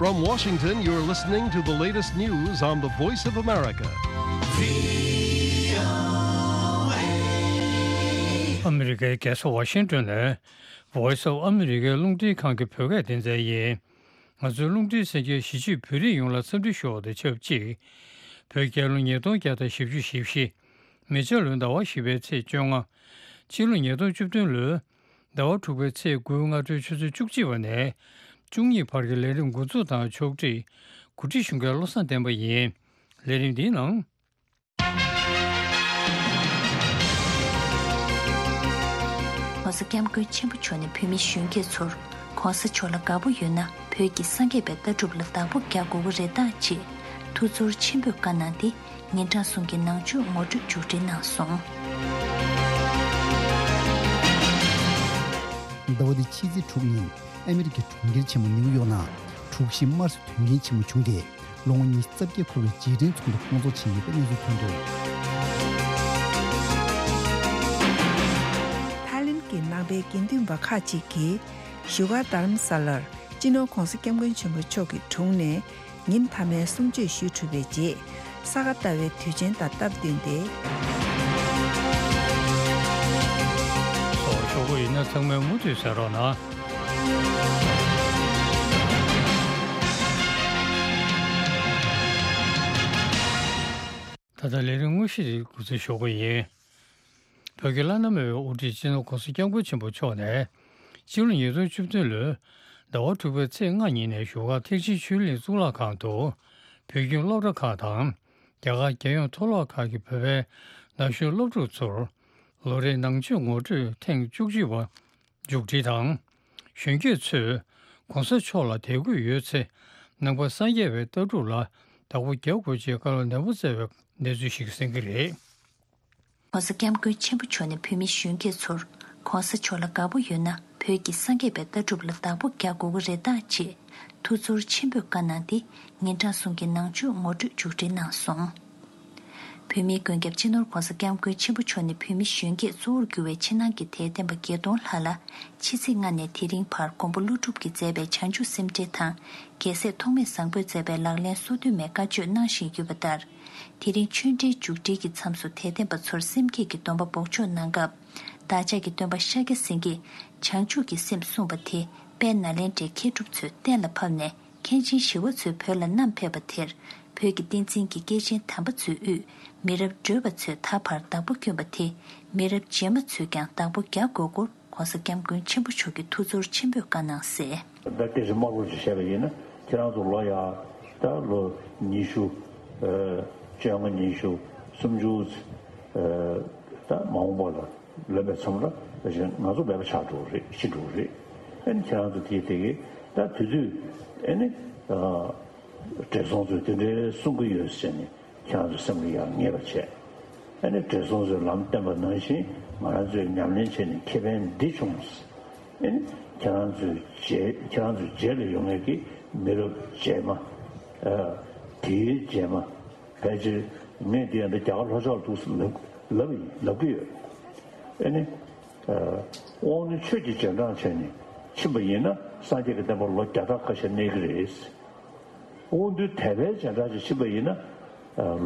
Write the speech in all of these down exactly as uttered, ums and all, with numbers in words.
From Washington, you're listening to the latest news on the Voice of America. ཨ་མི་རི་ཀའི་རྒྱལ་ས་ཝ་ཤིང་ཏོན་ནས་Voice of America རླུང་འཕྲིན་ཁང་གི་བོད་སྐད་སྡེ་ཚན་ཡིན། ང་ཚོའི་རླུང་འཕྲིན་གསན་མཁན་གཞིས་བྱེས་བོད་རིགས་ཡོངས་ལ་འཚམས་འདྲི་ཞུ་བ་དང་ཆབས་ཅིག་བོད་རྒྱལ་ལོ་ཉིས་སྟོང་བརྒྱ་དང་བཞི་བཅུ་ཞེ་བཞི། མེ་བྱ་ལོའི་ཟླ་བ་བཞི་པའི་ཚེས་བཅོ་ལྔ། ཕྱི་ལོ་ཉིས་སྟོང་བཅུ་བདུན་ལོའི་ཟླ་བ་དྲུག་པའི་ཚེས་དགུའི་སྔ་དྲོའི་ཆུ་ཚོད་བཅུ་གཅིག་པ་ནས་བཅུ་གཉིས་བར་གྱི་ལས་རིམ་འགོ་འཛུགས་དང་ཕྱོགས་སྒྲིག་གོ་སྒྲིག་ཞུ་མཁན་བློ་བཟང་བསྟན་པ་ཡིན། ལས་རིམ་འདིའི་ནང་།༸གོང་ས་༸སྐྱབས་མགོན་ཆེན་པོ་མཆོག་ནས་བོད་མི་གཞོན་སྐྱེས་ཚོར་༸གོང་ས་མཆོག་ལ་དགའ་པོ་ཡོད་ན་བོད་ཀྱི་སངས་རྒྱས་པའི་ལྟ་གྲུབ་ལ་བདག་པོ་རྒྱག་དགོས་ཀྱི་རེད་ད་ཅེས་ཐུགས་ཚོར་ཆེན་པོས་བཀའ་གནང་སྟེ། ཉིན་གྲངས་གསུམ་གྱི་ནང་ཆོས་ངོ་སྤྲོད་མཇུག་སྒྲིལ་གནང་སོང་། ཟླ་བ་འདིའི་ཕྱི་ཚེས་དྲུག་ཉིན་ཨ་མི་རི་ཀའི་གྲོང་ཁྱེར་ཆེན་མོ་ནིའུ་ཡོག་ནང་དྲུག་བཞི་དམར་གསོད་དོན་རྐྱེན་ཆེན་མོ་བྱུང་སྟེ། ལོ་ངོ་ཉི་ཤུ་རྩ་བརྒྱད་འཁོར་བའི་རྗེས་དྲན་ཚོགས་འདུ་སྐོང་ཚོགས་བྱས་ཡོད་པའི་གནས་ཚུལ་ཐོན་འདུག་ཐའི་ལེན་གྱི་ནང་པའི་དགེ་འདུན་པ་ཁག་ཅིག་གིས་བཞུགས་སྒར་རྡ་རམ་ས་ལར་སྤྱི་ནོར་༸གོང་ས་༸སྐྱབས་མགོན་ཆེན་པོ་མཆོག་གི་དྲུང་ནས་ཉིན་མཐའ་མའི་གསུང་ཆོས་ཞུས་གྲུབ་པའི་རྗེས། ས་ག་ཟླ་བའི་དུས་ཆེན་དང་སྟབས་བསྟུན་ཏེ། ཚོགས་ཞུ་གི་ཡིན་ན་ཚང་མས་མུ་མཐུད་གསན་རོགས་གནང་། ད་ལྟ་ལས་རིམ་དངོས་གཞི་འདི་འགོ་འཛུགས་ཞུ་གི་ཡིན། བོད་ཀྱི་བླ་ན་མེད་པའི་དབུ་ཁྲིད་སྤྱི་ནོར་༸གོང་ས་༸སྐྱབས་མགོན་ཆེན་པོ་མཆོག་ནས་སྤྱི་ལོ་ཉིས་སྟོང་བཅུ་བདུན་ལོའི་ཟླ་བ་དྲུག་པའི་ཚེས་ལྔ་ཉིན་ནས་བཞུགས་སྒར་ཐེག་ཆེན་ཆོས་གླིང་གཙུག་ལག་ཁང་དུ་བོད་ཁྱིམ་སློབ་གྲྭ་ཁག་དང་རྒྱ་གར་རྒྱལ་ཡོངས་མཐོ་སློབ་ཁག་གི་བོད་པའི་ན་གཞོན་སློབ་ཕྲུག་ཚོར་ལོ་རེའི་ནང་ཆོས་ངོ་སྤྲོད་ཐེངས་བཅུ་གཅིག་པ་མཇུག་སྒྲིལ་དང་། གཞོན་སྐྱེས་ཚོས་༸གོང་ས་མཆོག་ལ་དད་གུས་ཡོད་ཚེ་ནང་པ་སངས་རྒྱས་པའི་ལྟ་གྲུབ་ལ་བདག་པོ་རྒྱག་དགོས་ཅེས་བཀའ་སློབ་ནན་པོ་སྩལ་བའི་གནས་ཚུལ་ཞིག་གསན་གྱི་རེད། ༸གོང་ས་༸སྐྱབས་མགོན་ཆེན་པོ་མཆོག་ནས་བོད་མི་གཞོན་སྐྱེས་ཚོར་༸གོང་ས་མཆོག་ལ་དགའ་པོ་ཡོད་ན་བོད་ཀྱི་སངས་རྒྱས་པའི་ལྟ་གྲུབ་ལ་བདག་པོ་རྒྱག་དགོས་ཀྱི་རེད་ད་ཅེས་ཐུགས་ཚོར་ཆེན་པོས་བཀའ་གནང་སྟེ། ཉིན་གྲངས་གསུམ་གྱི་ནང་ཆོས་ངོ་སྤྲོད་མཇུག་སྒྲིལ་གནང་སོང་། བོད་མིའི་མགོན་སྐྱབས་སྤྱི་ནོར་༸གོང་ས་༸སྐྱབས་མགོན་ཆེན་པོ་མཆོག་ནས་བོད་མི་གཞོན་སྐྱེས་གཙོ་བོར་གྱུར་བའི་ཕྱི་ནང་གི་དད་ལྡན་པ་བརྒྱད་སྟོང་ལྷག་ལ་ཕྱི་ཚེས་ལྔ་ནས་དེ་རིང་བར་མགོན་པོ་ཀླུ་སྒྲུབ་ཀྱིས་མཛད་པའི་བྱང་ཆུབ་སེམས་འགྲེལ་དང་རྒྱལ་སྲས་ཐོགས་མེད་བཟང་པོས་མཛད་པའི་ལག་ལེན་སོ་བདུན་མའི་བཀའ་ཆོས་གནང་བཞིན་ཡོད་པ་ལྟར། དེ་རིང་ཆོས་འབྲེལ་མཇུག་སྒྲིལ་གྱི་མཚམས་སུ་དད་ལྡན་པ་ཚོར་སེམས་བསྐྱེད་ཀྱི་སྡོམ་པ་འབོགས་ཆོག་གནང་སྐབས། བདག་ཅག་གི་སྟོན་པ་ཤཱཀྱ་སེང་གེས་བྱང་ཆུབ་ཀྱི་སེམས་གསུངས་པ་དེ་དཔལ་ནཱ་ལེནྡྲའི་མཁས་གྲུབ་ཚོས་གཏན་ལ་ཕབ་ནས། མཁན་ཆེན་ཞི་བ་འཚོས་བོད་ལ་བསྣམས་ཕེབས་པ་དེར། བོད་ཀྱི་བསྟན་འཛིན་གྱི་སྐྱེས་ཆེན་དམ་པ་ཚོའི་དབུས་མི་རབས་བགྲོད་པ་ཚོས་ད་བར་བདག་པོ་བསྐྱོན་པ་དེ། མི་རབས་རྗེས་མ་ཚོས་ཀྱང་བདག་པོ་རྒྱག་དགོས་སྐོར་༸གོང་ས་༸སྐྱབས་མགོན་ཆེན་པོ་མཆོག་གིས་ཐུགས་ཚོར་ཆེན་པོས་བཀའ་གནང་གསལ། ད་སྐད་ཆ་དམར་པོ་ཞིག་བཤད་པ་ཡིན་ན། ཁྱེད་རང་ཚོ་ལོ་ཡ་ད་ལོ་ཉི་ཤུ། ཨ། བཅོ་ལྔ་ཉི་ཤུ་སུམ་ཅུ། ཨ། ད་མ་འོངས་པ་ལ། ལོན་པའི་མཚམས་ལ་ང་ཚོ་མེད་པ་ཆགས་འགྲོ་གི་རེད། ཤི་འགྲོ་གི་རེད། ཨ་ནི་ཁྱེད་རང་ཚོ་དེའི་སྟེང་གི་ད་དུས་ཚོད། ཨ་ནི། ཨ། བགྲེས་སོང་ཚོས་དེ་འདྲའི་གསུང་གི་ཡོད་ཟེར་ནས་ཁྱེད་རང་ཚོ་སེམས་ལ་ཡང་ངེས་པ་བྱས། ཨ་ནི་བགྲེས་སོང་ཚོས་ལམ་བསྟན་པ་ནང་བཞིན་ང་རང་ཚོས་ཉམས་ལེན་བྱས་ནས་ཁེ་ཕན་འདི་བྱུང་། ཨ་ནི་ཁྱེད་རང་ཚོའི་རྗེས་ཁྱེད་རང་ཚོའི་རྗེས་ལ་ཡོང་མཁན་གྱི་མི་རབས་རྗེས་མ། ཨ། དེའི་རྗེས་མ། ཕལ་ཆེར་ངས་འདི་ཡང་འདི་རྒྱ་གར་ལྷོ་ཕྱོགས་ལ་འདུག་ཟེར་ལབ་ལབ་ཡིན། ལབ་ཀྱི་ཡོད། ཨ་ནི། ཨ། དབང་འདུས་ཆོས་ཀྱི་རྗེས་འབྲང་བྱས་ནས་ཕྱིན་པ་ཡིན་ན་སངས་རྒྱས་ཀྱི་བསྟན་པ་ལོ་བརྒྱ་ཕྲག་ཁ་ཤས་གནས་ཀྱི་རེད། དབང་འདུས་དད་པའི་རྗེས་འབྲང་ཅིག་ཕྱིན་པ་ཡིན་ན། ཨ།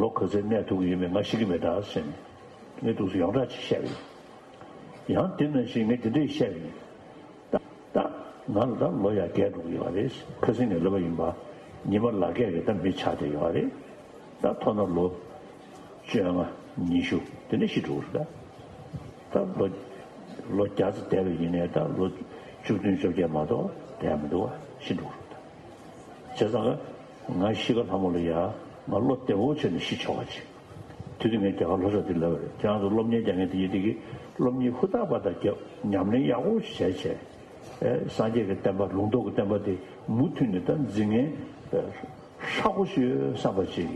ལོ་ག་ཚོད་གནས་ཐུབ་ཀྱི་ཡོད་མེད་ང་ཤེས་ཀྱི་མེད་ད་ཟེར་ནས་ངས་འདུག་ཟེར་ཡོངས་གྲགས་ཅིག་བཤད་པ་ཡིན། ཡང་དེ་ནང་བཞིན་ངས་དེ་འདྲས་བཤད་པ་ཡིན། ད་ད་ང་ལ་ད་ལོ་ཡ་བརྒྱད་འགྲོ་གི་ཡོད་རེད། ཁ་སང་ནས་ལབ་པ་ཡིན་པ། ཉི་མ་ལག་བརྒྱད་ཀྱི་ད་མི་ཆགས་བསྡད་ཡོད་རེད། ད་མཐོ་ན་ལོ་བཅོ་ལྔ་ཉི་ཤུ་དེ་འདྲ་ཤི་འགྲོ་གི་རེད། ད་ད་ལོ་ལོ་བརྒྱ་ཙམ་བསྡད་པ་ཡིན་ནའི་ད་ལོ་བཅུ་བདུན་བཅོ་བརྒྱད་མ་གཏོགས་བསྡད་མི་འདུག་བ། ཤི་འགྲོ་གི་རེད། ད་བྱས་ཙང་ང་ཤི་ཁ་ལྷ་མོ་ལ་ཡ་ང་བློ་བདེ་བོ་བྱས་ནས་ཤི་ཆོག་པ་ཅིག་དེ་དུས་ངས་རྒྱ་གར་ལྷོ་ཕྱོགས་དེ་ལབ་པ་རེད། ཁྱེད་རང་ཚོ་སློབ་གཉེར་རྒྱག་མཁན་དེ་ཡིན་དེ་གི་སློབ་གཉེར་ཧུར་ཐག་པ་དང་རྒྱབ་ཉམས་ལེན་ཡག་པོ་ཞིག་བྱས་བྱས། ཨེ། སངས་རྒྱས་ཀྱི་བསྟན་པ་ལུང་རྟོགས་ཀྱི་བསྟན་པ་དེ་མུ་མཐུད་ནས་ད་འཛིན་མཁན་ཧྲག་པོ་ཞིག་ཡོད་བསམ་པ་ཅིག་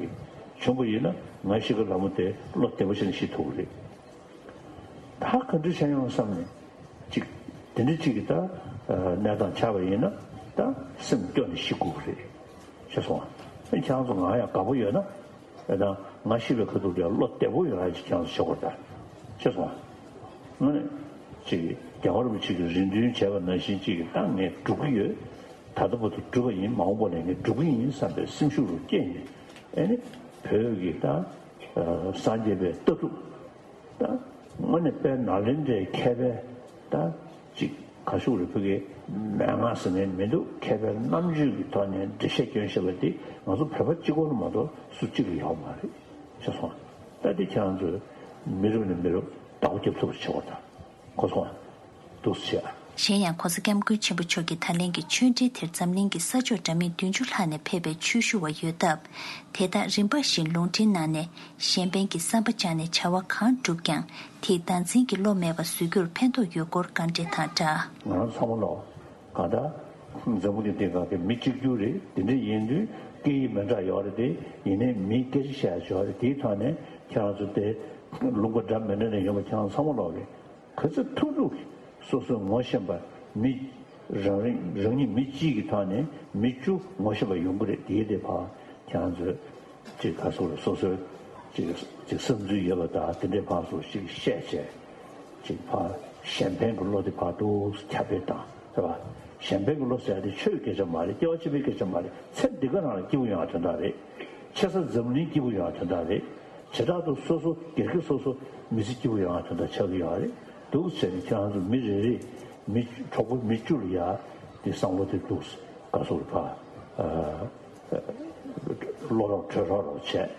བྱུང་བ་ཡིན་ན་ང་ཤི་ཁ་ལྷ་མོ་དེ་བློ་བདེ་པོ་བྱས་ནས་ཤི་ཐུབ་ཀྱི་རེད། ད་ག་འདྲ་བྱས་ཡོང་བསམ་ནས་ཅིག་དེ་འདྲ་ཅིག་གི་ད་གནས་སྟངས་ཆགས་པ་ཡིན་ན་ད་སེམས་སྐྱོ་ནས་ཤི་དགོས་ཀྱི་རེད། ཤེས་སོང་ང་། ཁྱེད་རང་ཚོ་ང་ཡང་དགའ་པོ་ཡོད་ན། ཨེ། ད་ང་ཤི་བའི་ཁ་ཐུག་ལ་བློ་བདེ་པོ་ཡོད་ཡ་ཅིག་ཁྱེད་རང་ཚོ་བྱེད་དགོས་རེད་ད། ཤེས་སོང་ང་། དངོས་གནས་ཅིག་རྒྱལ་བ་རིན་པོ་ཆེ་གིས་རེ་འདུན་བྱས་པ་ནང་བཞིན་ཅིག་ད་ངས་སྒྲུབ་ཀྱི་ཡོད། ད་ལྟ་བར་དུ་སྒྲུབ་པ་ཡིན། མ་འོངས་པ་ལ་ངས་སྒྲུབ་ཀྱི་ཡིན་བསམ་པའི་སེམས་ཤུགས་རུ་སྐྱེས་ནས། ཨེ་ནི་བོད་ཀྱི་ད་སངས་རྒྱས་པའི་ལྟ་གྲུབ། ད་དངོས་གནས་དཔལ་ནཱ་ལེནྡྲའི་མཁས་པའི་ད་ཅིག་ག་ཤུག་རེ་ཕུ་གེ་མན་ངག་ཟེར་ནས་མི་འདུག་མཁས་པའི་རྣམ་དཔྱོད་ཀྱི་ཐོག་ནས་འགྲེལ་བཤད་སྐྱོན་བཤད་པ་དེ་ང་ཚོ་བོད་པ་གཅིག་པོ་ལ་མ་གཏོགས་སུ་གཅིག་ལ་ཡོད་མ་རེད། ཤེས་སོང་། ད་དེ་ཁྱེད་རང་ཚོས་མི་རབས་ནས་མི་རབས་བདག་པོ་རྒྱབ་ཐུབ་པ་བྱེད་དགོས་ད། གོ་སོང་། འདུག་སེ་བྱས། གཞན་ཡང་༸གོང་ས་༸སྐྱབས་མགོན་ཆེན་པོ་མཆོག་གིས་ད་ལན་གྱི་ཆོས་འབྲེལ་དེར་འཛམ་གླིང་གི་ས་ཕྱོགས་འདྲ་མིན་བདུན་ཅུ་ལྷག་ནས་ཕེབས་པའི་ཆོས་ཞུ་བ་ཡོད་སྟབས། དེ་དག་རིམ་པ་བཞིན་ལུང་འདྲེན་གནང་ནས། གཞན་ཕན་གྱི་བསམ་པ་བཅངས་ནས་བྱ་བ་གང་བསྒྲུབས་ཀྱང་། དེས་བདག་འཛིན་གྱི་བློ་མེད་པ་བཟོ་རྒྱུར་ཕན་ཐོགས་ཡོད་སྐོར་བཀའ་འདྲི་དང་སྦྲགས། ང་རང་ཚང་མ་ལོ། གང་ལྟར། འཛམ་བུ་གླིང་འདི་སྒང་གི་མི་གཅིག་གྱུར་རེད། དེ་འདྲ་ཡིན་དུས་སྐད་ཡིག་མི་འདྲ་ཡོད་རེད་དེ། ཡིན་ནའི་མི་སྐད་ཆ་བཤད་ཡ་ཡོད་རེད། དེའི་ཐོག་ནས་ཁྱེད་རང་ཚོ་དེ་ལུང་པ་འདྲ་མི་འདྲ་ནས་ཡོང་བ་ཁྱེད་རང་ཚང་མ་ལོག་གི། ག་ཚོད་ཐུབ་ཐུབ་ཀྱིས་སོ་སོའི་ངོ་ཤེས་པ་མི་རང་རིང་རང་ཉིད་མི་གཅིག་གི་ཐོག་ནས་མི་བཅུ་ངོ་ཤེས་པ་ཡོང་གི་རེད། དེའི་དེ་ཕར་ཁྱེད་རང་ཚོས་ཅིག་ག་སོ་སོ་སོའི་ཅིག་ཅིག་བསམ་ཚུལ་ཡོད་པ་དང་དེ་འདྲའི་ཕར་ཚུར་ཅིག་བཤད་བྱས་ཅིག་ཕར་གཞན་ཕན་གྱི་བློ་དེ་ཕར་འདུག་ཁྱབ་སྤེལ་བཏང་རེད་པ། གཞན་ཕན་གྱི་བློ་ཟེར་ཡ་དེ་ཆོས་སྐད་ཆ་མ་རེད། སྐྱེ་བ་ཕྱི་མའི་སྐད་ཆ་མ་རེད། ཚེ་འདི་ག་རང་ལ་སྐྱིད་པོ་ཡོང་ཡ་དོན་དག་རེད། ཆེ་ས་འཛམ་གླིང་སྐྱིད་པོ་ཡོང་བ་དོན་དག་རེད། བྱེ་བྲག་ཏུ་སོ་སོ་སྒེར་གྱི་སོ་སོ་མི་ཚེ་སྐྱིད་པོ་ཡོང་བ་དོན་དག་ཆགས་ཀྱི་ཡོད་རེད། འདུག་ཟེར་ནས་ཁྱེད་རང་ཚོ་མི་རེ་རེ་མི་གྲོགས་པོ་མི་བཅུ་ལ་ཡ་དེ་བསམ་བློ་དེ་འདུག་ག་སོ་རུ་ཕ་བློ་རོགས་གྲོས་རོགས་རོགས་བྱས།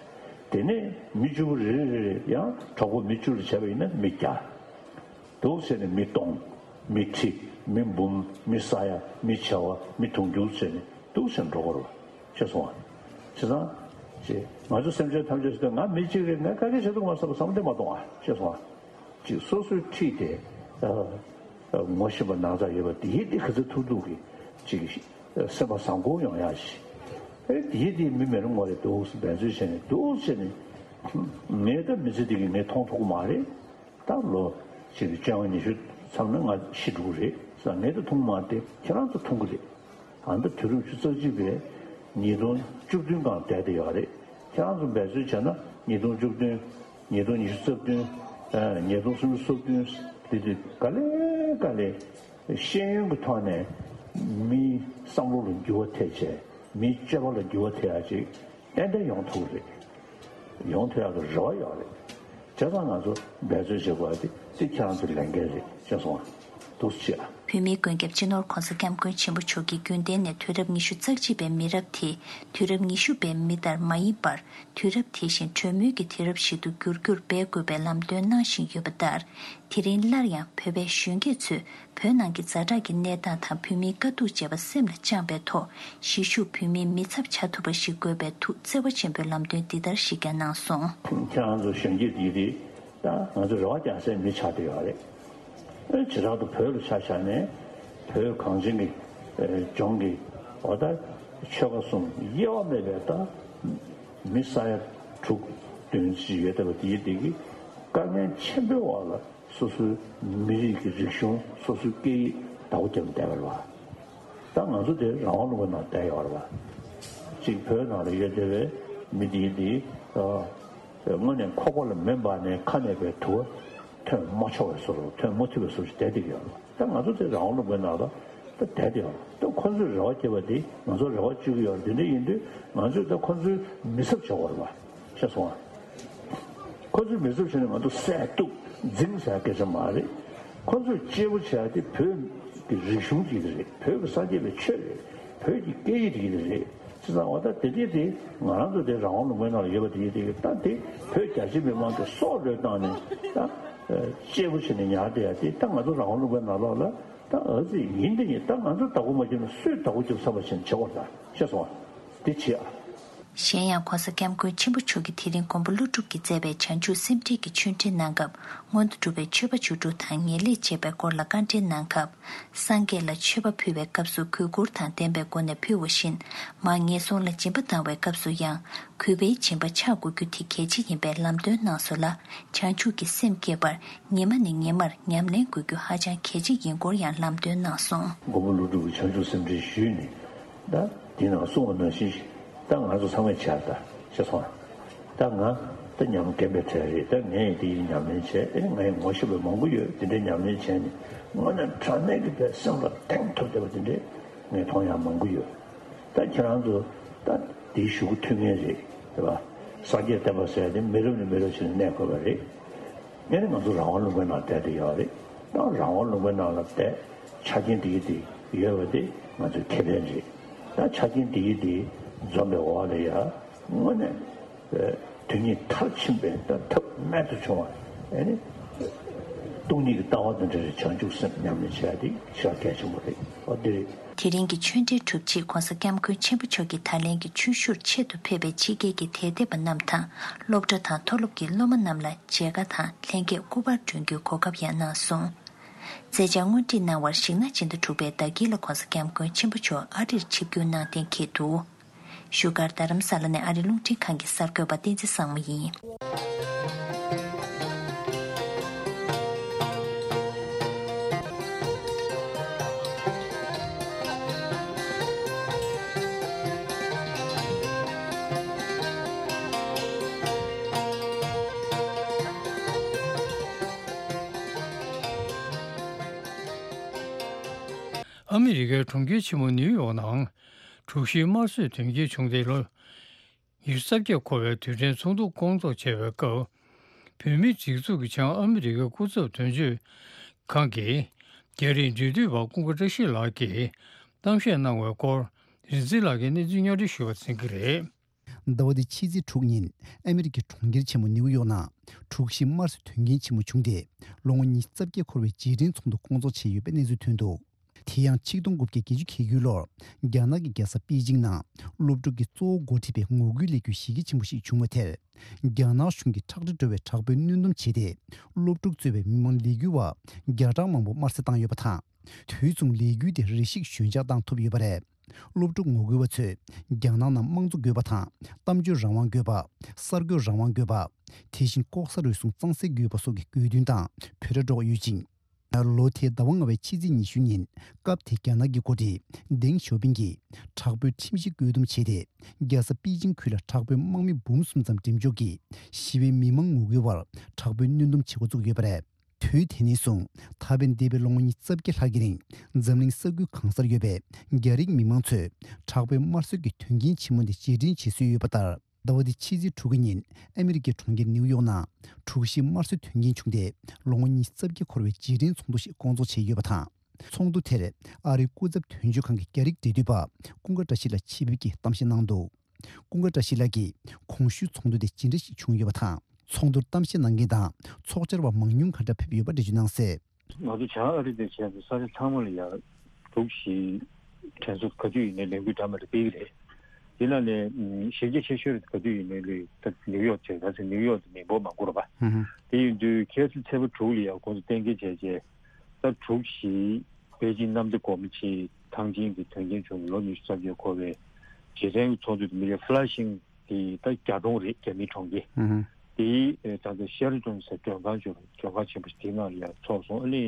དེ་ནས་མི་བཅུ་པོ་རེ་རེ་རེ་རེ་ཡང་གྲོགས་པོ་མི་བཅུ་ལ་བྱས་པ་ཡིན་ན་མི་བརྒྱ། འདུག་ཟེར་ནས་མི་སྟོང་། མི་ཁྲི། མི་འབུམ། མི་ས་ཡ། མི་བྱེ་བ། མི་དུང་ཕྱུར་ཟེར་ནས་འདུག་ཟེར་འགྲོ་གི་རེད་པ། ཤེས་སོང་ང་། བྱས་ཙང་། ཅེས་ང་ཚོ་སེམས་ཅན་ཐམས་ཅད་ཟེར་དུས་ང་མི་གཅིག་རེད། ང་དཀའ་ལས་བྱེད་ཐུབ་མ་སོང་བསམ་བློ་མ་གཏོང་ཨ། ཤེས་སོང་ང་། ཅིག་སོ་སོའི་འཁྲིས་དེ་ངོ་ཤེས་པ་ནང་ཚགས་ཡོད་པ་དེ་ཡིན་ཏེ་ག་ཚོད་ཐུབ་ཐུབ་ཀྱིས་ཅིག་སེམས་པ་བཟང་པོ་ཡོང་ཡ་ཞིག་ཨེ་དེ་ཡིན་ཏེ་མི་མེད་རུང་ངོ་རེ་འདུག་འབད་རྩོལ་བྱས་ནས་འདུག་བྱས་ནས་ངས་ད་མི་ཚེ་འདི་གི་ངས་མཐོང་ཐུབ་ཀྱི་མ་རེད། ད་ལོ་ཞིག་གི་བཅོ་ལྔ་ཉི་ཤུ་མཚམས་ན་ང་ཤི་འགྲོ་གི་རེད་ཟེར། ངས་ད་མཐོང་མ་སྟེ་ཁྱེད་རང་ཚོ་མཐོང་གི་རེད། ཨ་ནི་ད་དུས་རབས་ཉི་ཤུ་རྩ་གཅིག་པའི་ཉིས་སྟོང་བཅུ་བདུན་སྒང་བསྡད་དེ་ཡོད་རེད། ཁྱེད་རང་ཚོ་འབད་རྩོལ་བྱས་ན་ཉིས་སྟོང་བཅུ་བདུན། ཉིས་སྟོང་ཉི་ཤུ་རྩ་བདུན། ཨ་ཉིས་སྟོང་སུམ་ཅུ་སོ་བདུན། དེ་དུས་ག་ལེ་ག་ལེ་ཤེས་ཡོན་གྱི་ཐོག་ནས་མིའི་བསམ་བློ་ལ་འགྱུར་བ་ཐེབས་བྱས། མིའི་སྤྱོད་པ་ལ་འགྱུར་བ་ཐེབས་ཡ་ཅིག་ཏན་ཏན་ཡོང་ཐུབ་རེད། ཡོང་ཐུབ་ཡག་གི་རེ་བ་ཡོད་རེད། བྱས་ཙང་ང་ཚོ་འབད་རྩོལ་བྱེད་དགོས་པ་དེ་དེ་ཁྱེད་རང་ཚོའི་ལས་འགན་རེད། ཤེས་སོང་ང་། འདུག་སེ་བྱེད་ཨ། བོད་མིའི་མགོན་སྐྱབས་སྤྱི་ནོར་༸གོང་ས་༸སྐྱབས་མགོན་ཆེན་པོ་མཆོག་གིས་རྒྱུན་གཏན་ནས་དུས་རབས་ཉི་ཤུ་རྩ་གཅིག་པའི་མི་རབས་དེ་དུས་རབས་ཉི་ཤུ་པའི་མི་ལྟར་མ་ཡིན་པར། དུས་རབས་དེ་བཞིན་གྲོས་མོལ་གྱི་དུས་རབས་ཤིག་ཏུ་འགྱུར་རྒྱུར་འབད་དགོས་པའི་ལམ་སྟོན་གནང་བཞིན་ཡོད་པ་ལྟར། དེ་རིང་སླར་ཡང་བོད་པའི་གཞོན་སྐྱེས་ཚོས་བོད་ནང་གི་ཛ་དྲག་གི་གནས་སྟངས་དང་བོད་མིའི་དཀའ་སྡུག་བཅས་པ་སེམས་ལ་བཅངས་པའི་ཐོག་གཞིས་བཞུགས་བོད་མིའི་མི་ཚབ་བྱ་ཐུབ་པ་ཞིག་དགོས་པའི་ཐུགས་བརྩེ་བ་ཆེན་པོས་ལམ་སྟོན་འདི་ལྟར་ཞིག་ཀྱང་གནང་སོང་། ཁྱེད་རང་ཚོ་གཞོན་སྐྱེས་འདི་རེད། ད་ང་ཚོ་རེ་བ་རྒྱག་སའི་མི་ཆགས་བསྡད་ཡོད་རེད། བྱེ་བྲག་ཏུ་བོད་ལ་ཆ་བཞག་ནས་བོད་གངས་ཅན་གྱི་ལྗོངས་ཀྱི་འོ་ད་ཆོལ་ཁ་གསུམ་དབྱེ་བ་མེད་པའི་ད་མི་ས་ཡ་དྲུག་བདུན་ཅིག་ཡོད་བསྡད་པ་དེའི་སྟེང་གི་དཀའ་ངལ་ཆེན་པོའི་འོག་ལ། སོ་སོའི་མི་རིགས་ཀྱི་རིག་གཞུང་། སོ་སོའི་སྐད་ཡིག་བདག་པོ་རྒྱབ་ནས་བསྡད་པ་རེད་པ། ད་ང་ཚོ་དེ་རང་དབང་ལུང་པའི་ནང་བསྡད་ཡོད་རེད་པ། གཅིག་བོད་ནང་ལ་ཡོད་བསྡད་པའི་མི་དེའི་དེ་དངོས་གནས་ཁོག་པ་ལ་མེ་འབར་ནས་ཁ་ནས་པའི་དུ་བ་ཐོན་མ་ཆོག་པའི་བཟོ་འདྲ། ཐོན་མ་ཐུབ་པའི་བཟོ་འདྲ་བསྡད་བསྡད་ཀྱི་ཡོད་རེད་པ། ད་ང་ཚོ་དེ་རང་དབང་ལུང་པའི་ནང་ལ་ད་བསྡད་བསྡད་ཡོད་རེད། ད་ཁོ་ཚོས་རེ་བ་བྱེད་པ་དེ་ང་ཚོ་རེ་བ་བཅོལ་གྱི་ཡོད་རེད། དེ་འདྲ་ཡིན་དུས་ང་ཚོས་ད་ཁོ་ཚོའི་མི་ཚབ་བྱེད་དགོས་རེད་པ། ཤེས་སོང་ང་། ཁོ་ཚོའི་མི་ཚབ་བྱས་ནས་ང་ཚོ་བསད་གཏུབ་འཛིང་ཟེར་སྐད་ཆ་མ་རེད། ཁོ་ཚོས་གཅེས་པོ་བྱས་ཏེ་བོད་ཀྱི་རིག་གཞུང་གཅིག་རེད། བོད་ཀྱི་སངས་རྒྱས་པའི་ཆོས་རེད། བོད་ཀྱི་སྐད་ཡིག་དེ་རེད། བྱས་ཙང་འོ་ད་དེ་དེ་དེ་ང་རང་ཚོ་དེ་རང་དབང་ལུང་པའི་ནང་ལ་ཡོད་པ་དེ་དེ་ད་དེ་བོད་རྒྱ་ཆེ་མི་མང་གི་སྲོག་བློས་བཏང་ནས་ད་གཅེས་པོ་བྱས་ནས་ཉར་བསྡད་ཡ་དེ་ད་ང་ཚོ་རང་དབང་ལུང་པའི་ནང་ལོགས་ལ་ད་ཨ་ཙི་ཡིན་དེ་ཡིན། ད་ང་ཚོ་བདག་པོ་མ་བརྒྱབ་ན་སུས་བདག་པོ་རྒྱབ་ཚར་བ་བྱས་ནས་བྱེད་དགོས་ད། ཤེས་སོང་ང་། དེ་བྱེད་ཨ། གཞན་ཡང་༸གོང་ས་༸སྐྱབས་མགོན་ཆེན་པོ་མཆོག་གིས་དེ་རིང་མགོན་པོ་ཀླུ་སྒྲུབ་ཀྱིས་མཛད་པའི་བྱང་ཆུབ་སེམས་འགྲེལ་གྱི་ཆོས་འབྲེལ་གནང་སྐབས། སྔོན་དུ་གྲུབ་པའི་མཆོད་པ་བཅུ་དྲུག་དང་ངེས་ལེགས་བཅས་པའི་སྐོར་ལ་བཀའ་འགྲེལ་གནང་སྐབས། སངས་རྒྱས་ལ་མཆོད་པ་ཕུལ་བའི་སྐབས་སུ་གུས་བཀུར་དང་ལྡན་པའི་སྒོ་ནས་ཕུལ་བ་བཞིན། མར་ངན་སོང་ལ་སྦྱིན་པ་བཏང་བའི་སྐབས་སུ་ཡང་། གུས་པའི་སྦྱིན་པ་ཆགས་དགོས་རྒྱུ་དེ་གལ་ཆེ་ཡིན་པའི་ལམ་སྟོན་གནང་སོང་ལ། བྱང་ཆུབ་ཀྱི་སེམས་བསྐྱེད་པར་ཉི་མ་ནས་ཉི་མར་ཉམས་ལེན་དགོས་རྒྱུ་ཧ་ཅང་གལ་ཆེ་ཡིན་སྐོར་ཡང་ལམ་སྟོན་གནང་སོང་། མགོན་པོ་ཀླུ་སྒྲུབ་ཀྱིས་བྱང་ཆུབ་སེམས་འགྲེལ་ཞུས་ནས། ད་དེ་ནང་གསུངས་པ་ནང་བཞིན་ཞིག་ད་ང་ཚོ་ཚང་མས་བྱས་ད་ཤེས་སོང་། ད་ང་ད་ཉམས་རྒན་པའི་གྲས་རེད། ད་ངས་དེ་ཡི་ཉམས་ལེན་བྱས། ཨེ་ངས་ངོ་ཤེས་པ་མང་པོ་ཡོད། དེ་འདྲའི་ཉམས་ལེན་བྱས་ནས་དངོས་གནས་དྲང་གནས་ཀྱི་པའི་སེམས་ལ་གདེང་ཐོབ་བསྡད་པ་དེ་འདྲའི་ ངས་མཐོང་ཡག་མང་པོ་ཡོད། ད་ཁྱེད་རང་ཚོ་ད་དེའི་ཞུ་སྒོ་ཐུབ་མཁན་རེད། རེད་པ། སངས་རྒྱས་བསྟན་པ་ཟེར་ཡ་དེ་མི་རབས་ནས་མི་རབས་ཕྱིན་ནས་གནས་དགོས་པ་རེད། ངས་ནི་ང་ཚོ་རང་དབང་ལུང་པའི་ནང་བསྡད་དེ་ཡོད་རེད། ད་རང་དབང་ལུང་པའི་ནང་ལ་བསྡད་ཆ་རྐྱེན་དེ་གི་དེ་ཡོད་པ་དེ་ང་ཚོའི་ཁེ་ཕན་རེད། ད་ཆ་རྐྱེན་དེ་གི་དེ་འཛོམས་པའི་འོག་ལ་ཡ་དངོས་གནས་དོན་གཉིས་མཐར་ཕྱིན་པའི་ད་ཐབས་རྨད་དུ་བྱུང་བ་ཨེ་ནི། སྟོང་ཉིད་ཀྱི་ལྟ་བ་དང་འབྲེལ་བའི་བྱང་ཆུབ་སེམས་ཉམས་ལེན་བྱས་ཏེ་ཞེ་དྲག་གལ་ཆེན་པོ་རེད། ཨོ་དེ་རེད། དེ་རིང་གི་ཆོས་འབྲེལ་གྲུབ་རྗེས་༧གོང་ས་༧སྐྱབས་མགོན་ཆེན་པོ་མཆོག་གི་ད་ལན་གྱི་ཆོས་ཞུར་ཆེད་དུ་ཕེབས་པའི་ཕྱི་རྒྱལ་གྱི་དད་ལྡན་པ་རྣམས་དང་སློབ་གྲྭ་དང་མཐོ་སློབ་ཀྱི་སློབ་མ་རྣམས་ལ་མཇལ་ཁ་དང་ལྷན་རྒྱས་སྐུ་པར་སྒྲོན་རྒྱུའི་གོ་སྐབས་ཡང་གནང་སོང་། མཛད་འཆར་སྔོན་སྒྲིག་གནང་བར་གཞིགས་ན་སྤྱི་ཟླ་དྲུག་པའི་ཟླ་དཀྱིལ་ལ་༧གོང་ས་༧སྐྱབས་མགོན་ཆེན་པོ་མཆོག་ཨ་རིར་ཆིབས་བསྒྱུར་གནང་གཏན་འཁེལ་འདུག་བཞུགས་སྒར་རྡ་རམ་ས་ལ་ནས་ཨ་རིའི་རླུང་འཕྲིན་ཁང་གི་གསར་འགོད་པ་བསྟན་འཛིན་བཟང་མོ་ཡིན། ཨ་མི་རི་ཀའི་གྲོང་ཁྱེར་ཆེན་མོ་ནིའུ་ཡོག་ནང་དྲུག་བཞིའི་དམར་གསོད་དོན་རྐྱེན་བྱུང་སྟེ་ལོ་ཉི་ཤུ་རྩ་བརྒྱད་འཁོར་བའི་དུས་དྲན་ཚོགས་འདུ་སྐོང་ཚོགས་བྱས་པའི་སྐབས། བོད་མིའི་སྒྲིག་འཛུགས་ཀྱི་བྱང་ཨ་མི་རི་ཀའི་སྐུ་ཚབ་དོན་གཅོད་ཁང་གི་རྒྱ་རིགས་འབྲེལ་མཐུད་པ་ཀུན་དགའ་བཀྲ་ཤིས་ལགས་ཀྱིས་གཏམ་བཤད་གནང་བའི་སྐོར། རིག་འཛིན་ལགས་ཀྱིས་གནས་ཚུལ་སྙན་སྒྲོན་ཞུ་བར་འཛིན་གྱི་རེད། ཟླ་བ་འདིའི་ཕྱི་ཚེས་དྲུག་ཉིན་ཨ་མི་རི་ཀའི་གྲོང་ཁྱེར་ཆེན་མོ་ནིའུ་ཡོག་ནང་དྲུག་བཞིའི་དམར་གསོད་དོན་རྐྱེན་ཆེན་མོ་བྱུང་སྟེ་ལོ་ངོ་ཉི་ཤུ་རྩ་བརྒྱད་འཁོར་བའི་རྗེས་དྲན་ཚོགས་འདུ་སྐོང་ཚོགས་བྱས་ཡོད་པའི་གནས་ཚུལ་ཐོན་འདུག་དེ་ཡང་ཆིག་སྟོང་དགུ་བརྒྱ་བརྒྱད་ཅུ་གྱ་དགུའི་ལོར་རྒྱ་ནག་གི་རྒྱལ་ས་པེ་ཅིང་ནང་སློབ་ཕྲུག་གིས་གཙོ་བོ་འགོ་ཁྲིད་པའི་ངོ་རྒོལ་ལས་འགུལ་གཞི་རྒྱ་ཆེན་པོ་ཞིག་བྱུང་བའི་མཐར། རྒྱ་ནག་གཞུང་གིས་ཁྲག་དྲི་བྲོ་བའི་དྲག་པོའི་གནོན་སྡོམ་བྱས་ཏེ། སློབ་ཕྲུག་གཙོས་པའི་མི་མང་ལས་འགུལ་བ་བརྒྱ་ཕྲག་མང་པོ་དམར་གསོད་བཏང་ཡོད་པ་དང་། དུས་མཚུངས་ལས་འགུལ་དེ་རེ་ཞིག་ཞོད་འཇགས་བཏང་ཐུབ་ཡོད་པ་རེད། སློབ་ཕྲུག་ངོ་རྒོལ་བ་ཚོས་རྒྱ་ནག་ནང་དམངས་གཙོ་དགོས་པ་དང་། གཏམ་བརྗོད་རང་དབང་དགོས་པ། གསར་འགོད་རང་དབང་དགོས་པ། དེ་བཞིན་ལྐོག་ཟ་རུལ་སུངས་གཙང་སེལ་དགོས་པ་སོགས་ཀྱི་དགོས་འདུན་དང་འབོད་སྒྲ་སྒྲོག་ཡོད་ཅིང་། ལོ་དེའི་ཟླ་བ་ལྔ་པའི་ཕྱི་ཚེས་ཉི་ཤུ་ཉིན་སྐབས་དེའི་རྒྱ་ནག་གི་འགོ་ཁྲིད་ཌེང་ཞའོ་ཕིང་གིས་དྲག་པོའི་ཁྲིམས་གཞི་བཀོད་འདོམས་བྱས་ཏེ། རྒྱལ་ས་པེ་ཅིང་ཁུལ་ལ་དྲག་པོའི་དམག་མི་འབུམ་གསུམ་ཙམ་འགྲེམས་འཇོག་གིས་ཞི་བའི་མི་མང་ངོ་རྒོལ་བར་དྲག་པོའི་གནོན་སྡོམ་བྱེད་འགོ་བཙུགས་ཡོད་པ་རེད། དུས་དེ་ནས་བཟུང་ད་ཕན་འདས་པའི་ལོ་ངོ་ཉི་ཤུ་རྩ་བརྒྱད་ལྷག་གི་རིང་འཛམ་གླིང་ས་ཁུལ་གང་སར་ཡོད་པའི་རྒྱ་རིགས་མི་མང་ཚོས་དྲག་པོའི་དམར་གསོད་ཀྱི་དོན་རྐྱེན་ཆེན་མོ་འདི་རྗེས་དྲན་བྱེད་སྲོལ་ཡོད་པ་ལྟར། ཟླ་བ་འདི་ཕྱི་ཚེས་དྲུག་གི་ཉིན་ཨ་མི་རི་ཀའི་གྲོང་ཁྱེར་ནིའུ་ཡོག་ནང་དྲུག་བཞིའི་དམར་གསོད་དོན་རྐྱེན་བྱུང་སྟེ་ལོ་ངོ་ཉི་ཤུ་རྩ་བརྒྱད་འཁོར་བའི་རྗེས་དྲན་ཚོགས་འདུ་ཞིག་སྐོང་ཚོགས་བྱས་ཡོད་པ་དང་། ཚོགས་འདུ་དེར་ཨ་རིའི་སྐུ་ཚབ་དོན་གཅོད་ཁང་གི་རྒྱ་རིགས་འབྲེལ་མཐུད་པ་ཀུན་དགའ་བཀྲ་ཤིས་ལགས་ཆེད་ཕེབས་ཀྱིས་གཏམ་བཤད་གནང་འདུག་ཀུན་དགའ་བཀྲ་ཤིས་ལགས་ཀྱིས་གོང་ཞུས་ཚོགས་འདུ་དེ་ཇི་འདྲ་ཞིག་བྱུང་ཡོད་པ་དང་། ཚོགས་འདུར་གཏམ་བཤད་གནང་མཁན་དང་ཚོགས་བཅར་བ་མང་ཉུང་ག་འདྲ་ཕེབས་ཡོད་པ་འགྲེལ་བརྗོད་གནང་གསལ། ང་ཚོ་བྱང་ཨ་རི་དང་བྱས་ཏེ་ས་ཆ་ཚང་མ་ལ་ཡ་དྲུག་བཞི་དྲན་གསོ་ག་དུས་ཡིན་ནའི་ལས་འགུལ་འདྲ་མི་འདྲ་སྤེལ་གྱི་རེད། དེ་ནང་ནས་ཨུམ་གཞི་རྒྱ་ཆེ་ཤོས་རེད། ག་དུས་ཡིན་ནའི་ལས་ད་ནིའུ་ཡོག་བྱས། ད་ཚེ་ནིའུ་ཡོག་དེ་མི་འབོར་མང་པོ་རེད་པ། ཧུམ་ཧུམ། དེ་ཡིན་དུས་ཁ་སང་ཚེས་པ་དྲུག་ལ་ཡ་ཁོང་ཚོ་གཏན་འཁེལ་བྱས་རྗེས་ད་དྲུག་བཞི་པེ་ཅིང་གནམ་བདེ་སྒོ་མོ་ཆེའི་ཐང་ཆེན་གྱི་དོན་རྐྱེན་བྱུང་ལོ་ཉི་ཤུ་རྩ་བརྒྱད་འཁོར་བའི་རྗེས་དྲན་གྱི་ཚོགས་འདུ་དེ་མི་ལ་ཕ་ལ་ཤིང་དེ་ད་རྒྱ་གྲོང་རེད། རྒྱ་མིའི་གྲོང་ཁྱེར། ཨུ་ཧུ། དེའི་ད་ལྟ་ཤེ་ར་ཏོན་ཟེར་མགྲོན་ཁང་ཅིག་ཡོད་རེད། མགྲོན་ཁང་ཆེན་པོ་ཞིག་དེའི་ནང་ལ་ཡར་ཚོགས་སོང་། ཨ་ནི་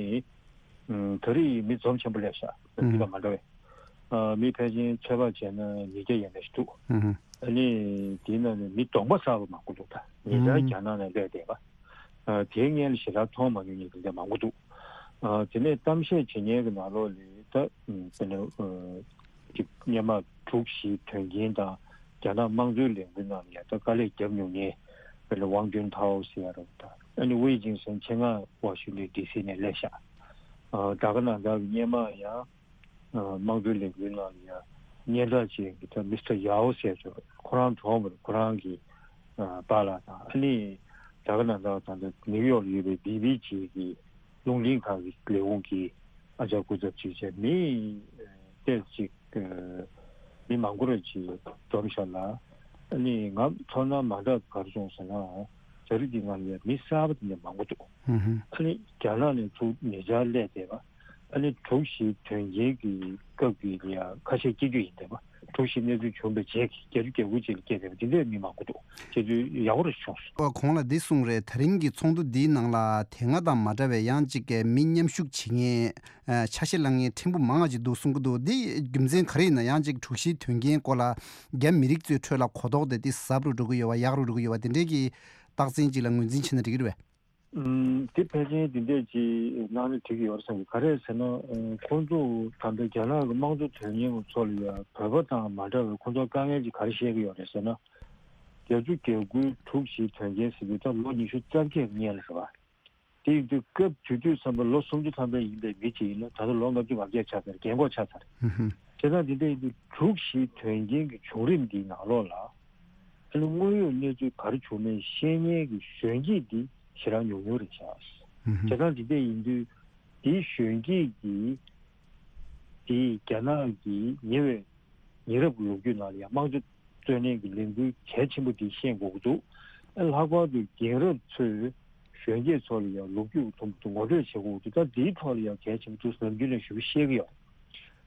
ད་རེས་མི་འཛོམས་ཆེན་པོ་སླེབས་ཤག་ཨུ་ཧུ། དེ་ག་མ་འདྲ་བས། ཨ་མི་ཕལ་ཆེར་ཚོད་དཔག་བྱས་ན་ཉིས་བརྒྱ་ཡན་ལ་ཞིག་འདུག་ཨུ་ཧུ། ཨ་ནི་དེའི་ནང་ནས་མི་གདོང་པ་གསར་པ་མང་པོ་འདུག་ད་ཉེ་ཆར་ཨུ་ཧུ། རྒྱ་ནག་ནས་སླེབས་བསྡད་པ། ཨ་དེའི་སྔོན་ལ་ཞེ་དྲག་མཐོང་མ་མྱོང་མཁན་དེ་འདྲ་མང་པོ་འདུག་ཨ་དེ་ནས་གཏམ་བཤད་བྱེད་མཁན་གྱི་ནང་ལོགས་ལ་ད་དཔེར་ན་ཨ་ཅིག་སྔོན་མ་དྲུག་བཞིའི་དོན་རྐྱེན་དང་རྒྱ་ནག་དམངས་གཙོའི་ལས་འགུལ་ནང་ལ་ཡ་ད་དཀའ་ལས་བརྒྱབ་མྱོང་མཁན་དཔེར་ན་ཝང་ཅུན་ཐའོ་ཟེར་ཡ་རེད། ད་ཨ་ནི་ཝེ་ཅིང་སན་ཆེད་མངགས་ཝ་ཤིང་ཏོན་ཌི་སི་ནས་སླེབས་ཤག་ཨ་ད་ག་ནང་ལྟར་སྔོན་མ་ཡང་ཨ་དམངས་གཙོའི་ལས་འགུལ་ནང་ལ་ཡང་སྙན་གྲགས་ཅན་གྱི་ད་མི་སི་ཏར་ཡའོ་ཟེར་ཚོ་ཁོ་རང་གྲོངས་པ་རེད། ཁོ་རང་གི་ཨ་པཱ་ལགས་དང་། ཨ་ནི་ད་ག་ནང་ལྟར་ད་ལྟ་ནིའུ་ཡོག་ལ་ཡོད་པའི་བི་བི་ཇི་གི་རླུང་འཕྲིན་ཁང་གི་ལས་ཁུངས་ཀྱི་ཨ་ཅག་སྐུ་ཚབ་ཅིག་བྱས། མི་ཨ་ཏོག་ཙམ་ཅིག་ཨ་མི་མང་པོ་རེ་ཅིག་འཛོམས་ཤག་ལ། ཨ་ནི་ང་ཚོར་སྣང་མ་འདྲ་ག་རེ་བྱུང་ཟེར་ན། ཨོ་ཟ་རི་འདི་ནང་ལ་ཡ་མི་གསར་པ་དེ་འདྲ་མང་པོ་འདུག་ཧུམ་ཧུམ། ཨ་ནི་རྒྱ་ནག་ནས་ཚུར་ཉེ་ཆར་སླེབས་བསྡད་པ། ཨ་ནི་དྲུག་བཞིའི་དོན་རྐྱེན་གྱི་སྐབས་ཀྱི་ལ་ཡ་ཁ་ཤས་སྐྱེ་རྒྱུ་ཡིན་བསྡད་པ། དྲུག་བཞིའི་གནས་ཚུལ་བྱུང་བའི་རྗེས་ཀྱི་བརྒྱད་ཅུ་གྱ་དགུ་ཅིག་ལ་སྐྱེས་བསྡད་པ་འདི་འདྲའི་མི་མང་པོ་འདུག་བྱས་དུས་ཡག་པོ་རེ་བྱུང་སོང་། ཨོ་གོང་ལ་འདི་གསུངས་རེད། ད་རིང་གི་ཚོགས་འདུ་འདིའི་ནང་ལ་དེ་སྔ་དང་མ་འདྲ་བའི་ཡང་ཅིག་གི་མི་མཉམ་ཞུགས་བྱེད་མཁན། ཨ་ཆ་ཤས་ལེན་མཁན་ཕྲན་བུ་མང་བ་ཅིག་འདུག་གསུང་གི་འདུག་འདི་རྒྱུ་མཚན་ག་རེ་ཡིན་ན། ཡང་ཅིག་དྲུག་བཞིའི་དོན་རྐྱེན་སྐོར་ལ་རྒྱ་མི་རིགས་ཚོའི་ཁྲོད་ལ་གོ་རྟོགས་དེ་འདི་ཟབ་རུ་འགྲོ་གི་ཡོད་པ། ཡག་རུ་འགྲོ་གི་ཡོད་པ། དེ་འདྲའི་གི་རྟགས་མཚན་ཅིག་ལ་ངོས་འཛིན་བྱས་ན་འགྲིག་གི་རེད་པས། ཨུམ། དེ་ཕལ་ཆེར་འདི་འདྲས་ཅིག་གནང་ན་འགྲིག་གི་ཡོད་རེད་བསམ་གི། ག་རེ་ཟེར་ན། ཨུམ། ཁོང་ཚོ་ད་ལྟ་རྒྱ་ནག་གི་དམངས་གཙོ་དོན་གཉེར་བ་ཚོ་ལ་ཡང་བོད་པ་དང་མ་འདྲ་བའི་ཁོང་ཚོ་དཀའ་ངལ་ཅིག་ག་རེ་བཤད་ཀྱི་ཡོད་རེད་ཟེར་ན། བརྒྱད་ཅུ་གྱ་དགུའི་དྲུག་བཞིའི་དོན་རྐྱེན་ཟེར་དུས་ད་ལོ་ཉི་ཤུ་རྩ་བརྒྱད་སྔོན་ལ་རེད་བ། དེ་ཡིན་དུས་སྐབས་དེ་དུས་ཙམ་པ་ལོ་སུམ་ཅུ་ཐམ་པ་ཡིན་པའི་མི་གཅིག་ཡིན་ན་ད་ལྟ་ལོ་ལྔ་བཅུ་ང་བརྒྱད་ཆགས་ཚར། རྒན་གོག་ཆགས་ཚར། ཧུམ་ཧུམ། བྱས་ཙང་འདི་འདྲ་ཡིན་དུས་དྲུག་བཞིའི་དོན་རྐྱེན་གྱི་བྱུང་རིམ་འདིའི་ནང་ལོགས་ལ། ཨ་ནི་དངོས་ཡོད་གནས་ཚུལ་ག་རེ་བྱུང་མིན་ཤེས་མཁན་གྱི་གཞོན་སྐྱེས་འདི་ཞེ་དྲག་ཉུང་ཉུང་རེད་ཤག། ཧུམ་ཧུམ། བྱས་ཙང་འདི་འདྲ་ཡིན་དུས་དེའི་གཞོན་སྐྱེས་ཀྱིས་དེའི་རྒྱ་ནག་གི་ཉེ་བའི་ཉེ་རབས་ལོ་རྒྱུས་ནང་ལ་ཡང་དམངས་གཙོ་རྩོད་ལེན་གྱི་ལས་འགུལ་གལ་ཆེན་པོ་འདི་ཤེས་དགོས་ཀྱི་འདུག། ཨ། ལྷག་པར་དུ་རྒན་རབས་ཚོས་གཞོན་སྐྱེས་ཚོ་ལ་ཡང་ལོ་རྒྱུས་དུམ་བུ་དུ་ངོ་སྤྲོད་བྱེད་དགོས་ཀྱི་འདུག། ད་འདིའི་ཐོག་ལ་ཡང་གལ་ཆེན་པོ་འདུག་ཟེར་ནམ་རྒྱུན་ནས་ཞུ་གི་ཤེས་ཀྱི་ཡོད།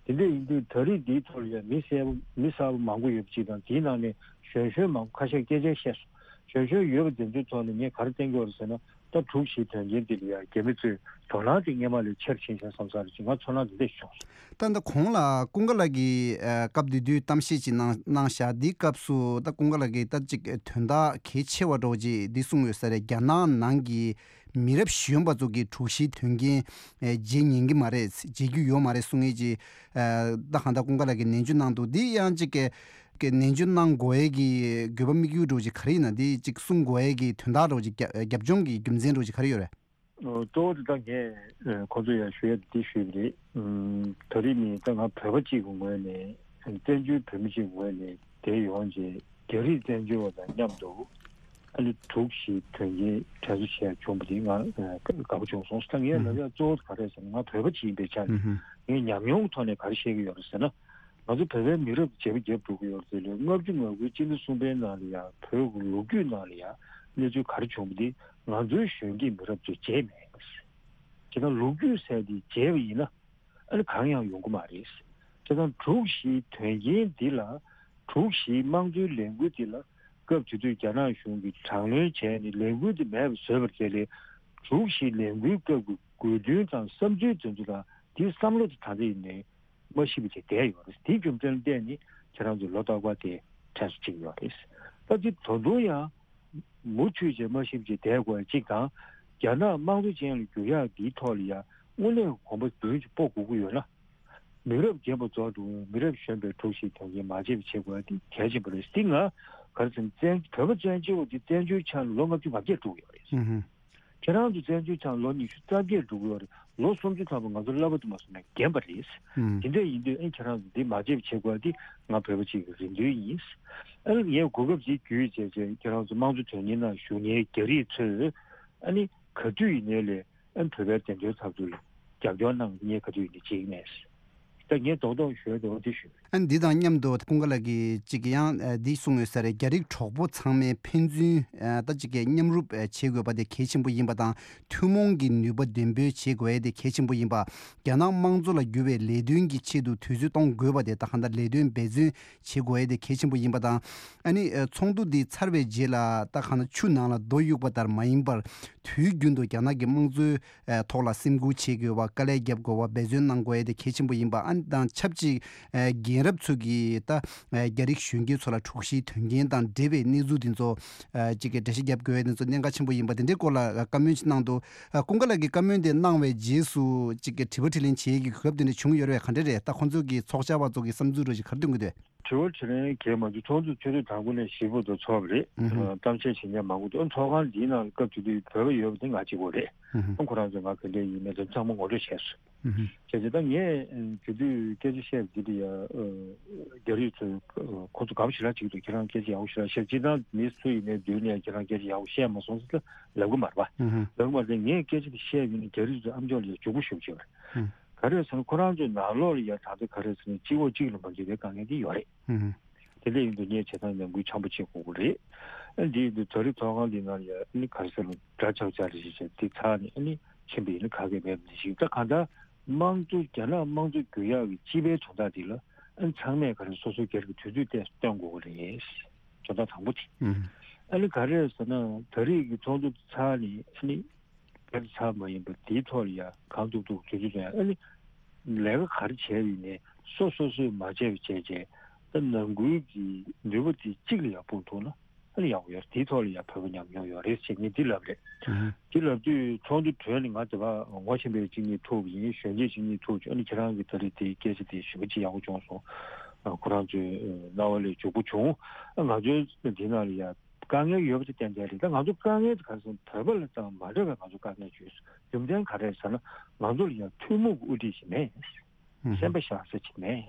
དེ་འདྲ་ཡིན་དུས་ད་རེས་འདིའི་ཐོག་ལ་ཡང་མི་གསལ་པོ་མི་གསར་པ་མང་པོ་ཡོད་པ་ཅིག་དང་། དེའི་ནང་ནས་གཞོན་གཞོན་མང་པོ་ཁ་ཤས་སྐད་ཆ་བཤད་སོང་། གཞོན་གཞོན་ཡོད་པ་དེ་ཚོའི་ཐོག་ནས་ངས་ག་རེ་བསྟན་གྱི་ཡོད་རེད་ཟེར་ན། ད་དྲུག་བཞིའི་དོན་རྐྱེན་འདི་ལ་ཡང་རྒྱ་མི་ཚོས་དོ་སྣང་དེ་སྔོན་མ་ལས་ཆེར་ཕྱིན་བཞག་བསམ་ས་རེད་ཅེས་ང་ཚོར་སྣང་དེ་འདྲ་ཞིག་བྱུང་སོང་། ད་ལྟ་གོང་ལ་ཀུན་དགའ་ལགས་ཀྱིས་ཨ་སྐབས་དེ་དུས་གཏམ་བཤད་ཅིག་གནང་གནང་བཞག། འདིའི་སྐབས་སུ་ད་ཀུན་དགའ་ལགས་ཀྱིས་ད་ཅིག་དོན་དག་གལ་ཆེ་བ་འདྲ་བོ་ཅིག་འདི་གསུངས་ཡོད་ས་རེད། རྒྱ་ནག་ནང་གི་མི་རབས་གཞོན་པ་ཚོ་གིས་དྲུག་བཞིའི་དོན་རྐྱེན་ཨེ་བརྗེད་ཉན་གྱི་མ་རེད། བརྗེད་རྒྱུ་ཡོད་མ་རེད་གསུང་ཡས་ཀྱི་ཨ་ད་གང་ལྟར་ཀུན་དགའ་ལགས་ཀྱིས་ནན་བརྗོད་གནང་འདུག། འདི་ཡང་ཅིག་གི་གི་ནན་བརྗོད་གནང་དགོས་ཡས་ཀྱི་དགོས་པ་དམིགས་ཡུལ་འདྲ་བོ་ཅིག་ག་རེ་ཡིན་ན། འདི་ཅིག་གསུང་དགོས་ཡས་ཀྱི་དོན་དག་འདྲ་བོ་ཅིག་རྒྱབ་རྒྱབ་ལྗོངས་ཀྱི་རྒྱུ་མཚན་འདྲ་བོ་ཅིག་ག་རེ་ཡོད་རེད། ཨོ། གཙོ་བོ་དེ་ད་ངས་ཨ་ཁོང་ཚོ་ཡར་ཞུ་ཡ་དེ་ཞུས་པ་རེད། ཨུམ། ད་རེས་ནི་ད་ང་བོད་པ་གཅིག་གི་ངོས་ནས། བཙན་བྱོལ་བོད་མི་གཅིག་གི་ངོས་ནས་དེ་ཡོང་རྗེས་རྒྱ་རིགས་བཙན་བྱོལ་བ་དང་མཉམ་དུ་ཨ་ནི་དྲུག་བཞིའི་དོན་རྐྱེན་དྲན་གསོ་བྱས་བྱུང་བ་དེ་ང་ཨ་དགའ་པོ་བྱུང་སོང་། ད་ངས་ལབ་ཡ་གཙོ་བོ་ག་རེ་ཟེར་ན། ང་བོད་པ་གཅིག་ཡིན་པའི་ཆ་ནས་ངས་ཉམས་མྱོང་གི་ཐོག་ནས་ག་རེ་བཤད་ཀྱི་ཡོད་རེད་ཟེར་ན། ང་ཚོ་བོད་པའི་མི་རབས་བརྗེ་པོ་བརྒྱབ་འགྲོ་གི་ཡོད་རེད། དེ་ལས་ལྔ་བཅུ་ང་དགུའི་སྤྱི་ཟླ་གསུམ་པའི་ནང་ལ་ཡང་བོད་ཀྱི་ལོ་རྒྱུས་ནང་ལ་ཡང་གནས་ཚུལ་ག་རེ་བྱུང་བ་འདི་ང་ཚོའི་གཞོན་སྐྱེས་མི་རབས་ཚོས་བརྗེད་མེད། བྱས་ཙང་ལོ་རྒྱུས་ཟེར་དེ་བརྗེད་པ་ཡིན་ན་ཨ་ནི་གང་ཡང་ཡོང་གི་མ་རེད། བྱས་ཙང་དྲུག་བཞིའི་དོན་རྐྱེན་འདི་ལ་དྲུག་བཞིའི་དམངས་གཙོའི་ལས་འགུལ་འདི་ལ་སྐབས་དེ་དུས་རྒྱ་ནག་གཞུང་གིས་དྲག་གནོན་བྱས་ནས་ལས་འགུལ་འདི་མེད་པ་བཟོས་པ་རེད། དེ་ལས་དྲུག་བཞིའི་ལས་འགུལ་སྐབས་ཀྱི་དགོས་འདུན་དང་བསམ་ཚུལ་དེ་ཚོ་དང་དེའི་བསམ་བློ་དེ་ད་ལྟ་ཡིན་ནའི་མ་ཤི་བ་ཅིག་བསྡད་ཡོད་རེད། དེའི་རྒྱུ་མཚན་ལ་བརྟེན་ནས་ཁྱེད་རང་ཚོས་ལོ་རྟག་པར་དེ་དྲན་གསོ་བྱེད་ཀྱི་ཡོད་རེད། ད་དེ་ད་དུང་ཡང་མུ་མཐུད་བྱས་མ་ཤི་བ་ཅིག་བསྡད་དགོས་ཡ་གཅིག་དང་། རྒྱ་ནག་དམངས་གཙོ་ཅན་ལ་འགྱུར་ཡག་འདིའི་ཐོག་ལ་ཡང་དངོས་གནས་གོམ་པ་མདུན་ཅིག་སྤོ་དགོས་ཀྱི་ཡོད་ན། མི་རབས་རྒན་པ་རྫོགས་འགྲོ་བའི་མི་རབས་གཞོན་པའི་དྲུག་བཞིའི་དོན་རྐྱེན་མ་བརྗེད་པ་བྱེད་དགོས་ཡ་དེ་གལ་ཆེན་པོ་རེད། འདི་ང་ག་རེ་ཟེར་ན་བཙན་བོད་པ་བཙན་བྱོལ་བ་དེ་བཙན་བྱོལ་ཆགས་ནས་ལོ་ལྔ་བཅུ་ང་བརྒྱད་འགྲོ་གི་ཡོད་རེད། ཧུམ་ཧུམ། ཁྱེད་རང་ཚོ་བཙན་བྱོལ་ཆགས་ལོ་ཉི་ཤུ་རྩ་བརྒྱད་འགྲོ་གི་ཡོད་རེད། ལོ་སུམ་ཅུ་ཐམ་པ་ང་ཚོ་སློབ་པ་དུ་མ་སོང་ནས་རྒན་པ་རེད། ཨུམ། དེ་འདྲ་ཡིན་དུས་ཨེ་ཁྱེད་རང་ཚོ་འདི་མ་བརྗེད་པ་བྱེད་དགོས་འདི་ང་བོད་པ་གཅིག་གི་རེ་འདུན་ཡིན། ཨ་ནི་ངས་གོ་སྐབས་འདི་བརྒྱུད་བྱས་བྱས་ཁྱེད་རང་ཚོ་དམངས་གཙོ་དོན་གཉེར་ནང་ཞུགས་མཁན་རྒྱ་རིགས་ཚོས་ཨ་ནི་ག་དུས་ཡིན་ནའི་ལས་ཨ་ནི་བོད་པའི་བདེན་དོན་འཐབ་རྩོད་ལ་རྒྱབ་སྐྱོར་གནང་ངས་ག་དུས་ཡིན་ནའི་བརྗེད་ཀྱི་མེད། ད་ངས་རྡོག་རྡོག་ཞུ་འདོད་པ་འདི་ཞུ། ཨ་ནི་འདི་དང་མཉམ་དུ་ཀུན་དགའ་ལགས་ཀྱིས་གཅིག་ཡང་ཨ་འདི་གསུངས་ཡོད་ས་རེད། རྒྱ་རིགས་གྲོགས་པོ་ཚང་མས་ཕན་ཚུན་ཨ་ད་གཅིག་གི་མཉམ་རུབ་ཨ་བྱེད་དགོས་པ་དེ་གལ་ཆེན་པོ་ཡིན་པ་དང་། ཐུན་མོང་གི་ནུས་པ་འདོན་སྤེལ་བྱེད་དགོས་ཡས་དེ་གལ་ཆེན་པོ་ཡིན་པ། རྒྱ་ནག་དམངས་གཙོ་ལ་བསྒྱུར་བའི་ལས་དོན་གྱི་ཆེད་དུ་དུས་ཚོད་གཏོང་དགོས་པ་དེ་ད་གང་ལྟར་ལས་དོན་འབད་བརྩོན་བྱེད་དགོས་ཡས་དེ་གལ་ཆེན་པོ་ཡིན་པ་དང་། ཨ་ནི་ཨ་ཚོགས་འདུ་འདི་ཚར་བའི་རྗེས་ལ་ད་གང་ལྟར་ཆུ་ནང་ལ་རྡོ་གཡུག་པ་ལྟར་མ་ཡིན་པར། དུས་རྒྱུན་དུ་རྒྱ་ནག་གི་དམངས་གཙོའི་ཨ་ཐོག་ལ་སེམས་ཁུར་བྱེད་དགོས་པ། དཀའ་ལས་རྒྱབ་དགོས་པ། འབད་བརྩོན་གནང་དགོས་ཡས་དེ་གལ་ཆེན་པོ་ཡིན་པ། ཨ་ནི་དང་ཆབས་ཅིག་ཨ་རྒན་རབས་ཚོ་གིས་ད་ཨ་རྒྱ་རིགས་གཞོན་སྐྱེས་ཚོ་ལ་དྲུག་བཞིའི་དོན་རྐྱེན་དང་འབྲེལ་བའི་གནས་ཚུལ་དེ་ཚོ་ཨ་གཅིག་གི་འགྲེལ་བཤད་རྒྱབ་དགོས་ཡས་དེ་ཚོ་གནད་འགག་ཆེན་པོ་ཡིན་པ་དེ་འདྲའི་སྐོར་ལ་བཀའ་མོལ་ཅིག་གནང་འདུག། ཨ་ཀུན་དགའ་ལགས་ཀྱིས་བཀའ་མོལ་དེ་གནང་བའི་རྗེས་སུ་གཅིག་གི་དྲི་བ་དྲིས་ལན་བྱེད་ཡས་ཀྱི་གོ་སྐབས་དེ་འདྲ་བྱུང་ཡོད་རེད་པས། ག་འདྲ་རེད། ད་ཁོང་ཚོ་གི་ཚོགས་བཅར་བ་ཚོ་གི་བསམ་ཚུལ་རོ་ཞིག་ག་རེ་སྟོན་གྱི་འདུག། དྲི་བ་དྲིས་ལན་གལ་མ་འདུག། ཚོགས་འདུ་ཆུ་ཚོད་དང་པོ་ནས་བཞི་བར་དུ་ཚོགས་པ་རེད། ཨུ་ཧུ། གཏམ་བཤད་བྱེད་མཁན་མང་པོ་འདུག། ཨ་ཚོགས་ཁང་འདིའི་ནང་ལ་སྐབས་དེ་དུས་བོད་པ་ཡོད་པ་དེ་ང་གཅིག་པོ་རེད། ཨུ་ཧུ། ཨ་ཁོ་རང་ཚོས་ང་ག་འདྲས་ཡིན་མིན་དེ་ཚང་མ་ངོ་སྤྲོད་བྱས་སོང་། ཨུ་ཧུ། བྱས་ཙང་ད་ངས་དེ་དུས་སྐད་ཆ་བཤད་པ་འདི་དེ་ཡ་རྒྱ་རིགས་ཚོས་ཁོ་ཚོ་དགའ་པོ་ཞེ་དྲག་བྱེད་ཀྱི་འདུག། ཁྱེད་རང་སྐད་ཆ་ཡག་པོ་ཞེ་དྲག་བཤད། སྤྱིར་བཏང་མི་སུ་ཡིན་ནའི་མདུན་ནས་ཁྱེད་རང་སྐད་ཆ་ཡག་པོ་བཤད་མ་སོང་ཟེར་ལབ་གི་མ་རེད་པ། ཨུ་ཧུ། ལབ་གི་མ་རེད། ངས་སྐད་ཆ་དེ་བཤད་ཡོད་ན་རྒྱ་རིགས་ཚོས་ཨམ་ཅོག་ལ་ཡ་མགྱོགས་པོ་ཞེ་པོ་བྱས་པ་རེད། ཨུ། ག་རེ་ཟེར་ན་ཁོ་རང་ཚོའི་ནང་ལོགས་ལ་ཡ་ད་ལྟ་ག་རེ་ཟེར་ན་སྤྱི་འོག་གཅིག་ལ་མ་འགྲིག་པའི་དཀའ་ངལ་དེ་ཡོད་རེད། ཨུ་ཧུ། དེ་འདྲ་ཡིན་དུས་ངས་བྱེད་སྟངས་ནང་ཁུལ་འཆམ་པོ་བྱེད་དགོས་ཀྱི་རེད། ཨ་འདི་ཡིན་དུས་ད་རེས་ཚོགས་ཁང་འདི་ནང་ལ་ཡ་ཨ་ནི་ག་རེ་ཟེར་ན་འདྲ་ཆགས་ཆགས་རེ་ཞིག་བྱས་དེ་ཚར་ནས་ཨ་ནི་ཕྱིན་པ་ཡིན་ན་ག་གེ་མེད་པ་འདི་ཞིག། ད་གང་ལྟར་དམངས་གཙོ་རྒྱ་ནག་དམངས་གཙོ་བསྒྱུར་ཡག་གི་སྤྱི་པའི་དོན་དག་འདི་ལ་ཨ་ནི་ཚང་མས་ག་རེ་སོ་སོའི་སྒེར་གྱི་དུས་ཚོད་ཏོག་ཙམ་བཏོན་དགོས་ཀྱི་རེད། དོན་དག་དང་པོ་དེ། ཨུ་ཧུ། ཨ་ནི་ག་རེ་ཟེར་ན་ད་རེས་ཀྱི་ཚོགས་འདུ་ཚར་ནས་ཨ་ནི། སྐད་ཆ་ཚར་མ་ཡིན་པ་དེའི་ཐོག་ལ་ཡ་གང་ཐུབ་ཐུབ་དུས་ཚོད་དང་ཨ་ནི་ལས་ཀ་ག་རེ་བྱས་ཡིན་ནའི་སོ་སོ་སོས་མ་བྱས་པ་བྱས་བྱས་ད་ནང་ཁུལ་གྱི་ནུས་པ་དེ་གཅིག་ལ་ཡ་སྤུངས་ཐུབ་ན་ ཨ་ནི་ཡག་པོ་ཡོད་རེད། དེའི་ཐོག་ལ་ཡང་བོད་པ་ཉམས་མྱོང་ཡོད་རེད་ཅེས་ངས་འདི་ལབ་རེད། ཨུ་ཧུ། འདི་ལབ་དུས་ཚོགས་འདུ་གྲོལ་ནས་ང་དེ་ག་ངོ་ཤེས་པའི་གཅིག་གཉིས་ཐུག་ཡིན། གཞོན་སྐྱེས་གཅིག་གཉིས་ཐུག་བྱུང་། ཨ་ནི་ཁྱེད་རང་གིས་ད་རེས་དེའི་སྐད་ཆ་དེ་ཞེ་པོ་ཅིག་ཡག་པོ་བྱུང་སོང་། ཨ་ཁོ་རང་ཚོའི་རྣ་བ་ལ་འཇུག་པོ་བྱུང་། ཨ་ང་ཚོའི་འདི་ནང་ལ་ཡ་དཀའ་ངལ་ཡོད་པ་དེ་ཏན་ཏན་རེད། ད་ང་ཚོ་དཀའ་ངལ་དེ་ག་རེ་ཟེར་ན་བོད་པ་ལ་ཙམ་མ་འདྲ་བའི་ང་ཚོ་དཀའ་ངལ་ཡོད། རྒྱུ་མཚན་ག་རེ་རེད་ཟེར་ན་ང་ཚོ་ལ་ཡང་ཐུན་མོང་གི་དབུ་ཁྲིད་ཞིག་མེད། ཨུ་ཧུ། སེམས་པ་བཞག་ས་ཅིག་མེད།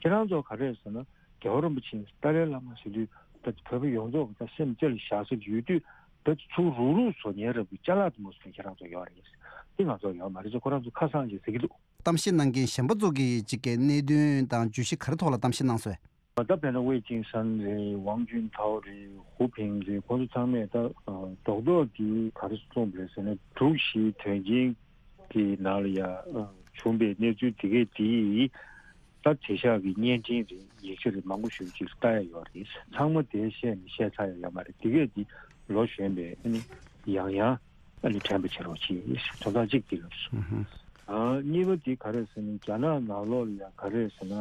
ཁྱེད་རང་ཚོ་ག་རེ་རེད་ཟེར་ན་རྒྱལ་བ་རིན་པོ་ཆེ་ཏཱ་ལའི་བླ་མ་ཟེར་དུས་ད་བོད་པ་ཡོངས་རྫོགས་ཀྱི་ད་སེམས་རྩེ་ལ་བཞག་ས་ཅིག་ཡོད་དུས་ད་ཚུར་རུག་རུག་བཟོ་མཁན་རབ་ཀྱི་ཅ་ལག་དུ་མ་བཟོ་མཁན་ཁྱེད་རང་ཚོ་ཡོད་རེད། འདི་ང་ཚོ་ཡོད་མ་རེད་ཟེར་ཁོ་རང་ཚོ་ཁ་སང་ཅིག་ཟེར་གྱི་འདུག་གཏམ་བཤད་གནང་མཁན་གཞན་པ་ཚོ་གིས་གཅིག་གི་གནད་དོན་དང་བརྗོད་གཞི་ག་རེ་ཐོག་ལ་གཏམ་བཤད་གནང་སོང་། ད་དཔེར་ན་ཝེ་ཅིང་སན་རེད། ཝང་ཅུན་ཐའོ་རེད། ཧུའུ་ཕིང་རེད། ཁོང་ཚོ་ཚང་མས་ད་རྡོག་རྡོག་གི་ག་རེ་གསུངས་པ་རེད་ཟེར་ན་དྲུག་བཞིའི་དོན་རྐྱེན་གྱི་ནང་ལ་ཡ་བྱུང་པའི་གནས་ཚུལ་དེ་གས་དེ་ད་དེང་སང་གི་བརྙན་འཕྲིན་རེད། ཡིག་ཆ་རེད། མང་པོ་ཞིག་ཅིག་ལྟ་ཡ་ཡོད་རེད། ཚང་མ་དེ་བཤད་ནས་བཤད་ཚར་ཡ་ཡོད་མ་རེད། དེ་གས་དེ་ལོ་གཞོན་པས་ཨ་ནི་ཡང་ཡང་ཨ་ནི་དྲན་པ་བྱེད་རོགས་གྱིས། དོན་དག་གཅིག་དེ་ལབ་སོང་། ཨ་གཉིས་པ་དེ་ག་རེ་ཟེར་ན་རྒྱ་ནག་ནང་ལོགས་ལ་ཡང་ག་རེ་ཟེར་ན་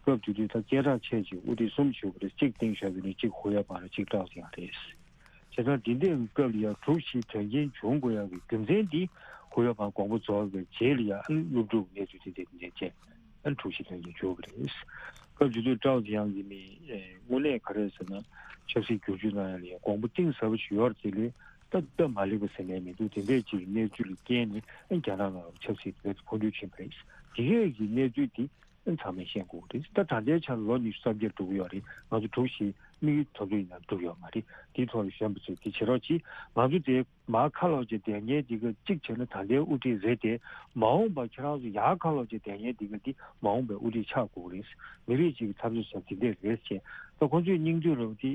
སྐབས་དེ་དུས་ད་སྐད་གྲགས་ཆེ་ཅིག་དབུ་ཁྲིད་གསུམ་བཞུགས་པ་རེད། གཅིག་ཏེང་ཞའོ་ཕིང་རེད། གཅིག་ཧུའུ་ཡ་པང་རེད། གཅིག་ཀྲའོ་ཙེ་ཡང་རེད། བྱས་ཙང་དེ་འདྲའི་སྐབས་ལ་ཡང་དྲུག་བཞིའི་དོན་རྐྱེན་བྱུང་དགོས་ཡག་གི་རྒྱུ་མཚན་འདི་ཧུའུ་ཡ་པང་དགོངས་པ་རྫོགས་པའི་རྗེས་ལ་ཡང་ཨ་ནི་སློབ་ཕྲུག་གི་གནས་ཚུལ་དེ་འདྲ་དེ་འདྲ་བྱས་ཨ་ནི་དྲུག་བཞིའི་དོན་རྐྱེན་བྱུང་བ་རེད། སྐབས་དེ་དུས་ཀྲའོ་ཙེ་ཡང་གིས་ནི་དངོས་གནས་ག་རེ་ཟེར་ན་ཆབ་སྲིད་བསྒྱུར་བཅོས་གནང་ཡག་ལ་ཡང་དགོངས་པ་གཏིང་ཟབ་པོ་ཞིག་ཡོད་རེད། དེ་ལས་ད་སྟབས་མ་ལེགས་པ་ཟེར་ནས་མི་འདུག་དེ་འདྲའི་ཅིག་གནས་ཚུལ་ལ་བརྟེན་ནས་ཨ་ནི་རྒྱ་ནག་ནང་ལ་ཆབ་སྲིད་དེ་འཕོ་འགྱུར་ཕྱིན་པ་རེད། དེ་གས་ཀྱི་གནས་ཚུལ་དེ་ཚང་མས་ཤེས་དགོས་ཀྱི་རེད། ད་ད་ལྟའི་ཆར་ལོ་ཉི་ཤུ་རྩ་བརྒྱད་འགྲོ་གི་ཡོད་རེད། ང་ཚོ་དྲུག་བཞི་དམིགས་ཡུལ་ཐོབ་རྒྱུ་ཡིན་ན་འགྲུབ་ཡོད་མ་རེད། དེའི་ཐོག་ལ་གཞོན་པ་ཚོས་དེ་བྱེད་རོགས་གྱིས། ང་ཚོ་དེ་མར་ཁ་ལོག་བྱས་བསྡད་མཁན་དེ་ག་གཅིག་བྱས་ན་ད་ལྟའི་དབུ་ཁྲིད་རེད་དེ། མ་འོངས་པ་ཁྱེད་རང་ཚོ་ཡར་ཁ་ལོག་བྱས་བསྡད་མཁན་དེ་ག་དེ་མ་འོངས་པའི་དབུ་ཁྲིད་ཆགས་དགོས་ཀྱི་རེད། མི་རིགས་གཅིག་གི་འཐབ་རྩོད་བྱས་དེ་འདྲས་རེད་ཅེས། ད་ཁོང་ཚོས་སྙིང་བསྡུས་རོགས་དེ་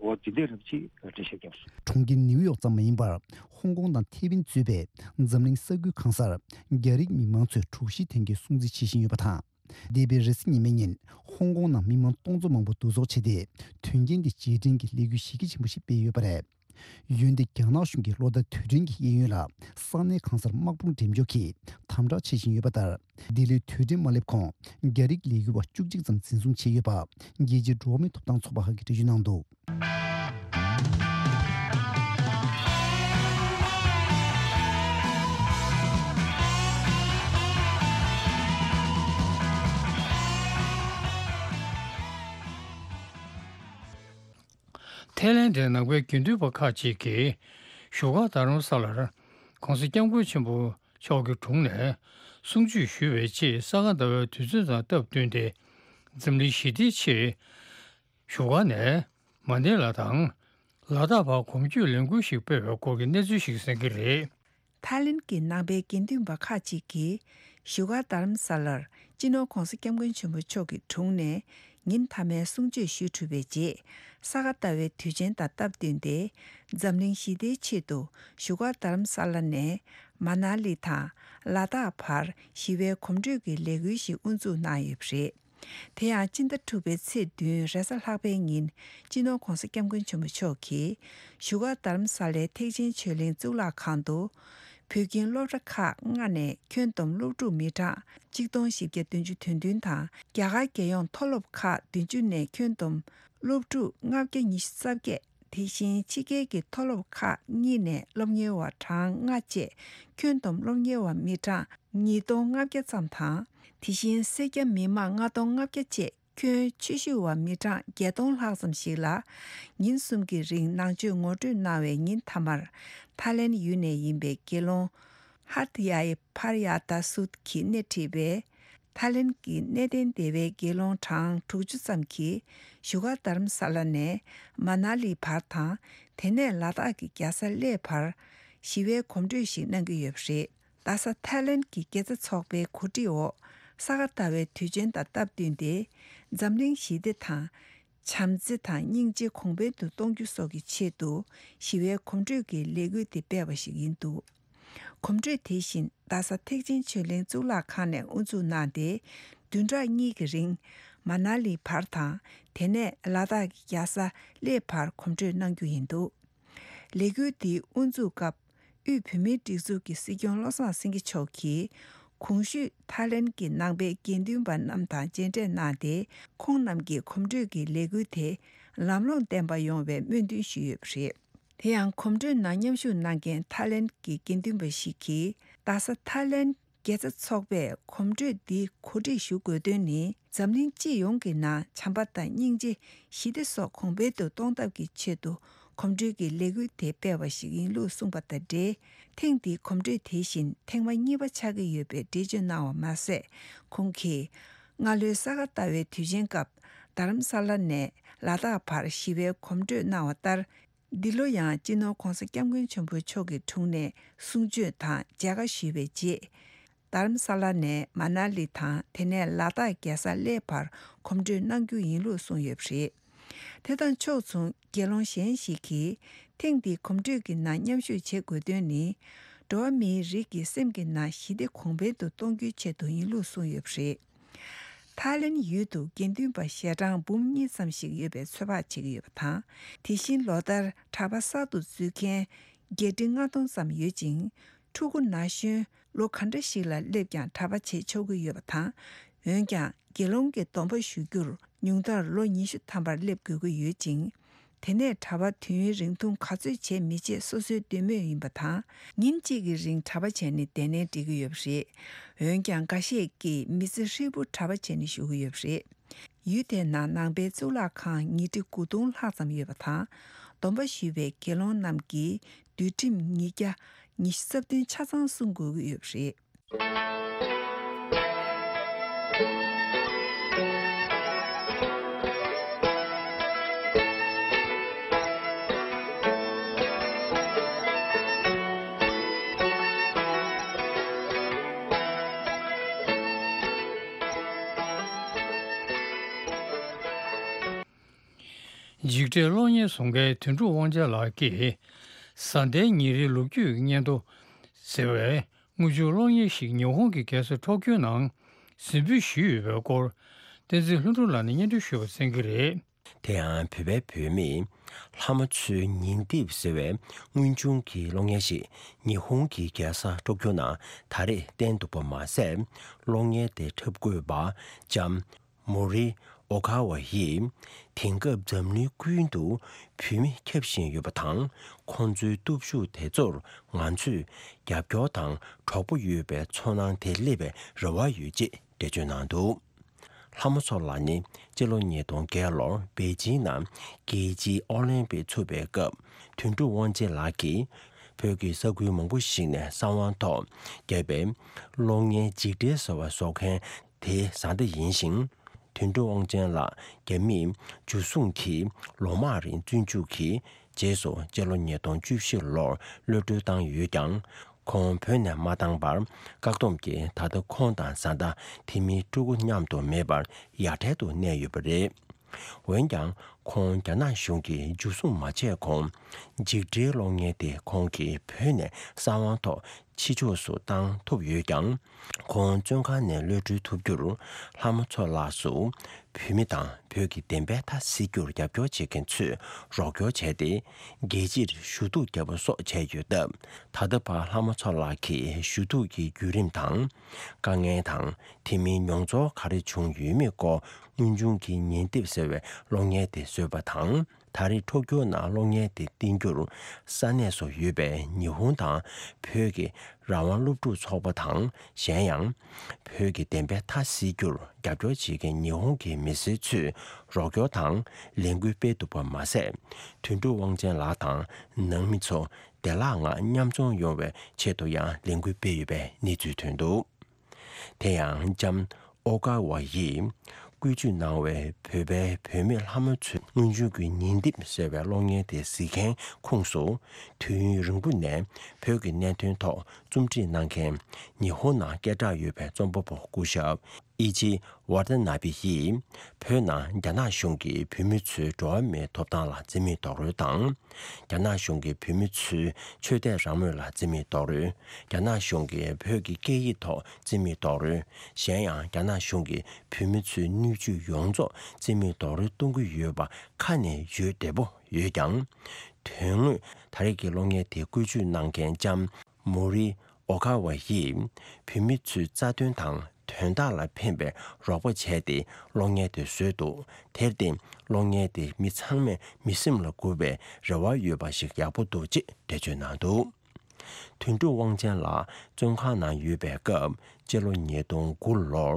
འོ་དེ་འདྲས་རབ་ཅིག་འགྲེལ་བཤད་བརྒྱབ་སོང་། གྲོང་ཁྱེར་ནིའུ་ཡོག་ཙམ་མ་ཡིན་པར་ཧོང་ཀོང་དང་ཐེ་ཝན་གཙོས་པའི་འཛམ་གླིང་ས་ཁུལ་གང་སར་རྒྱ་རིགས་མི་མང་ཚོས་དྲུག་བཞི་དོན་རྐྱེན་སྲུང་བརྩི་བྱེད་བཞིན་ཡོད་པ་དང་། འདས་པའི་རེས་གཟའ་ཉི་མའི་ཉིན་ཧོང་ཀོང་ནང་མི་མང་སྟོང་ཚོ་མང་པོ་འདུ་ཚོགས་བྱས་ཏེ་དོན་རྐྱེན་དེ་རྗེས་དྲན་གྱི་ལས་འགུལ་གཞི་རྒྱ་ཆེན་པོ་ཞིག་སྤེལ་ཡོད་པ་རེད། འོན་ཏེ་རྒྱ་ནག་གཞུང་གིས་ལོ་ལྟར་དུས་དྲན་གྱི་གཡས་གཡོན་ལ་ས་གནས་གང་སར་དམག་དཔུང་འགྲེམས་འཇོག་གིས་དམ་དྲག་བྱེད་བཞིན་ཡོད་པ་ལྟར། འདི་ལོའི་དུས་དྲན་མ་སླེབས་གོང་རྒྱ་རིགས་ལས་འགུལ་བ་བཅུ་གཅིག་ཙམ་འཛིན་བཟུང་བྱས་ཡོད་པ་རྒྱལ་སྤྱིའི་འགྲོ་བ་མིའི་ཐོབ་ཐང་ཚོགས་པ་ཁག་གིས་འགྲེལ་བརྗོད་གནང་འདུག་ཐའི་ལེན་ཌའི་ནང་པའི་དགེ་འདུན་པ་ཁག་ཅིག་གིས་བཞུགས་སྒར་རྡ་རམ་ས་ལར་༸གོང་ས་༸སྐྱབས་མགོན་ཆེན་པོ་མཆོག་གི་དྲུང་ནས་གསུང་ཆོས་ཞུས་པའི་རྗེས་ས་ག་ཟླ་བའི་དུས་ཚོད་དང་སྟབས་བསྟུན་ཏེ་འཛམ་གླིང་ཞི་བདེའི་ཆེད་བཞུགས་སྒར་ནས་མ་ནེ་ལ་དང་ལ་དྭགས་བར་གོམ་བགྲོད་ལས་འགུལ་ཞིག་སྤེལ་བའི་སྐོར་གྱི་གནས་ཚུལ་ཞིག་གསན་གྱི་རེད། ཐའི་ལེན་གྱི་ནང་པའི་དགེ་འདུན་པ་ཁག་ཅིག་གིས་བཞུགས་སྒར་རྡ་རམ་ས་ལར་སྤྱི་ནོར་༸གོང་ས་༸སྐྱབས་མགོན་ཆེན་པོ་མཆོག་གི་དྲུང་ནས་ཉིན་མཐའ་མའི་གསུང་ཆོས་ཞུས་གྲུབ་པའི་རྗེས་ས་ག་ཟླ་བའི་དུས་ཆེན་དང་སྟབས་བསྟུན་ཏེ་འཛམ་གླིང་ཞི་བདེའི་ཆེད་དུ་བཞུགས་སྒར་རྡ་རམ་ས་ལ་ནས་མ་ན་ལི་དང་ལ་དྭགས་བར་ཞི་བའི་གོམ་བགྲོད་ཀྱི་ལས་འགུལ་ཞིག་དབུ་འཛུགས་གནང་ཡོད་པ་རེད། དེ་ཡང་སྤྱི་ཟླ་དྲུག་པའི་ཚེས་བདུན་རེས་གཟའ་ལྷག་པའི་ཉིན་སྤྱི་ནོར་༸གོང་ས་༸སྐྱབས་མགོན་ཆེན་པོ་མཆོག་གིས་བཞུགས་སྒར་རྡ་རམ་ས་ལའི་ཐེག་ཆེན་ཆོས་གླིང་གཙུག་ལག་ཁང་དུ་བོད་ཁྱིམ་སློབ་གྲྭ་ཁག་ལྔ་ནས་ཁྱོན་བསྡོམས་སློབ་ཕྲུག་མི་གྲངས་གཅིག་སྟོང་བཞི་བརྒྱ་བདུན་ཅུ་དོན་བདུན་དང་རྒྱ་གར་རྒྱལ་ཡོངས་མཐོ་སློབ་ཁག་བདུན་ཅུ་ནས་ཁྱོན་བསྡོམས་སློབ་ཕྲུག་ལྔ་བརྒྱ་ཉི་ཤུ་རྩ་བརྒྱད། དེ་བཞིན་ཕྱི་རྒྱལ་གྱི་མཐོ་སློབ་ཁག་གཉིས་ནས་སློབ་གཉེར་བ་གྲངས་ལྔ་བཅས་ཁྱོན་བསྡོམས་སློབ་གཉེར་བ་མི་གྲངས་ཉིས་སྟོང་ལྔ་བརྒྱ་ཙམ་དང་། དེ་བཞིན་སེར་སྐྱ་མི་མང་ལྔ་སྟོང་ལྔ་བརྒྱ་བཅས་ཁྱོན་ཆེ་ཤོས་བ་མི་གྲངས་བརྒྱད་སྟོང་ལྷག་ཙམ་ཞིག་ལ་ཉིན་གསུམ་གྱི་རིང་ནང་ཆོས་ངོ་སྤྲོད་གནང་བའི་ཉིན་མཐའ་མར་ཐའི་ལེན་ཡུལ་ནས་ཡིན་པའི་དགེ་སློང་ཧར་ཏི་ཡ་ཡི་ཕར་ཡ་ཏཱ་སུད་ཀྱིས་སྣེ་ཁྲིད་པའི་ཐའི་ལེན་གྱི་གནས་བརྟན་སྡེ་བའི་དགེ་སློང་གྲངས་དྲུག་ཅུ་ཙམ་གྱིས་བཞུགས་སྒར་རྡ་རམ་ས་ལ་ནས་མ་ན་ལི་བར་དང་དེ་ནས་ལ་དྭགས་ཀྱི་རྒྱལ་ས་གླེ་བར་ཞི་བའི་གོམ་བགྲོད་ཞིག་གནང་གི་ཡོད་པ་རེད། རྡ་ས་ཐའི་ལེན་གྱི་དགེ་རྩ་ཚོགས་པའི་གོ་སྒྲིག་འོག་ས་ག་ཟླ་བའི་དུས་ཆེན་དང་སྟབས་བསྟུན་ཏེ་འཛམ་གླིང་ཞི་བདེ་དང་། བྱམས་བརྩེ་དང་སྙིང་རྗེ་གོང་འཕེལ་དུ་གཏོང་རྒྱུ་སོགས་ཀྱི་ཆེད་དུ་ཞི་བའི་གོམ་བགྲོད་ཀྱི་ལས་འགུལ་དེ་སྤེལ་བ་ཞིག་ཡིན་འདུག་གོམ་བགྲོད་དེ་བཞིན་རྡ་ས་ཐེག་ཆེན་ཆོས་གླིང་གཙུག་ལག་ཁང་ནས་དབུ་འཛུགས་གནང་སྟེ་བདུན་ཕྲག་གཉིས་ཀྱི་རིང་མ་ན་ལི་བར་དང་དེ་ནས་ལ་དྭགས་ཀྱི་རྒྱལ་ས་གླེ་བར་གོམ་བགྲོད་གནང་རྒྱུ་ཡིན་འདུག་ལས་འགུལ་འདིའི་དབུ་འཛུགས་སྐབས་དབུས་བོད་མིའི་སྒྲིག་འཛུགས་ཀྱི་སྲིད་སྐྱོང་བློ་བཟང་སེང་གེ་མཆོག་གིས་གོང་ཞུས་ཐའི་ལེན་གྱི་ནང་པའི་དགེ་འདུན་པ་རྣམས་དང་མཇལ་འཕྲད་གནང་སྟེ་ཁོང་རྣམས་ཀྱིས་གོམ་བགྲོད་ཀྱི་ལས་འགུལ་དེ་ ལམ་ལྷོང་ལྡན་པ་ཡོང་བའི་སྨོན་འདུན་ཞུས་ཡོད་པ་རེད། དེ་ཡང་གོམ་བགྲོད་ནང་མཉམ་ཞུགས་གནང་མཁན་ཐའི་ལེན་གྱི་དགེ་འདུན་པ་ཞིག་གིས། རྡ་ས་ཐའི་ལེན་དགེ་རྩ་ཚོགས་པས་གོམ་བགྲོད་འདི་གོ་སྒྲིག་ཞུ་དགོས་དོན་ནི། འཛམ་གླིང་སྤྱི་ཡོངས་ཀྱི་ནང་བྱམས་པ་དང་སྙིང་རྗེ། ཞི་བདེ་སོགས་གོང་འཕེལ་དུ་གཏོང་ཐབས་ཀྱི་ཆེད་དུ་གོམ་བགྲོད་ཀྱི་ལས་འགུལ་དེ་སྤེལ་བ་ཞིག་ཡིན་ལུགས་གསུངས་པ་དང་འབྲེལ། ཐེངས་འདིའི་གོམ་བགྲོད་དེ་བཞིན་ཐེངས་མ་གཉིས་པ་ཆགས་ཀྱི་ཡོད་པའི་འགྲེལ་བརྗོད་གནང་བ་མ་ཟད། ཁོང་གིས། སྔ་ལོའི་ས་ག་ཟླ་བའི་དུས་ཆེན་སྐབས་རྡ་རམ་ས་ལ་ནས་ལ་དྭགས་བར་ཞི་བའི་གོམ་བགྲོད་གནང་བ་ལྟར། འདི་ལོ་ཡང་སྤྱི་ནོར་༧གོང་ས་༧སྐྱབས་མགོན་ཆེན་པོ་མཆོག་གི་དྲུང་ནས་གསུང་ཆོས་དང་མཇལ་ཁ་ཞུས་པའི་རྗེས། རྡ་རམ་ས་ལ་ནས་མ་ན་ལི་དང་དེ་ནས་ལ་དྭགས་རྒྱལ་ས་གླེ་བར་གོམ་བགྲོད་གནང་རྒྱུ་ཡིན་ལུགས་གསུངས་ཡོད་པ་རེད། དེ་དང་ཕྱོགས་མཚུངས་དགེ་སློང་གཞན་ཞིག་གིས་ཐེངས་འདིའི་གོམ་བགྲོད་ཀྱི་ནང་མཉམ་ཞུགས་བྱེད་དགོས་དོན་ནི། འགྲོ་བ་མིའི་རིགས་ཀྱི་སེམས་ཀྱི་ནང་ཞི་བདེ་གོང་འཕེལ་དུ་གཏོང་རྒྱུའི་ཆེད་དུ་ཡིན་ལུགས་གསུངས་ཡོད་པ་རེད། ཐའི་ལེན་ཡུལ་དུ་དགེ་འདུན་པ་ཞལ་གྲངས་འབུམ་གཉིས་ཙམ་ཞིག་ཡོད་པའི་ཚོད་དཔག་བྱེད་ཀྱི་ཡོད་པ་དང་། དེ་བཞིན་ལོ་ལྟར་གྲྭ་པ་གསར་དུ་འཛུལ་མཁན་བརྒྱད་ཁྲི་ལྔ་སྟོང་ཙམ་ཡོད་ཅིང་། ཕྲུ་གུ་ན་གཞོན་ལོ་ག་འདྲ་ཞིག་ལ་སླེབས་ཀྱང་གྲྭ་པ་བྱེད་ཆོག་གི་ཡོད་པ་དང་། འོན་ཀྱང་དགེ་སློང་གི་སྡོམ་པ་ཞུ་རྒྱུར་ཉུང་མཐར་ལོ་ཉི་ཤུ་ཐམ་པར་སླེབས་དགོས་ཀྱི་ཡོད་ཅིང་། དེ་ནས་གྲྭ་པ་དུས་ཡུན་རིང་ཐུང་ག་ཚོད་བྱེད་མི་བྱེད་སོ་སོའི་འདོད་མོས་ཡིན་པ་དང་། ཉིན་གཅིག་གི་རིང་གྲྭ་པ་བྱས་ནས་བསྡད་ནའི་འགྲིག་གི་ཡོད་པ་རེད། འོན་ཀྱང་འགའ་ཤས་ཀྱིས་མི་ཚེ་ཧྲིལ་པོ་གྲྭ་པ་བྱས་ནས་བཞུགས་ཀྱི་ཡོད་པ་རེད། ཡུལ་དེའི་ནང་ནང་པའི་གཙུག་ལག་ཁང་ཉིས་ཁྲི་དགུ་སྟོང་ལྷག་ཙམ་ཡོད་པ་དང་། སྡོམ་པ་ཞུས་པའི་དགེ་སློང་རྣམས་ཀྱིས་འདུལ་ཁྲིམས་ཉིས་བརྒྱ་ཉི་ཤུ་རྩ་བདུན་ཆ་ཚང་སྲུང་དགོས་ཀྱི་ཡོད་པ་རེད། འཇིགས་བྲལ་གློག་བརྙན་བཟོ་མཁན་དོན་གྲུབ་དབང་ཆེན་ལགས་ཀྱིས། བཟའ་ཟླའི་ཉིན་རེའི་ལོ་རྒྱུས་སྙན་ཐོ་ཟེར་བའི་དངུལ་ཆུ་གློག་བརྙན་ཞིག་ཉི་ཧོང་གི་རྒྱལ་ས་ཊོ་ཀྱོ་ནང་གཟིགས་འབུལ་ཞུས་ཡོད་པའི་སྐོར། བསྟན་འཛིན་ལྷུན་གྲུབ་ལགས་ནས་སྙན་སྒྲོན་ཞུ་བ་གསན་གྱི་རེད། དེ་ཡང་བོད་པའི་བུད་མེད་ལྷ་མོ་མཚོའི་ཉིན་དེབ་ཟེར་བའི་དངོས་བྱུང་གི་གློག་བརྙན་ཞིག་ཉི་ཧོང་གི་རྒྱལ་ས་ཊོ་ཀྱོ་ནང་ད་རེས་བསྟན་འདུག་པ་མ་ཟད། གློག་བརྙན་དེ་འཁྲབ་དགོས་པ་ལྕམ་མོ་རི་ཨོ་ཁ་ཝ་ཡིས། དེང་སྐབས་འཛམ་གླིང་ཀུན་ཏུ་བུད་མེད་ཁྱབ་བཞིན་ཡོད་པ་དང་། ཁོང་ཚོའི་སྟོབས་ཤུགས་དེ་ཚོར་ང་ཚོས་རྒྱབ་སྐྱོར་དང་གྲོགས་པོ་ཡོད་པའི་ཚོར་སྣང་དེ་སླེབས་པའི་རེ་བ་ཡོད་ཅེས་འགྲེལ་བརྗོད་གནང་འདུག་ལྷ་མོ་མཚོ་ལགས་ནི་སྤྱི་ལོ་ཉིས་སྟོང་བརྒྱད་ལོར་པེ་ཅིང་ནང་རྒྱལ་སྤྱིའི་ཨོ་ལིམ་པིག་ཚུགས་པའི་སྐབས། དོན་གྲུབ་དབང་ཆེན་ལགས་ཀྱིས་བོད་ཀྱི་ས་ཁུལ་མང་པོ་ཞིག་ནས་གསང་བ་ཐོག་བརྒྱབ་པའི་གློག་བརྙན་འཇིགས་བྲལ་ཟེར་བ་བཟོ་མཁན་དེའི་བཟའ་ཟླ་ཡིན་ཞིང་། དོན་གྲུབ་དབང་ཆེན་ལགས་རྒྱ་མིས་འཇུ་བཟུང་གིས་ལོ་མང་རིང་བཙོན་འཇུག་གིས། རྗེས་སུ་སྤྱི་ལོ་ཉིས་སྟོང་བཅུ་བཞི་ལོར་གློད་གྲོལ་བཏང་ཡོད་ཀྱང་། ཁོང་བོད་ནས་མ་བཏང་བར་བཀག་སྡོམ་གྱིས་ད་ལྟ་ཁོང་དང་བཟའ་ཟླ་དེ་མིན་ཕྲུ་གུ་མཉམ་དུ་མེད་པར་ཡ་བྲལ་དུ་གནས་ཡོད་པ་རེད། འོན་ཀྱང་། ཁོང་རྒྱ་ནག་གཞུང་གིས་འཇུ་བཟུང་མ་བྱས་གོང་། འཇིགས་བྲལ་གློག་བརྙན་དེ་ཁོང་གིས་བོད་ནས་གསང་བ་ཐོག་ཕྱི་ཕྱོགས་སུ་བཏང་ཐུབ་ཡོད་ཀྱང་། ཁོང་བཙོན་ཁང་ནས་གློད་གྲོལ་ཐུབ་རྒྱུར། ལྷ་མོ་མཚོ་ལགས་སུ་བོད་མི་དང་བོད་ཀྱི་བདེན་པའི་མཐའ་གཟིགས་རྒྱུར་རྒྱབ་སྐྱོར་བྱེད་མཁན་ཚོས་རོགས་སྐྱོར་བྱས་ཏེ། རྒྱལ་སྤྱིར་ཞུ་གཏུག་བརྒྱབ་པ་སོགས་བྱས་ཡོད་སྟབས། ད་ལྟ་བར་ལྷ་མོ་མཚོ་ལགས་ཀྱི་ཞུ་གཏུག་གི་བརྒྱུད་རིམ་དང་། དཀའ་ངལ་དང་། དེ་མིན་མྱོང་ཚོར་ག་རེ་བྱུང་ཡོད་མེད་སྐོར། དངོས་བྱུང་གི་ཉིན་དེབ་ཟེར་བའི་གློག་བརྙན་དེ་བཟོས་པ་དང་། ད་རེས་ཊོ་ཀྱོ་ནང་གློག་བརྙན་དེ་བསྟན་རྒྱུར། ས་གནས་སུ་ཡོད་པའི་ཉི་ཧོང་དང་། བོད་ཀྱི་རང་དབང་སློབ་ཕྲུག་ཚོགས་པ་དང་། གཞན་ཡང་། བོད་ཀྱི་བདེན་པའི་མཐའ་གཟིགས་རྒྱུར་རྒྱབ་སྐྱོར་བྱེད་མཁན་ཉི་ཧོང་གི་མི་སེར་ཚོས་རོགས་སྐྱོར་དང་། ལས་འགུལ་སྤེལ་འདུག་པ་མ་ཟད། དོན་གྲུབ་དབང་ཆེན་ལགས་དང་། ནང་མི་ཚོ་བདེ་བླག་ངང་མཉམ་འཛོམས་ཡོང་བའི་ཆེད་དུ་ཡང་ལས་འགུལ་སྤེལ་ཡོད་པའི་གནས་ཚུལ་ཐོན་འདུག་དེ་ཡང་ལྕམ་ཨོ་ཀ་ཝ་ཡིས་བཀོལ་སྤྱོད་གནང་བའི་བོད་པའི་བུད་མེད་ལྷ་མོ་མཚོའི་དངོས་བྱུང་གི་ཉིན་དེབ་ཟེར་བའི་གློག་བརྙན་དེ་གཟིགས་མཁན་ཁོངས་སུ། དུས་ཡུན་རིང་པོ་ནས་བོད་ཀྱི་གནད་དོན་ཐོག་རྩོམ་སྒྲིག་གནང་མཁན། ཉི་ཧོང་ནང་སྐད་གྲགས་ཡོད་པའི་རྩོམ་པ་པོ་སྐུ་ཞབས་ཨི་ཅི་ཝར་ཏ་ན་བི་ཡིས། བོད་ནང་རྒྱ་ནག་གཞུང་གིས་བོད་མི་ཚོའི་འགྲོ་བ་མིའི་ཐོབ་ཐང་ལ་བརྩི་མེད་རྡོག་རོལ་དང་། རྒྱ་ནག་གཞུང་གིས་བོད་མི་ཚོའི་ཆོས་དད་རང་མོས་ལ་བརྩི་མེད་རྡོག་རོལ། རྒྱ་ནག་གཞུང་གིས་བོད་ཀྱི་སྐད་ཡིག་ཐོག་བརྩི་མེད་རྡོག་རོལ། གཞན་ཡང་། རྒྱ་ནག་གཞུང་གིས་བོད་མི་ཚོའི་སྣོད་བཅུད་ཡོངས་རྫོགས་བརྩི་མེད་རྡོག་རོལ་གཏོང་གི་ཡོད་པ་ཁ་ནས་ཡོད་བདེ་པོ་ཡོད་ཀྱང་། དོན་དངོས་ད་རེས་ཀྱི་གློག་བརྙན་དེ་བཀོལ་སྤྱོད་གནང་མཁན་ལྕམ་མོ་རི་ཨོ་ཁ་ཝ་ཡིས། བོད་མི་ཚོའི་རྩ་དོན་དང་། དོན་དག་ལ་ཕན་པའི་རོགས་པ་བྱས་ཏེ་གློག་བརྙན་དེ་བཟོས་འདུག་དེར་བརྟེན་གློག་བརྙན་དེ་མི་ཚང་མས་མི་སེམས་ལ་འགུག་པའི་རེ་བ་ཡོད་པ་ཞིག་ཡག་པོ་འདུག་ཅེས་འགྲེལ་བརྗོད་གནང་འདུག་དོན་གྲུབ་དབང་ཆེན་ལགས་བཙོན་ཁང་ནང་ཡོད་པའི་སྐབས་སྤྱི་ལོ་ཉིས་སྟོང་དགུ་ལོར་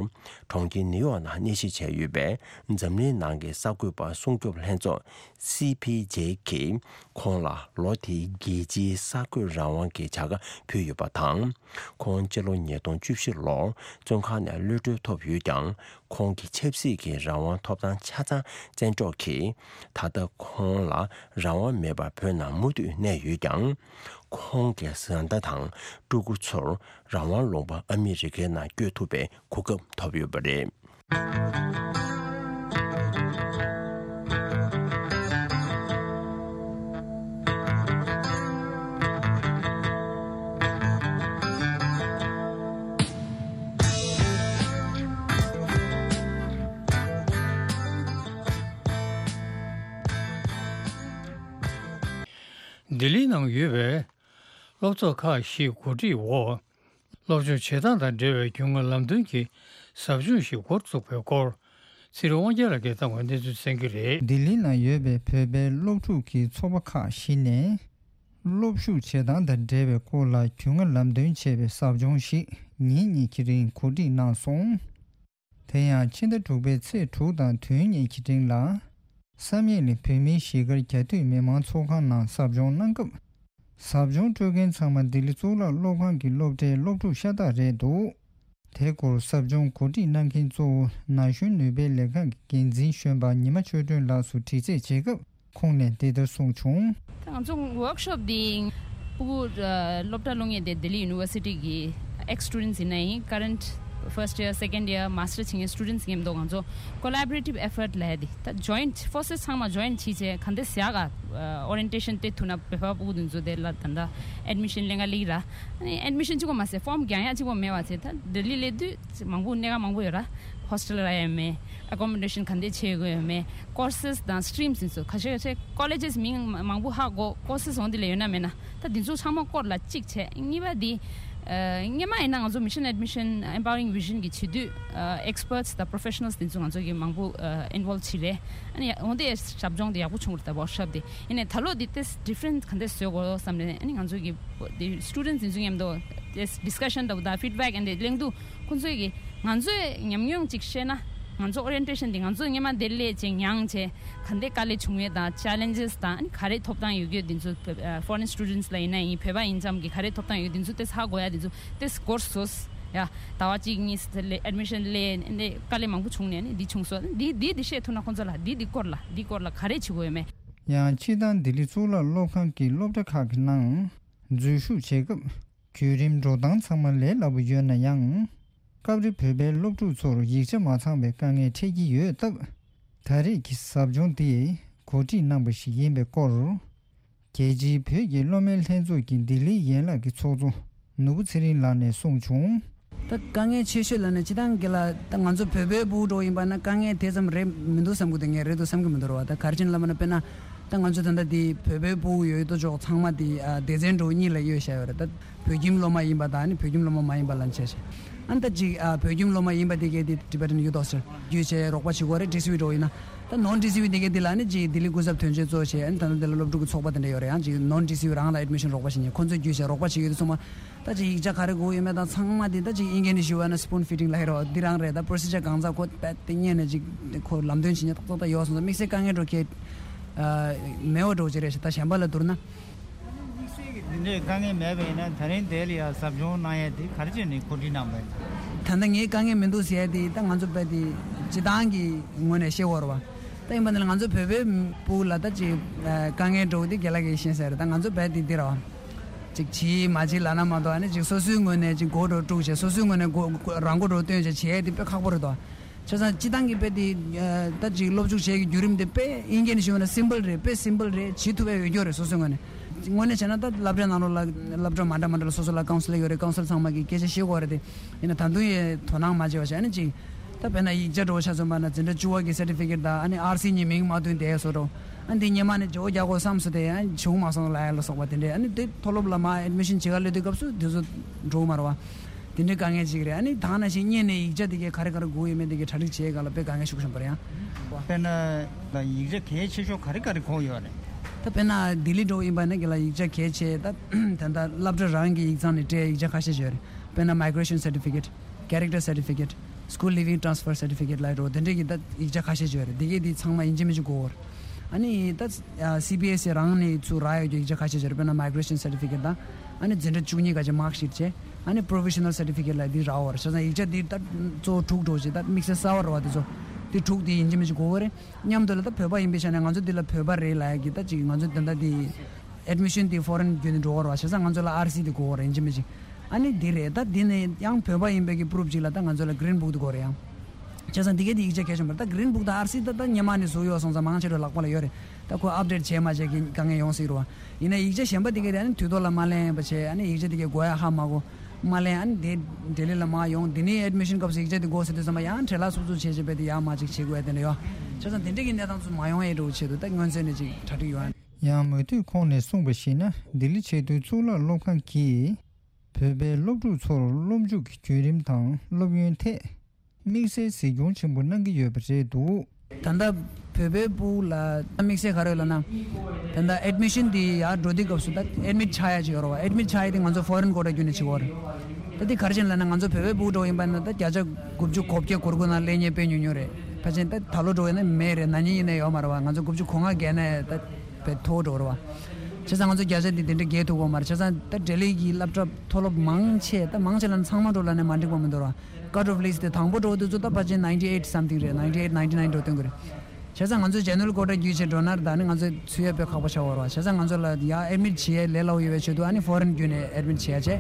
གྲོང་ཁྱེར་ནིའུ་ཡོག་ནང་གནས་གཞིས་བྱས་ཡོད་པའི་འཛམ་གླིང་ནང་གི་གསར་འགོད་པ་སྲུང་སྐྱོབ་ལྷན་ཚོགས་སི་ཕི་ཇེ་གིས་ཁོང་ལ་ལོ་དེའི་རྒྱལ་སྤྱིའི་གསར་འགོད་རང་དབང་གི་བྱ་དགའ་ཕུལ་ཡོད་པ་དང་། ཁོང་སྤྱི་ལོ་ཉིས་སྟོང་བཅུ་བཞི་ལོར་བཙོན་ཁང་ནས་གློད་གྲོལ་ཐོབ་ཡོད་ཀྱང་། ཁོང་གི་ཆབ་སྲིད་ཀྱི་རང་དབང་ཐོབ་ཐང་ཆ་ཚང་བཙན་འཕྲོག་གིས་ད་ལྟ་ཁོང་ལ་རང་དབང་མེད་པར་བོད་ནང་མུ་མཐུད་གནས་ཡོད་ཀྱང་། ཁོང་གི་བཟའ་ཟླ་དང་སྤྲུལ་སྐུ་ཚོར་རང་དབང་ལུང་པ་ཨ་མི་རི་ཀའི་ནང་བསྐྱོད་ཐུབ་པའི་གོ་སྐབས་ཐོབ་ཡོད་པ་རེད། ལྡི་ལི་ནང་ཡོད་པའི་སློབ་ཚོགས་ཁག་བཞིའི་གོ་སྒྲིག་འོག་སློབ་སྦྱོང་བྱེད་སྟངས་དང་འབྲེལ་བའི་རྒྱུས་མངའ་ལམ་སྟོན་གྱི་ཟབ་སྦྱོང་ཞིག་འགོ་བཙུགས་པའི་སྐོར། ཚེ་རིང་དབང་རྒྱལ་ལགས་ཀྱིས་བཏང་བའི་གནས་ཚུལ་གསན་གྱི་རེད། ལྡི་ལི་ནང་ཡོད་པའི་བོད་པའི་སློབ་ཕྲུག་གི་ཚོགས་པ་ཁག་བཞི་ནས། སློབ་ཞུགས་བྱེད་སྟངས་དང་འབྲེལ་བའི་སྐོར་ལ་རྒྱུས་མངའ་ལམ་སྟོན་བྱས་པའི་ཟབ་སྦྱོང་ཞིག་ཉིན་གཉིས་ཀྱི་རིང་གོ་སྒྲིག་གནང་སོང་། དེ་ཡང་ཕྱི་ཟླ་དྲུག་པའི་ཚེས་དྲུག་དང་བདུན་གཉིས་ཀྱི་རིང་ལ། བསམ་ཡས་གླིང་བོད་མིའི་གཞིས་སྒར་རྒྱ་སྟོད་མི་མང་ཚོགས་ཁང་ནང་ཟབ་སྦྱོང་གནང་སྐབས། ཟབ་སྦྱོང་སྤྲོད་མཁན་ཚང་མ་ལྡི་ལི་གཙུག་ལག་སློབ་ཁང་གི་སློབ་གྲྭའི་སློབ་ཕྲུག་ཤ་སྟག་རེད་འདུག་དེ་སྐོར་ཟབ་སྦྱོང་གོ་སྒྲིག་གནང་མཁན་གཙོ་བོ་ན་གཞོན་ནུས་པའི་ལས་ཁང་གི་འགན་འཛིན་གཞོན་པ་ཉི་མ་ཆོས་སྒྲོན་ལགས་སུ་དྲི་རྩད་བྱེད་སྐབས། ཁོང་ནས་འདི་ལྟར་གསུངས་བྱུང་། ང་ཚོ་workshop འདི་ཕྲུ་གུ་སློབ་གྲྭ་སློབ་གཉེར་དེ་ལྡི་ལི་ཡུ་ནི་ཝར་སི་ཊི་གི་ex students ཡིན་ན་ཡིན། current first year, second year, master བྱེད་མཁན་students ཡིན་མདོག་ང་ཚོ་collaborative effort ལབ་ཡ་དེ་ད་joint forces ཚང་མ་join བྱས་བྱས་ག་འདྲ་ཟེར་ཡག་ག་orientation སྟེར་ཐུབ་ན་བོད་པ་ཕྲུ་གུ་དེ་ཚོ་དེ་ལ་ད་ལྟ་admission ལེན་ག་སླེབས་ར། ཨ་ནི་admission གཅིག་པོ་མ་ཟད་form རྒྱག་ཡག་གཅིག་པོ་མེད་པ་བྱས། ད་ལྡི་ལི་སླེབས་དུས་མང་པོ་གནས་ཁང་མང་པོ་ཡོད་ར། hostel རག་ཡ་མེད། accommodation ག་འདྲ་བྱེད་དགོས་ཡོད་མེད། courses དང་streams ཡིན་ཚོ་ཁ་ཤས་ཁ་ཤས་colleges མིང་མང་པོ་ཧ་གོ courses འོང་དེ་ལ་ཡོད་ན་མེད་ན་ད་འདི་ཚོ་ཚང་མ་སྐོར་ལ་གཅིག་བྱས། གཉིས་པ་འདི་སྔོན་མ་ཡིན་ན་ང་ཚོ་Mission Admission Empowering Vision གི་བྱེད་དུས་experts དང་professionals དེ་ཚོ་ང་ཚོ་གི་མང་པོ་involve བྱས་རེད། ཨ་ནི་འོང་དེ་ཞབས་སྦྱོང་དེ་ཡག་པོ་བྱུང་རེད། ད་workshop དེ་ཡིན་ནའི་ད་ལོ་འདི་ཏེས་different ག་འདྲ་བཟོ་དགོས་བསམ་ནས་ཨ་ནི་ང་ཚོ་གི་students དེ་ཚོ་མཉམ་དུ་ཏེས་discussion འདྲ་པོ་དང་feedback and གླེང་དུས། ཁོང་ཚོས་ཀྱི་ང་ཚོས་ཉམས་མྱོང་ཅིག་བཤད་ན། ང་ཚོ་orientation འདི་ང་ཚོ་སྔོན་མ་འདིར་སླེབས་བྱས་མྱངས་བྱས་ག་འདྲའི་དཀའ་ལས་བྱུང་ཡོད་དང་challenges དང་ཨ་ནི་ག་རེ་ཐོབ་ཐང་ཡོད་རྒྱུ་འདི་ཚོ་foreign students ལ་ཡིན་ན་ཡིན། བོད་པ་ཡིན་ཙམ་གྱི་ག་རེ་ཐོབ་ཐང་ཡོད་འདི་ཚོ་ཏེས་ཧ་གོ་ཡ་འདི་ཚོ་ཏེས་སྐོར་བཟོས་ཡ། ཟླ་བ་གཅིག་གཉིས་admission སླེབས་འདི་དཀའ་ལས་མང་པོ་བྱུང་ནས་ནི་འདི་བྱུང་སོང་། འདི་འདི་འདི་བཤད་ཐུབ་ན་ཁོང་ཚོ་ལ་འདི་འདི་སྐོར་ལ་འདི་སྐོར་ལ་ག་རེ་བྱེད་དགོས་ཡོད་མེད། ཡང་སྤྱིར་བཏང་ལྡི་ལི་གཙུག་ལག་སློབ་ཁང་གི་སློབ་གྲྭ་ཁག་གི་ནང་འཛུལ་ཞུགས་བྱེད་སྐབས། བརྒྱུད་རིམ་འགྲོ་སྟངས་ཚང་མ་ལས་སླ་པོ་ཡོད་ན་ཡང་། སྐབས་རེ་བོད་པའི་སློབ་ཕྲུག་ཚོར་ཡིག་ཆ་མ་ཚང་བའི་དཀའ་ངལ་འཕྲད་ཀྱི་ཡོད་སྟབས། ད་རེས་ཀྱི་ཟབ་སྦྱོང་འདི་གོ་སྒྲིག་གནང་པ་ཞིག་ཡིན་པའི་སྐོར། རྒྱལ་སྤྱིའི་བོད་ཀྱི་སློབ་མའི་ལྷན་ཚོགས་ཀྱི་ལྡི་ལིའི་ཡན་ལག་གི་ཚོགས་གཙོ་ནོར་བུ་ཚེ་རིང་ལགས་ནས་གསུངས་བྱུང་། ད་དཀའ་ངལ་ཆེ་ཤོས་ལབ་ན་སྤྱིར་བཏང་གི་ལ་ད་ང་ཚོ་བོད་པའི་ཕྲུ་གུ་འདྲ་པོ་ཡིན་པ་ན་དཀའ་ངལ་དེ་ཙམ་རེད་མི་འདུག་བསམ་གི་འདུག་ངས་རེད་འདུག་བསམ་གི་མི་འདུག་རེད་བ། ད་ག་རེ་བྱས་ནས་ལབ་ན་དཔེར་ན་ད་ང་ཚོ་ད་ལྟ་འདི་བོད་པའི་ཕྲུ་གུ་ཡོད་དོ་ཅོག་ཚང་མ་འདི་ཨ་སྡེ་ཚན་འདྲ་པོ་གཉིས་ལ་གཡོས་བཞག་ཡོད་རེད། ད་བོད་ཁྱིམ་སློབ་མ་ཡིན་པ་དང་ནི་བོད་ཁྱིམ་སློབ་མ་མ་ཡིན་པ་ལབ་བྱས་བྱས། ཨ་ནི་ད་ཅིག་ཨ་བོད་ཁྱིམ་སློབ་མ་ཡིན་པ་དེ་གས་དེ་Tibetan Youth Hostel བརྒྱུད་བྱས་རོགས་པ་བྱེད་དགོས་རེད། ཌི་སི་ཝི་འདྲ་པོ་ཡིན་ན། ད་ནོན་ཌི་སི་ཝི་དེ་གས་དེ་ལ་ནི་ཅིག་ལྡི་ལི་སྐུ་ཚབ་དོན་གཅོད་གཙོ་བྱས། ཨ་ནི་ད་ལྟ་འདི་ལ་སློབ་ཕྲུག་གི་ཚོགས་པ་དེ་འདྲ་ཡོད་རེད། ཡང་ཅིག་ནོན་ཌི་སི་ཝི་རང་ལ་ཨེཌ་མི་ཤན་རོགས་པ་བྱེད་མཁན་ཁོང་ཚོས་བརྒྱུད་བྱས་རོགས་པ་བྱེད་ཡོད་དུས་ཚང་མ། ད་ཅིག་ཡིག་ཆ་ག་རེ་དགོས་ཡོད་མེད་དང་ཚང་མ་དེ་ད་ཅིག་ཨིན་སྐད་ནས་ཞུ་བ་ན་spoon feeding ལབ་ཡོད་རེད་བ། འདི་རང་རེད། ད་procedure གང་ཟག་ཁོ་པད་དེ་ཉན་ནས་ཅིག་ཁོ་ལམ་སྟོན་བྱེད་མཁན་ཏག་ཏག་ཏག་ཡོད་སོང་ཙང་དམིགས་བསལ་དཀའ་ངལ་འགྲོ་མཁན་མེད་པ་འདྲ་པོ་ཅིག་རེད་ཤག་ད་གཞན་པ་ལ་བསྡུར་ན། དམིགས་བསལ་གྱི་འདི་འདྲའི་དཀའ་ངལ་མེད་པ་ཡིན་ན་ད་རིང་དེ་ལ་ཡ་ཟབ་སྦྱོང་གནང་ཡ་དེ་ག་རེ་བྱས་ནས་གོ་སྒྲིག་གནང་བ་ཡིན། ད་ལྟ་ངའི་དཀའ་ངལ་མི་འདུག་ཟེར་ཡ་དེ་ད་ང་ཚོ་དཔེ་དེ་སྤྱིར་བཏང་གི་ངོས་ནས་བཤད་དགོས་རེད་བ། ད་ཡིན་པ་འདི་ལ་ང་ཚོ་བོད་པའི་ཕྲུ་གུ་ལ་ད་ཅིག་དཀའ་ངལ་འགྲོ་དེ་རྒན་ལགས་ཀྱིས་ཤེས་གསལ་རེད། ད་ང་ཚོ་དཔེ་དེ་འདི་རེད་བ། ཅིག་བྱེད་མ་བྱེད་ལབ་ན་མ་གཏོགས་ཨ་ནི་ཅིག་སོ་སོའི་ངོས་ནས་ཅིག་མགོ་འདྲ་པོ་དཀྲུགས་བྱས་སོ་སོའི་ངོས་ནས་མགོ་རང་མགོ་འདྲ་པོ་སྟོན་བྱས་བྱེད་ཡ་དེ་དཔེ་ཁག་པོ་རེད་དོ། བྱས་ཙང་སྤྱིར་བཏང་གི་དཔེ་དེ་ད་ཅིག་སློབ་འཇུག་བྱེད་ཀྱི་བརྒྱུད་རིམ་དེ་དཔེ་ཨིན་སྐད་ནས་ཞུས་པ་ན་simple རེད། དཔེ་simple རེད། བྱེད་ཐུབ་པའི་འོས་སྐྱོར་རེད་སོ་སོའི་ངོས་ནས། དངོས་གནས་བྱས་ན་ད་སློབ་གྲྭའི་ནང་ལོགས་ལ་སློབ་གྲྭ་མ་འདྲ་མ་འདྲ་ལ་སོ་སོ་ལ་ཀའུན་སི་ལར་ཡོད་རེད། ཀའུན་སི་ལར་ཚང་མ་གིས་སྐད་ཆ་བཤད་དགོས་རེད་དེ། ཡིན་ན་ད་དུང་ཡང་དོ་སྣང་མ་བྱས་པ་བྱས་ཨ་ནི་ཅིག་ད་དཔེར་ན་ཡིག་ཆ་འདྲ་པོ་ཆ་མཚོན་པ་ན་འཛིན་གྲྭ་བཅུ་པ་གི་certificate དང་ཨ་ནི་ཨར་སི་གཉིས་མིང་མ་བཏོན་བསྡད་བཟོ་འདྲ་པོ། ཨ་ནི་དེ་སྔོན་མ་ནས་བརྗེ་པོ་རྒྱག་དགོས་བསམ་སོང་དེ་ཨ་ནི་བྱུང་མ་སོང་ལབ་ཡ་ལ་སོགས་པ་དེ་འདྲས། ཨ་ནི་དེ་མཐོ་སློབ་ལ་མར་admission བྱེད་ག་སླེབས་དུས་སྐབས་སུ་དེ་ཚོ་འགྲོ་གི་མ་རེད་བ། དེ་འདྲའི་དཀའ་ངལ་ཅིག་རེད། ཨ་ནི་ད་ནང་བཞིན་སྔོན་ནས་ཡིག་ཆ་དེ་གའི་ག་རེ་ག་རེ་དགོས་ཡོད་མེད་དེ་གའི་གྲ་སྒྲིག་བྱེད་ག་ལ་དཔེ་དཀའ་ངལ་ཤུགས་ཆེན་པོ་རེད་ཡང་། དཔེར་ན་ཡིག་ཆ་གལ་ཆེ་ཤོས་ག་རེ་ག་རེ་དགོས་ཡོད་རེད། ད་དཔེར་ན་ལྡི་ལི་འགྲོ་ཡིན་པ་ན་གི་ལ་ཡིག་ཆ་གལ་ཆེ། ད་ད་ལྟ་སློབ་གྲྭ་རང་གི་ཡིག་ཚང་ནས་སྤྲད་ཡིག་ཆ་ཁ་ཤས་ཅིག་ཡོད་རེད། དཔེར་ན་migration certificate, character certificate, school leaving transfer certificate ལ་འགྲོ་དེ་འདྲའི་གི་ད་ཡིག་ཆ་ཁ་ཤས་ཅིག་ཡོད་རེད། དེ་གའི་དེ་ཚང་མ་ཡིན་གཅིག་མིན་གཅིག་དགོས་རེད། ཨ་ནི་ད་སི་བི་ཨེས་ཨི་རང་ནས་ཚུར་རག་ཡོད་རྒྱུ་ཡིག་ཆ་ཁ་ཤས་ཅིག་ཡོད་རེད། དཔེར་ན་migration certificate དང་། ཨ་ནི་འཛིན་གྲྭ་བཅུ་གཉིས་ག་ཅིག་mark sheet བྱས། ཨ་ནི་professional certificate ལ་འདི་རག་འོར་བྱས་ཙང་ཡིག་ཆ་འདི་ད་གཙོ་བོ་དྲུག་འགྲོ་བྱས། ད་དམིགས་བསལ་གསར་བ་རེད་བ། དེ་ཚོ་འདི་དྲུག་འདི་ཡིན་གཅིག་མིན་གཅིག་དགོས་པ་རེད། མཉམ་དུ་ལ་ད་བོད་པ་ཡིན་པའི་ཆ་ནས་ང་ཚོ་འདི་ལ་བོད་པ་རེད་ལབ་ཡ་གི་ད་ཅིག་ང་ཚོ་ད་ལྟ་འདི་admission འདི་foreign བརྒྱུད་ནས་འགྲོ་འོར་བ་བྱས་ཙང་ང་ཚོ་ལ་ཨར་སི་འདི་དགོས་འོར་ཡིན་གཅིག་མིན་གཅིག་ཨ་ནི་འདི་རེད། ད་འདི་ནས་ཡང་བོད་པ་ཡིན་པའི་གི་proof ཅིག་ལ་ད་ང་ཚོ་ལ་green book འདི་དགོས་རེད་ཡང་། བྱས་ཙང་འདི་གའི་འདི་ཡིག་ཆ་གལ་ཆེན་པོ་རེད། ད་green book དང་ཨར་སི་ད་ད་སྔོན་མ་ནས་བཟོ་ཡོད་སོང་ཙང་མང་ཆེ་བ་ལག་པ་ལ་ཡོད་རེད། ད་ཁོ་update བྱས་མ་བྱས་ཀྱི་དཀའ་ངལ་ཡོང་སྲིད་རེད་བ། ཡིན་ན་ཡིག་ཆ་གཞན་པ་འདི་གའི་དེ་ཨ་ནི་དུས་ཐོག་ལ་མ་ལེན་པ་བྱས། ཨ་ནི་ཡིག་ཆ་འདི་གའི་དགོས་ཡ་ཧ་མ་གོ་མ་ལེན། ཨ་ནི་དེ་ལྡི་ལི་ལ་མར་ཡོང་། འདི་ནས་admission སྐབས་སུ་ཡིག་ཆ་འདི་དགོས་ཟེར་དུས་ཙམ་པ་ཡང་བྲེལ་བ་སུབ་སུབ་བྱས་བྱས་པས་དེ་ཡར་མར་ཅིག་བྱེད་དགོས་ཡ་དེ་འདྲ་ཡོད། བྱས་ཙང་དེ་འདྲ་གི་གནས་སྟངས་ཚོ་མ་ཡོང་ཡ་འདྲ་བོ་ཆེད་དུ་ད་སྔོན་ཚུད་ནས་ཅིག་གྲ་སྒྲིག་ཡོད། ཡང་མུ་མཐུད་ཁོང་ནས་གསུངས་པར་གཞིགས་ན། ལྡི་ལི་ཆེས་མཐོའི་གཙུག་ལག་སློབ་ཁང་གིས་བོད་པའི་སློབ་ཕྲུག་ཚོར་སློབ་འཇུག་གི་བརྒྱུད་རིམ་དང་སློབ་ཡོན་ཐད་དམིགས་བསལ་གཟིགས་སྐྱོང་ཆེན་པོ་གནང་གི་ཡོད་པ་རེད་འདུག། ད་ལྟ་བོད་པའི་ཕྲུ་གུ་ལ་དམིགས་བསལ་ག་རེ་ཡོད་ལབ་ན། ད་ལྟ་admission འདི་ཡར་འགྲོ་དུས་སྐབས་སུ་ད་admit ཆགས་ཡ་ཅིག་ཡོད་རེད་བ། admit ཆགས་ཡ་དེ་ང་ཚོ་foreign quarter བརྒྱུད་ནས་བྱེད་དགོས་རེད། ད་འདི་ག་རེ་བྱས་ནས་ལབ་ན། ང་ཚོ་བོད་པའི་ཕྲུ་གུ་འདྲ་བོ་ཡིན་པ་ན་ད་བརྒྱ་ཆ་དགུ་བཅུ་གོ་བརྒྱད་གོ་དགུ་ནང་སླེབས་མཁན་དཔེ་ཉུང་ཉུང་རེད། ཕལ་ཆེར་ད་ད་ལོ་འདྲ་བོ་ཡིན་ན་མེད་རེད། ན་ནིང་ཡིན་ན་ཡོད་མ་རེད་བ། ང་ཚོ་དགུ་བཅུ་གོ་ལྔ་བརྒལ་ན་ད་དཔེ་མཐོ་བོ་འགྲོ་རེད་བ། བྱས་ཙང་ང་ཚོ་བརྒྱ་ཆ་འདི་དེ་འདྲ་བརྒལ་ཐུབ་ཀྱི་ཡོད་མ་རེད། བྱས་ཙང་ད་ལྡི་ལི་གི་སློབ་གྲྭ་མཐོ་སློབ་མང་ཆེ་ད་མང་ཆེ་ལབ་ན་ཚང་མ་འགྲོ་ལབ་ན་མ་འགྲིག་པ་མི་འདུག་ར། cut off list དེ་དང་པོ་འགྲོ་དུས་ཚོད་ད་ཕལ་ཆེར་ninety eight something རེད། ninety eight ninety nine འགྲོ་སྟོན་གྱི་རེད། བྱས་ཙང་ང་ཚོ་general quota བརྒྱུད་བྱས་འགྲོ་ན་ད་ནི་ང་ཚོ་ཚུད་ཡ་དཔེ་ཁག་པོ་ཆགས་ཡོད་རེད་བ། བྱས་ཙང་ང་ཚོ་ལ་ཡར་admit བྱེད་ཡ་ལས་སླ་པོ་ཡོད་པའི་ཆེད་དུ་ཨ་ནི་foreign བརྒྱུད་ནས་admit བྱེད་ཡ་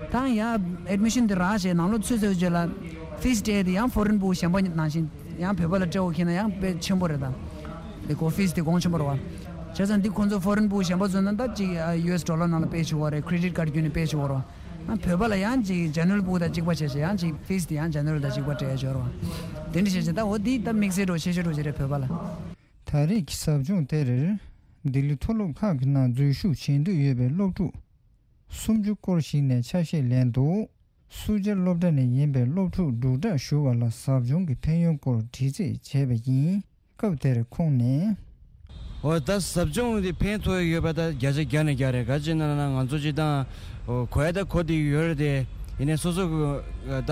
བྱས། ད་ཡར་admission དེ་རག་བྱས་ནང་ལོགས་ཚུད་ཚར་རྗེས་ལ་fees སྤྲད་དེ་ཡང་foreign ཕྲུ་གུ་གཞན་པ་ནང་བཞིན་ཡང་བོད་པ་ལ་སྤྲད་དགོས་ཁེལ་ན་ཡང་དཔེ་ཆེན་པོ་རེད་ད། དེ་ཁོ་fees དེ་གོང་ཆེན་པོ་རེད་བ། བྱས་ཙང་འདི་ཁོང་ཚོ་foreign ཕྲུ་གུ་གཞན་པ་ཚོ་ན་ད་ཅིག་ཨ་ཡུ་ཨེས་ཌོ་ལར་ནང་ལ་པེ་བྱེད་དགོས་རེད། credit card བརྒྱུད་ནས་པེ་བྱེད་དགོས་རེད་བ། ཨ་བོད་པ་ལ་ཡང་ཅིག་general ཕྲུ་གུ་དང་གཅིག་པ་བྱས་བྱས་ཡང་ཅིག་fees དེ་ཡང་general དང་གཅིག་པ་སྤྲད་ཡ་ཅིག་ཡོད་རེད་བ། དེ་འདྲ་བྱས་བྱས་ད་འོ་འདི་ད་དམིགས་བསལ་འདྲ་བོ་ཤེས་བྱ་འདྲ་བོ་ཅིག་རེད་བོད་པ་ལ། ད་རེས་ཀྱི་ཟབ་སྦྱོང་དེར་ལྡི་ལི་མཐོ་སློབ་ཁག་གི་ནང་འཛུལ་ཞུགས་བྱེད་འདོད་ཡོད་པའི་སློབ་ཕྲུག་སུམ་ཅུ་སྐོར་ཞིག་ནས་ཆ་ཤས་ལེན་འདུག། སུ་ཇཱ་སློབ་གྲྭ་ནས་ཡིན་པའི་སློབ་ཕྲུག་འབྲུག་གྲགས་ཞུ་བ་ལ་ཟབ་སྦྱོང་གི་ཕན་ཡོན་སྐོར་དྲི་རྩད་བྱས་པ་ཡིན། སྐབས་དེར་ཁོང་ནས། འོ་ད་ཟབ་སྦྱོང་འདི་ཕན་ཐོགས་ཡོད་པ་ད་བརྒྱ་ཆ་བརྒྱ་ནས་བརྒྱ་རེད། ག་ཅི་ན་ན་ང་ཚོ་སྤྱིར་བཏང་འོ་གོ་ཡ་ད་གོ་བསྡད་ཡོད་རེད་དེ། ཡིན་ནའི་སོ་སོ་གི་ད་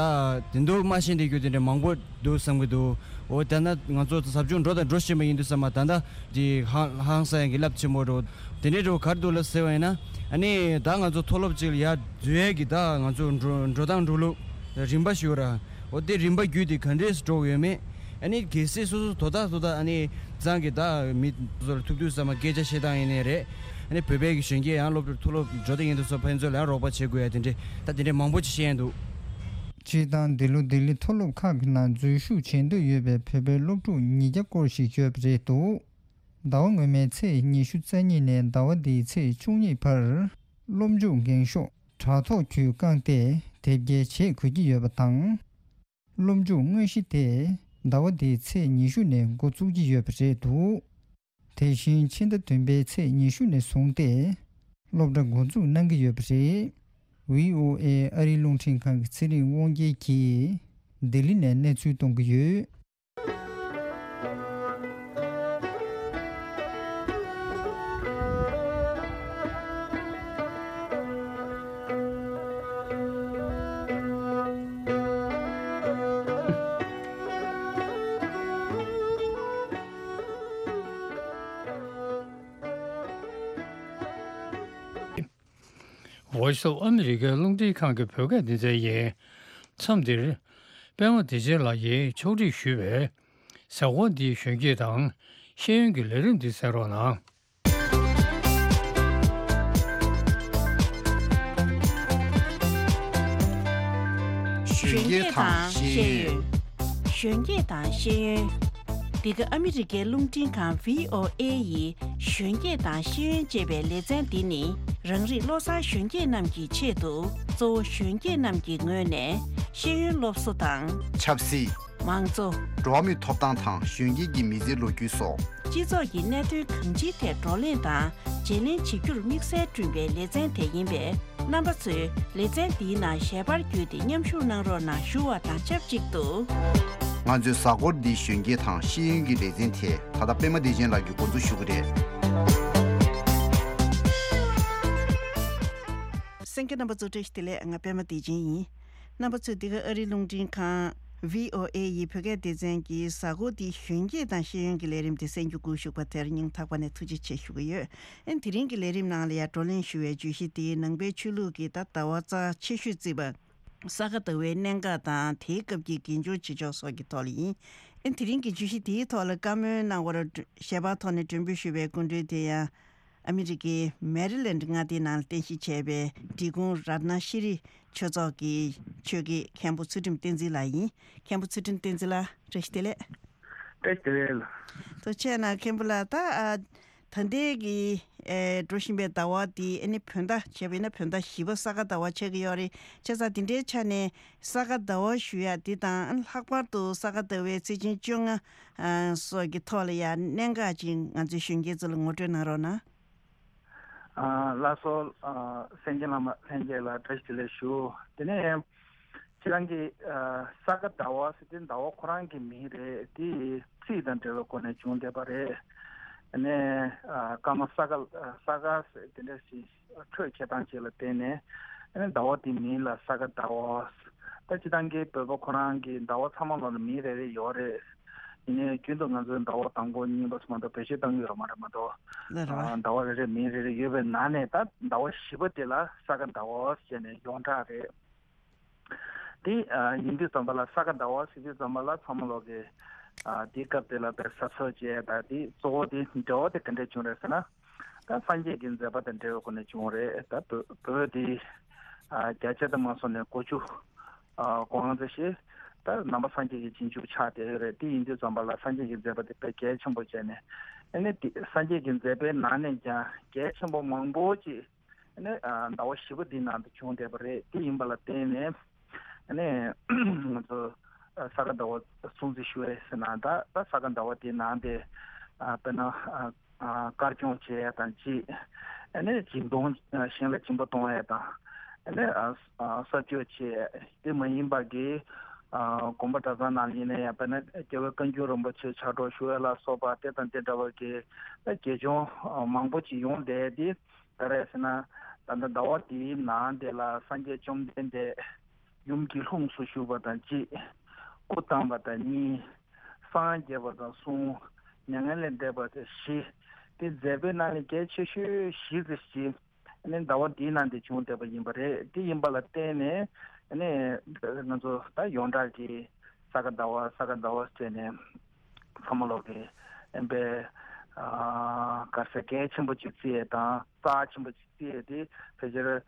དེ་འདུག་མ་ཤེས་བསྡད་རྒྱུ་དེ་འདྲ་མང་པོ་འདུག་བསམ་གྱི་འདུག། འོ་ད་ན་ང་ཚོ་ཟབ་སྦྱོང་འགྲོ་དང་འགྲོ་བཞིན་པ་ཡིན་དུས་ཙམ་པ་ད་ལྟ་དེ་ཧང་ཧང་སང་ཡ་གི་རླབས་ཆེན་པོ་འགྲོ་དེ་འདྲའི་འགྲོ་ག་རེ་འདུག་ལ་ཟེར་བ་ཡིན་ན། ཨ་ནི་ད་ང་ཚོ་མཐོ་སློབ་ཅིག་ལ་ཡར་འཛུལ་ཡས་ཀྱི་ད་ང་ཚོ་འགྲོ་འགྲོ་སྟངས་འགྲོ་ལུགས་རིམ་པ་ཞིག་ཡོད་ར། འོ་དེ་རིམ་པ་བརྒྱུད་དེ་ག་འདྲས་སུ་འགྲོ་གི་ཡོད་མེད། ཨ་ནི་གལ་སྲིད་སོ་སོ་དོ་བདག་དོ་བདག་ཨ་ནི་ཚང་གི་ད་མི་ཚོ་ལ་ཐུག་དུས་ཙམ་པ་སྐད་ཆ་བཤད་སྟངས་ཡིན་ནའི་རེད། ཨ་ནི་བོད་པའི་གི་གཞོན་སྐྱེས་ཡང་སློབ་གྲྭ་མཐོ་སློབ་འགྲོ་བསྡད་ཡིན་དུས་ཙམ་ཕན་ཚུན་ལ་ཡང་རོགས་པ་བྱེད་དགོས་ཡ་དེ་འདྲས་ད་དེ་འདྲས་མང་པོ་ཅིག་བཤད་ཡ་འདུག། སྤྱིར་བཏང་འདི་ལོ་ལྡི་ལི་མཐོ་སློབ་ཁག་གི་ནང་འཛུལ་ཞུགས་བྱེད་འདོད་ཡོད་པའི་བོད་པའི་སློབ་ཕྲུག་ཉིས་བརྒྱ་སྐོར་ཞིག་ཡོད་པ་རེད་འདུག། ཟླ་བ་སྔོན་མའི་ཚེས་ཉི་ཤུ་རྩ་གཉིས་ནས་ཟླ་བ་འདིའི་ཚེས་བཅུ་གཉིས་བར་སློབ་འཇུག་འགེངས་ཤོག་དྲ་ཐོག་བརྒྱུད་བཀང་སྟེ་དེབ་སྐྱེལ་བྱེད་དགོས་ཀྱི་ཡོད་པ་དང་། སློབ་འཇུག་དངོས་གཞི་དེ་ཟླ་བ་འདིའི་ཚེས་ཉི་ཤུ་ནས་འགོ་བཙུགས་ཀྱི་ཡོད་པ་རེད་འདུག། དེ་བཞིན་ཕྱི་ཟླ་བདུན་པའི་ཚེས་ཉི་ཤུ་ནས་བཟུང་སྟེ་སློབ་གྲྭ་འགོ་འཛུགས་གནང་གི་ཡོད་པ་རེད། བྷི་ཨོ་ཨེ་ཨ་རིའི་རླུང་འཕྲིན་ཁང་གི་ཚེ་རིང་དབང་རྒྱལ་གྱིས་ལྡི་ལི་ནས་གནས་ཚུལ་གཏོང་གི་ཡོད། Voice of America རླུང་འཕྲིན་ཁང་གི་བོད་སྐད་སྡེ་ཚན་ཡིན། མཚམས་འདིར་པད་མ་བདེ་ཆེན་ལགས་ཀྱིས་ཕྱོགས་སྒྲིག་ཞུས་པའི་གཟའ་འཁོར་འདིའི་གཞོན་སྐྱེས་དང་ཤེས་ཡོན་གྱི་ལས་རིམ་འདི་གསན་རོགས་གནང་། གཞོན་སྐྱེས་དང་ཤེས་ཡོན། གཞོན་སྐྱེས་དང་ཤེས་ཡོན། འདི་ག་ཨ་མི་རི་ཀའི་རླུང་འཕྲིན་ཁང་བྷི་ཨོ་ཨེ་ཡི་གཞོན་སྐྱེས་དང་ཤེས་ཡོན་ཅེས་པའི་ལེ་ཚན་འདི་ནི་རང་རིགས་བློ་བཟང་གཞོན་སྐྱེས་རྣམས་ཀྱི་ཆེད་དུ་གཙོ་བོ་གཞོན་སྐྱེས་རྣམས་ཀྱི་ངོས་ནས་ཤེས་ཡོན་སློབ་གསོ་དང་། ཆབ་སྲིད། མང་གཙོ། འགྲོ་བ་མིའི་ཐོབ་ཐང་དང་གཞོན་སྐྱེས་ཀྱི་མི་ཚེའི་ལོ་རྒྱུས་སོགས། སྤྱི་ཚོགས་ཀྱི་གནད་དོན་གང་ཅིའི་ཐད་བགྲོ་གླེང་དང་བརྗེ་ལེན་བྱེད་རྒྱུར་དམིགས་བསལ་བསྐྲུན་པའི་ལེ་ཚན་དེ་ཡིན་པས། རྣམ་པ་ཚོས་ལེ་ཚན་འདིའི་ནང་ཞལ་པར་བརྒྱུད་དེ་མཉམ་ཞུགས་གནང་རོགས་གནང་ཞུ་བ་དང་ཆབས་ཅིག་ཏུ། ང་ཚོའི་གཟའ་འཁོར་འདིའི་གཞོན་སྐྱེས་དང་ཤེས་ཡོན་གྱི་ལེ་ཚན་དེ་ད་ལྟ་པད་མ་བདེ་ཆེན་ལགས་ཀྱིས་འགོ་འཛུགས་ཞུ་གི་རེད། གསན་མཁན་རྣམ་པ་ཚོ་བཀྲ་ཤིས་བདེ་ལེགས། ང་པད་མ་བདེ་ཆེན་ཡིན། རྣམ་པ་ཚོས་འདི་ག་ཨ་རིའི་རླུང་འཕྲིན་ཁང་བྷི་ཨོ་ཨེ་ཡི་བོད་སྐད་སྡེ་ཚན་གྱི་གཟའ་འཁོར་འདིའི་གཞོན་སྐྱེས་དང་ཤེས་ཡོན་གྱི་ལས་རིམ་དེ་གསན་རྒྱུ་སྒུག་བཞུགས་པ་དེར་སྙིང་ཐག་པ་ནས་ཐུགས་རྗེ་ཆེ་ཞུ་གི་ཡོད། ཨན་དེ་རིང་གི་ལས་རིམ་ནང་ལ་ཡང་བགྲོ་གླེང་ཞུ་བའི་བརྗོད་གཞི་དེ་ནང་པའི་ཆོས་ལུགས་ཀྱི་ད་ཟླ་བ་རྩ་ཆེ་ཤོས་བརྩིས་པ་ས་ག་ཟླ་བའི་གནད་འགག་དང་དེའི་སྐབས་ཀྱི་དགེ་སྦྱོར་བྱེད་ཕྱོགས་སོགས་ཀྱི་ཐོག་ལ་ཡིན། ཨན་དེ་རིང་གི་བརྗོད་གཞི་དེའི་ཐོག་ལ་བཀའ་མོལ་གནང་བར་ཞལ་པར་ཐོག་ནས་མགྲོན་འབོད་ཞུས་པའི་སྐུ་མགྲོན་དེ་ཡང་ཨ་མི་རི་ཀའི་མེ་རི་ལེན་ཌི་མངའ་སྡེའི་ནང་ལ་རྟེན་གཞི་བྱས་པའི་འབྲི་གུང་རཏྣ་ཤྲི་ཆོས་ཚོགས་ཀྱི་ཆོས་དགེ་མཁན་པོ་ཚུལ་ཁྲིམས་བསྟན་འཛིན་ལགས་ཡིན། མཁན་པོ་ཚུལ་ཁྲིམས་བསྟན་འཛིན་ལགས་བཀྲ་ཤིས་བདེ་ལེགས། བཀྲ་ཤིས་བདེ་ལེགས་ལགས། ཐུགས་རྗེ་གནང་མཁན་པོ་ལགས། ད་ཨ། ད་ལྟའི་གི་ཨེ་འགྲོ་བཞིན་པའི་ཟླ་བ་འདི་ཨ་ནི་བོད་ཟླ་བྱས་པ་ཡིན་ན་བོད་ཟླ་བཞི་པ་ས་ག་ཟླ་བ་ཆགས་ཀྱི་ཡོད་རེད། བྱས་ཙང་འདི་འདྲའི་ཆ་ནས་ས་ག་ཟླ་བ་ཞུ་ཡ་འདི་དང་ཨ་ནི་ལྷག་པར་དུ་ས་ག་ཟླ་བའི་ཚེས་ཆེན་བཅོ་ལྔ་ཨ་སོགས་ཀྱི་ཐོག་ལ་ཡ་གནད་འགག་ཅིག་ང་ཚོའི་གཞོན་སྐྱེས་ཚོ་ལ་ངོ་སྤྲོད་གནང་རོགས་གནང་། ཨ་ལགས་སོ། ཨ་གསན་མཁན་བླ་མ་ལྷན་རྒྱས་ལ་བཀྲ་ཤིས་བདེ་ལེགས་ཞུ། དེ་ནས་ཁྱེད་རང་གིས་ཨ་ས་ག་ཟླ་བ་ཟེར་དེ་ཟླ་བ་ཁོ་རང་གི་མིང་རེད། དེ་ཚིག་དང་འབྲེལ་བའི་སྒོ་ནས་བྱུང་བསྡད་པ་རེད། ཨ་ནས་ཨ་སྐར་མ་ས་ག་ས་ག་ཟེར་དེ་འདྲ་ཞིག་འཕྲོས་འཁྱེར་སྟངས་ཅིག་ལ་བརྟེན་ནས་ཨ་ནས་ཟླ་བ་དེའི་མིང་ལ་ས་ག་ཟླ་བ། ད་སྤྱིར་བཏང་གི་བོད་པ་ཁོ་རང་གི་ཟླ་བ་ཚང་མ་ལ་མིང་རེ་རེ་ཡོད་རེད། ཡིན་ནའི་རྒྱུན་དུ་ང་ཚོའི་ཟླ་བ་དང་པོ་གཉིས་པ་ཙམ་མ་གཏོགས་བེད་སྤྱོད་བཏང་གི་ཡོད་མ་རེད་མ་གཏོགས། ལ་རེད་བ། ཨ་ཟླ་བ་རེ་རེ་མིང་རེ་རེ་ཡོད་པའི་ནང་ནས་ད་ཟླ་བ་བཞི་པ་དེ་ལ་ས་ག་ཟླ་བ་ཟེར་ནས་ཡོངས་གྲགས་རེད། དེ་ཨ་ཡིན་དུས་ཙམ་པ་ལ་ས་ག་ཟླ་བ་ཟེར་དུས་ཙམ་པ་ལ་ཚང་མ་ལོག་གི་ཨ་དེའི་སྐབས་དེ་ལ་དཔེ་གཟབ་གཟབ་བྱས། ད་དེ་གཙོ་བོ་དེ་འབྲེལ་བ་དེ་ག་འདྲས་བྱུང་རེད་ཟེར་ན། ད་སངས་རྒྱས་ཀྱི་མཛད་པ་དང་འབྲེལ་བའི་སྒོ་ནས་བྱུང་རེད། ད་བོད་བོད་དེ་ཨ་བརྒྱ་ཆ་དུ་མ་སོང་ནས་གོ་བཅུ་ཨ་གོ་ལྔ་ཙམ་ཞིག་ད་ནང་པ་སངས་རྒྱས་ཀྱི་རྗེས་འཇུག་ཆགས་བསྡད་ཡོད་རེད། དེ་ཡིན་དུས་ཙམ་པ་ལ་སངས་རྒྱས་ཀྱི་མཛད་པ་དེ་དཔེ་གལ་ཆེན་པོ་བྱས་ནས། ཨ་ནི་དེ་སངས་རྒྱས་ཀྱི་མཛད་པའི་ནང་ནས་ཀྱང་གལ་ཆེན་པོ་མང་པོ་ཅིག་ཨ་ནི་ཨ་ཟླ་བ་བཞི་པ་འདིའི་ནང་དུ་བྱུང་བསྡད་པ་རེད། དེ་ཡིན་པ་ལ་བརྟེན་ནས་ཨ་ནི་ང་ཚོ་ཨ་ས་ག་ཟླ་བ་སྲུང་བརྩི་ཞུ་བ་རེད་ཟེར་ན། ད་ད་ས་ག་ཟླ་བ་དེའི་ནང་དེ་ཨ་དཔེར་ན་ཨ་ཨ་དཀར་སྐྱོང་བྱེད་ཡ་དང་གཅིག་ཨ་ནི་སྦྱིན་གཏོང་ཨ་གཞན་ལ་སྦྱིན་པ་གཏོང་ཡ་དང་། ཨ་ནི་ཨ་ཨ་གསར་བཅོས་བྱེད་དེ་མ་ཡིན་པ་གི་ཨ་དགོན་པ་གྲྭ་ཚང་ནང་ཡིན་ན་ཡང་དཔེར་ན་རྒྱལ་བའི་བཀའ་འགྱུར་རིན་པོ་ཆེ་ཕྱག་སྒྲོག་ཞུ་ཡ་ལ་སོགས་པ་དེ་དང་དེ་འདྲ་བ་གི་ཨ་དགེ་སྦྱོར་ཨ་མང་པོ་ཅིག་ཡོང་བསྡད་དེ། ག་རེ་ཟེར་ན། ད་ལྟ་ཟླ་བ་འདིའི་ནང་དེ་ལ་སངས་རྒྱས་བཅོམ་ལྡན་འདས་ཡུམ་གྱི་ལྷུམས་སུ་ཞུགས་པ་དང་གཅིག་སྐུ་བལྟམས་པ་དང་གཉིས། སངས་རྒྱས་པ་དང་གསུམ། མྱ་ངན་ལས་འདས་པ་དང་བཞི། དེ་མཛད་པའི་ནང་ནས་གལ་ཆེ་ཤོས་བཞི་ཙམ་ཞིག་ནི་ཟླ་བ་འདིའི་ནང་དེ་བྱུང་བསྡད་པ་ཡིན་པ་རེད། དེ་ཡིན་པ་ལ་བརྟེན་ནས་ནི་ང་ཚོ་ད་ཡོངས་གྲགས་ཀྱི་ས་ག་ཟླ་བ་ས་ག་ཟླ་བ་ཟེར་ནས་ཚང་མ་ལོག་གི་ཨེམ་པའི་ག་ས་གལ་ཆེན་པོ་ཅིག་བརྩི་ཡས་དང་རྩ་ཆེན་པོ་ཅིག་བརྩི་ཡས་དེ་ཕལ་ཆེར་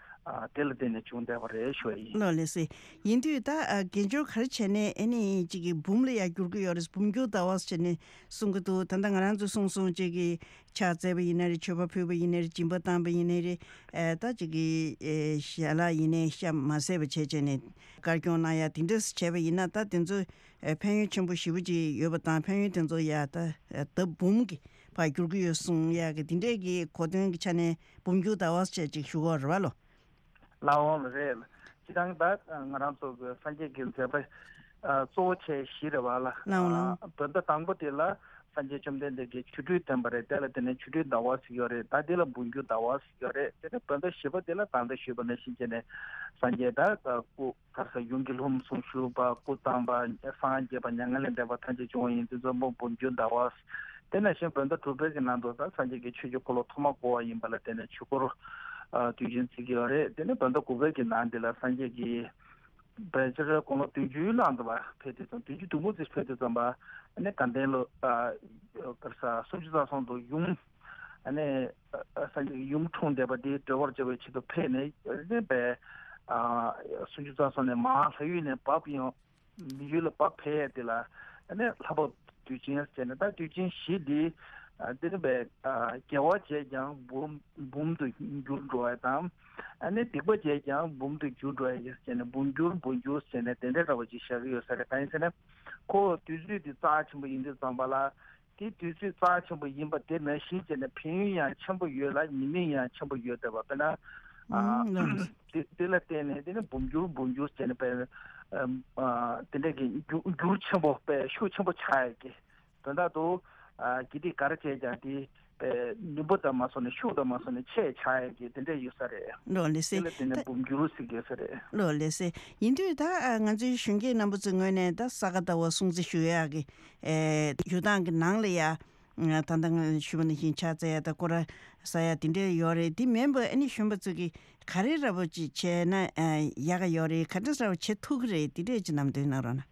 དེ་ལ་བརྟེན་ནས་བྱུང་བསྡད་པ་རེད་ཞུ་བ་ཡིན། ལགས་ལགས་སེ། ཡིན་དུས་ད་དགེ་སྦྱོར་ག་རེ་བྱས་ནས་ཨ་ནི་ཅིག་གི་འབུམ་ལ་ཡང་འགྱུར་གི་ཡོད་རེད། འབུམ་འགྱུར་ཟླ་བ་ཟེར་ནས་གསུང་གི་འདུག་ད་ལྟ་ང་རང་ཚོས་གསུངས་སོང་ཅིག་གི་ཕྱག་བཙལ་བ་ཡིན་ན་རེད། མཆོད་པ་ཕུལ་བ་ཡིན་ན་རེད། སྦྱིན་པ་བཏང་བ་ཡིན་ན་རེད། ཨེ་ད་ཅིག་གི་ཨེ་ཞལ་ལག་ཡིན་ནའི་ཤ་མ་ཟས་པ་བྱས་བྱས་ནས་དཀར་སྐྱོང་གནང་ཡ་དེ་འདྲ་བྱས་པ་ཡིན་ན་ད་དེ་ཚོ་ཨེ་ཕན་ཡོན་ཆེན་པོ་ཞེ་པོ་ཅིག་ཡོད་པ་དང་ཕན་ཡོན་དེ་ཚོ་ཡ་ད་ཨེ་ལྡབ་འབུམ་གྱི་བར་འགྱུར་གྱི་ཡོད་གསུང་ཡ་གི་དེ་འདྲས་ཀྱི་གོ་དོན་གྱི་ཆ་ནས་འབུམ་འགྱུར་ཟླ་བ་ཟེར་ཅིག་ཞུ་གི་ཡོད་རེད་བ་ལོ། ལགས་འོང་ལགས་རེད། སྤྱིར་བཏང་ད་ང་རང་ཚོ་གི་སངས་རྒྱས་ཀྱི་མཛད་པ་ཨ་གཙོ་བོ་བྱས་བཞི་རེད་བ་ལ། ལགས་འོང་ལགས། ཨ་བོད་ཟླ་དང་པོ་དེ་ལ་སངས་རྒྱས་བཅོམ་ལྡན་འདས་ཀྱིས་ཆོ་འཕྲུལ་བསྟན་པ་རེད། དེ་ལ་དེ་ནས་ཆོ་འཕྲུལ་ཟླ་བ་ཟེར་ཡོད་རེད། ད་དེ་ལ་འབུམ་འགྱུར་ཟླ་བ་ཟེར་ཡོད་རེད། དེ་ནས་བོད་ཟླ་བཞི་པ་དེ་ལ་ད་ལྟ་ཞུས་པ་ནང་བཞིན་བྱས་ནས་སངས་རྒྱས་ད་སྐུ་ག་རེ་ཟེར་ཡུམ་གྱི་ལྷུམས་སུ་ཞུགས་པ། སྐུ་བལྟམས་པ། སངས་རྒྱས་པ། མྱ་ངན་ལས་འདས་པ་ཐམས་ཅད་བྱུང་བ་ཡིན་དུས་ཙམ་པ་འབུམ་འགྱུར་ཟླ་བ། དེ་ནང་བཞིན་བོད་ཟླ་དྲུག་པའི་གི་ནང་དུ་ད་སངས་རྒྱས་ཀྱིས་ཆོས་ཀྱི་འཁོར་ལོ་ཐོག་མ་བསྐོར་བ་ཡིན་པ་ལ་བརྟེན་ནས་ཆོས་འཁོར་ཨ་དུས་ཆེན་བརྩི་གི་ཡོད་རེད། དེ་ནས་བོད་ཟླ་དགུ་པའི་གི་ནང་འདི་ལ་སངས་རྒྱས་ཀྱིས་ཕལ་ཆེར་དགུང་ལོ་བདུན་ཅུའི་ནང་དུ་བ་ཕེབས་དུས་ཙམ། བདུན་ཅུ་དོན་དགུ་ཙམ་ཕེབས་དུས་ཙམ་པ་ཨ་ནི་དགའ་ལྡན་ལོ་ཨ་ག་རེ་ཟེར་སུམ་ཅུ་རྩ་གསུམ་དུ་ཡུམ་ཨ་ནི་ཨ་སངས་རྒྱས་ཀྱི་ཡུམ་འཁྲུངས་བསྡད་པ་དེ་སྒྲོལ་བར་བྱ་བའི་ཆེད་དུ་ཕེབས་ནས་ཨ་ནི་བས་ཨ་སུམ་ཅུ་རྩ་གསུམ་ནས་མར་ལྷ་ཡུལ་ནས་བབས་ཡོང་། ཡུལ་ལ་བབས་ཕེབས་ཡས་དེ་ལ་ཨ་ནི་ལྷ་བབས་དུས་ཆེན་ཟེར་ནས། ད་དུས་ཆེན་བཞི་འདི་ཨ་འདི་ནི་བས་ཨ་དགེ་བ་བྱས་ཀྱང་འབུམ་འབུམ་དུ་འགྱུར་འགྲོ་བ་དང་། ཨ་ནི་སྡིག་པ་བྱས་ཀྱང་འབུམ་དུ་འགྱུར་འགྲོ་བ་ཡིན་ཟེར་ནས་འབུམ་འགྱུར་འབུམ་འགྱུར་ཟེར་ནས་དེ་འདྲ་འདྲ་བ་ཅིག་བཞག་གི་ཡོད་ས་རེད། གང་ཡིན་ཟེར་ན་ཁོ་དུས་ཚོད་འདི་རྩ་ཆེན་པོ་ཡིན་དུས་ཙམ་པ་ལ། དེ་དུས་ཚོད་རྩ་ཆེན་པོ་ཡིན་པ་དེ་ནང་བཞིན་བྱས་ནས་ཕན་ཡོན་ཡང་ཆེན་པོ་ཡོད་ལ་ཉེས་དམིགས་ཡང་ཆེན་པོ་ཡོད་བསྡད་པ། དཔེར་ན་ ཨ། ཨུམ། ལགས། དེ་དེ་ལ་བརྟེན་ནས་དེ་ནི་འབུམ་འགྱུར་འབུམ་འགྱུར་བྱས་ནས་པའི་ཨ་དེ་འདྲ་གི་འགྱུར་འགྱུར་ཆེན་པོ་པའི་ཤུགས་ཆེན་པོ་ཆགས་ཡ་གི་དོན་དག་ཏུ། ཨ་གི་དེ་ག་རེ་བྱས་ཀྱང་དེ་པའི་ནུས་པ་དང་མ་སོང་ནས་ཤུགས་དང་མ་སོང་ནས་ཆེ་ཆགས་ཡ་གི་དེ་འདྲ་ཡོད་ས་རེད། ལགས་ལགས་སེ། དེ་ལ་བརྟེན་ནས་འབུམ་འགྱུར་ཟེར་གྱི་ཡོད་ས་རེད། ལགས་ལགས་སེ། ཡིན་དུས་ད་ཨ་ང་ཚོའི་གཞོན་སྐྱེས་རྣམ་པ་ཚོའི་ངོས་ནས་ད་ས་ག་ཟླ་བ་སྲུང་བརྩི་ཞུ་ཡག་གི་ཨེ་ཡོ་ཐང་གི་ནང་ལ་ཡ། ད་ལྟ་ང་ཞུས་པ་ནང་བཞིན་ཕྱག་འཚལ་ཡ་དང་སྐོར་ར་ཟ་ཡ་དེ་འདྲ་ཡོད་རེད། དེ་མིན་པ་ཨ་ནི་གཞོན་པ་ཚོ་གི་ག་རེ་འདྲ་པོ་ཅིག་བྱས་ན་ཨ་ཡག་ག་ཡོད་རེད། ག་འདྲ་འདྲ་པོ་བྱེད་ཐུབ་ཀྱི་རེད། དེ་འདྲས་ཅིག་ལམ་སྟོན་གནང་རོགས་གནང་།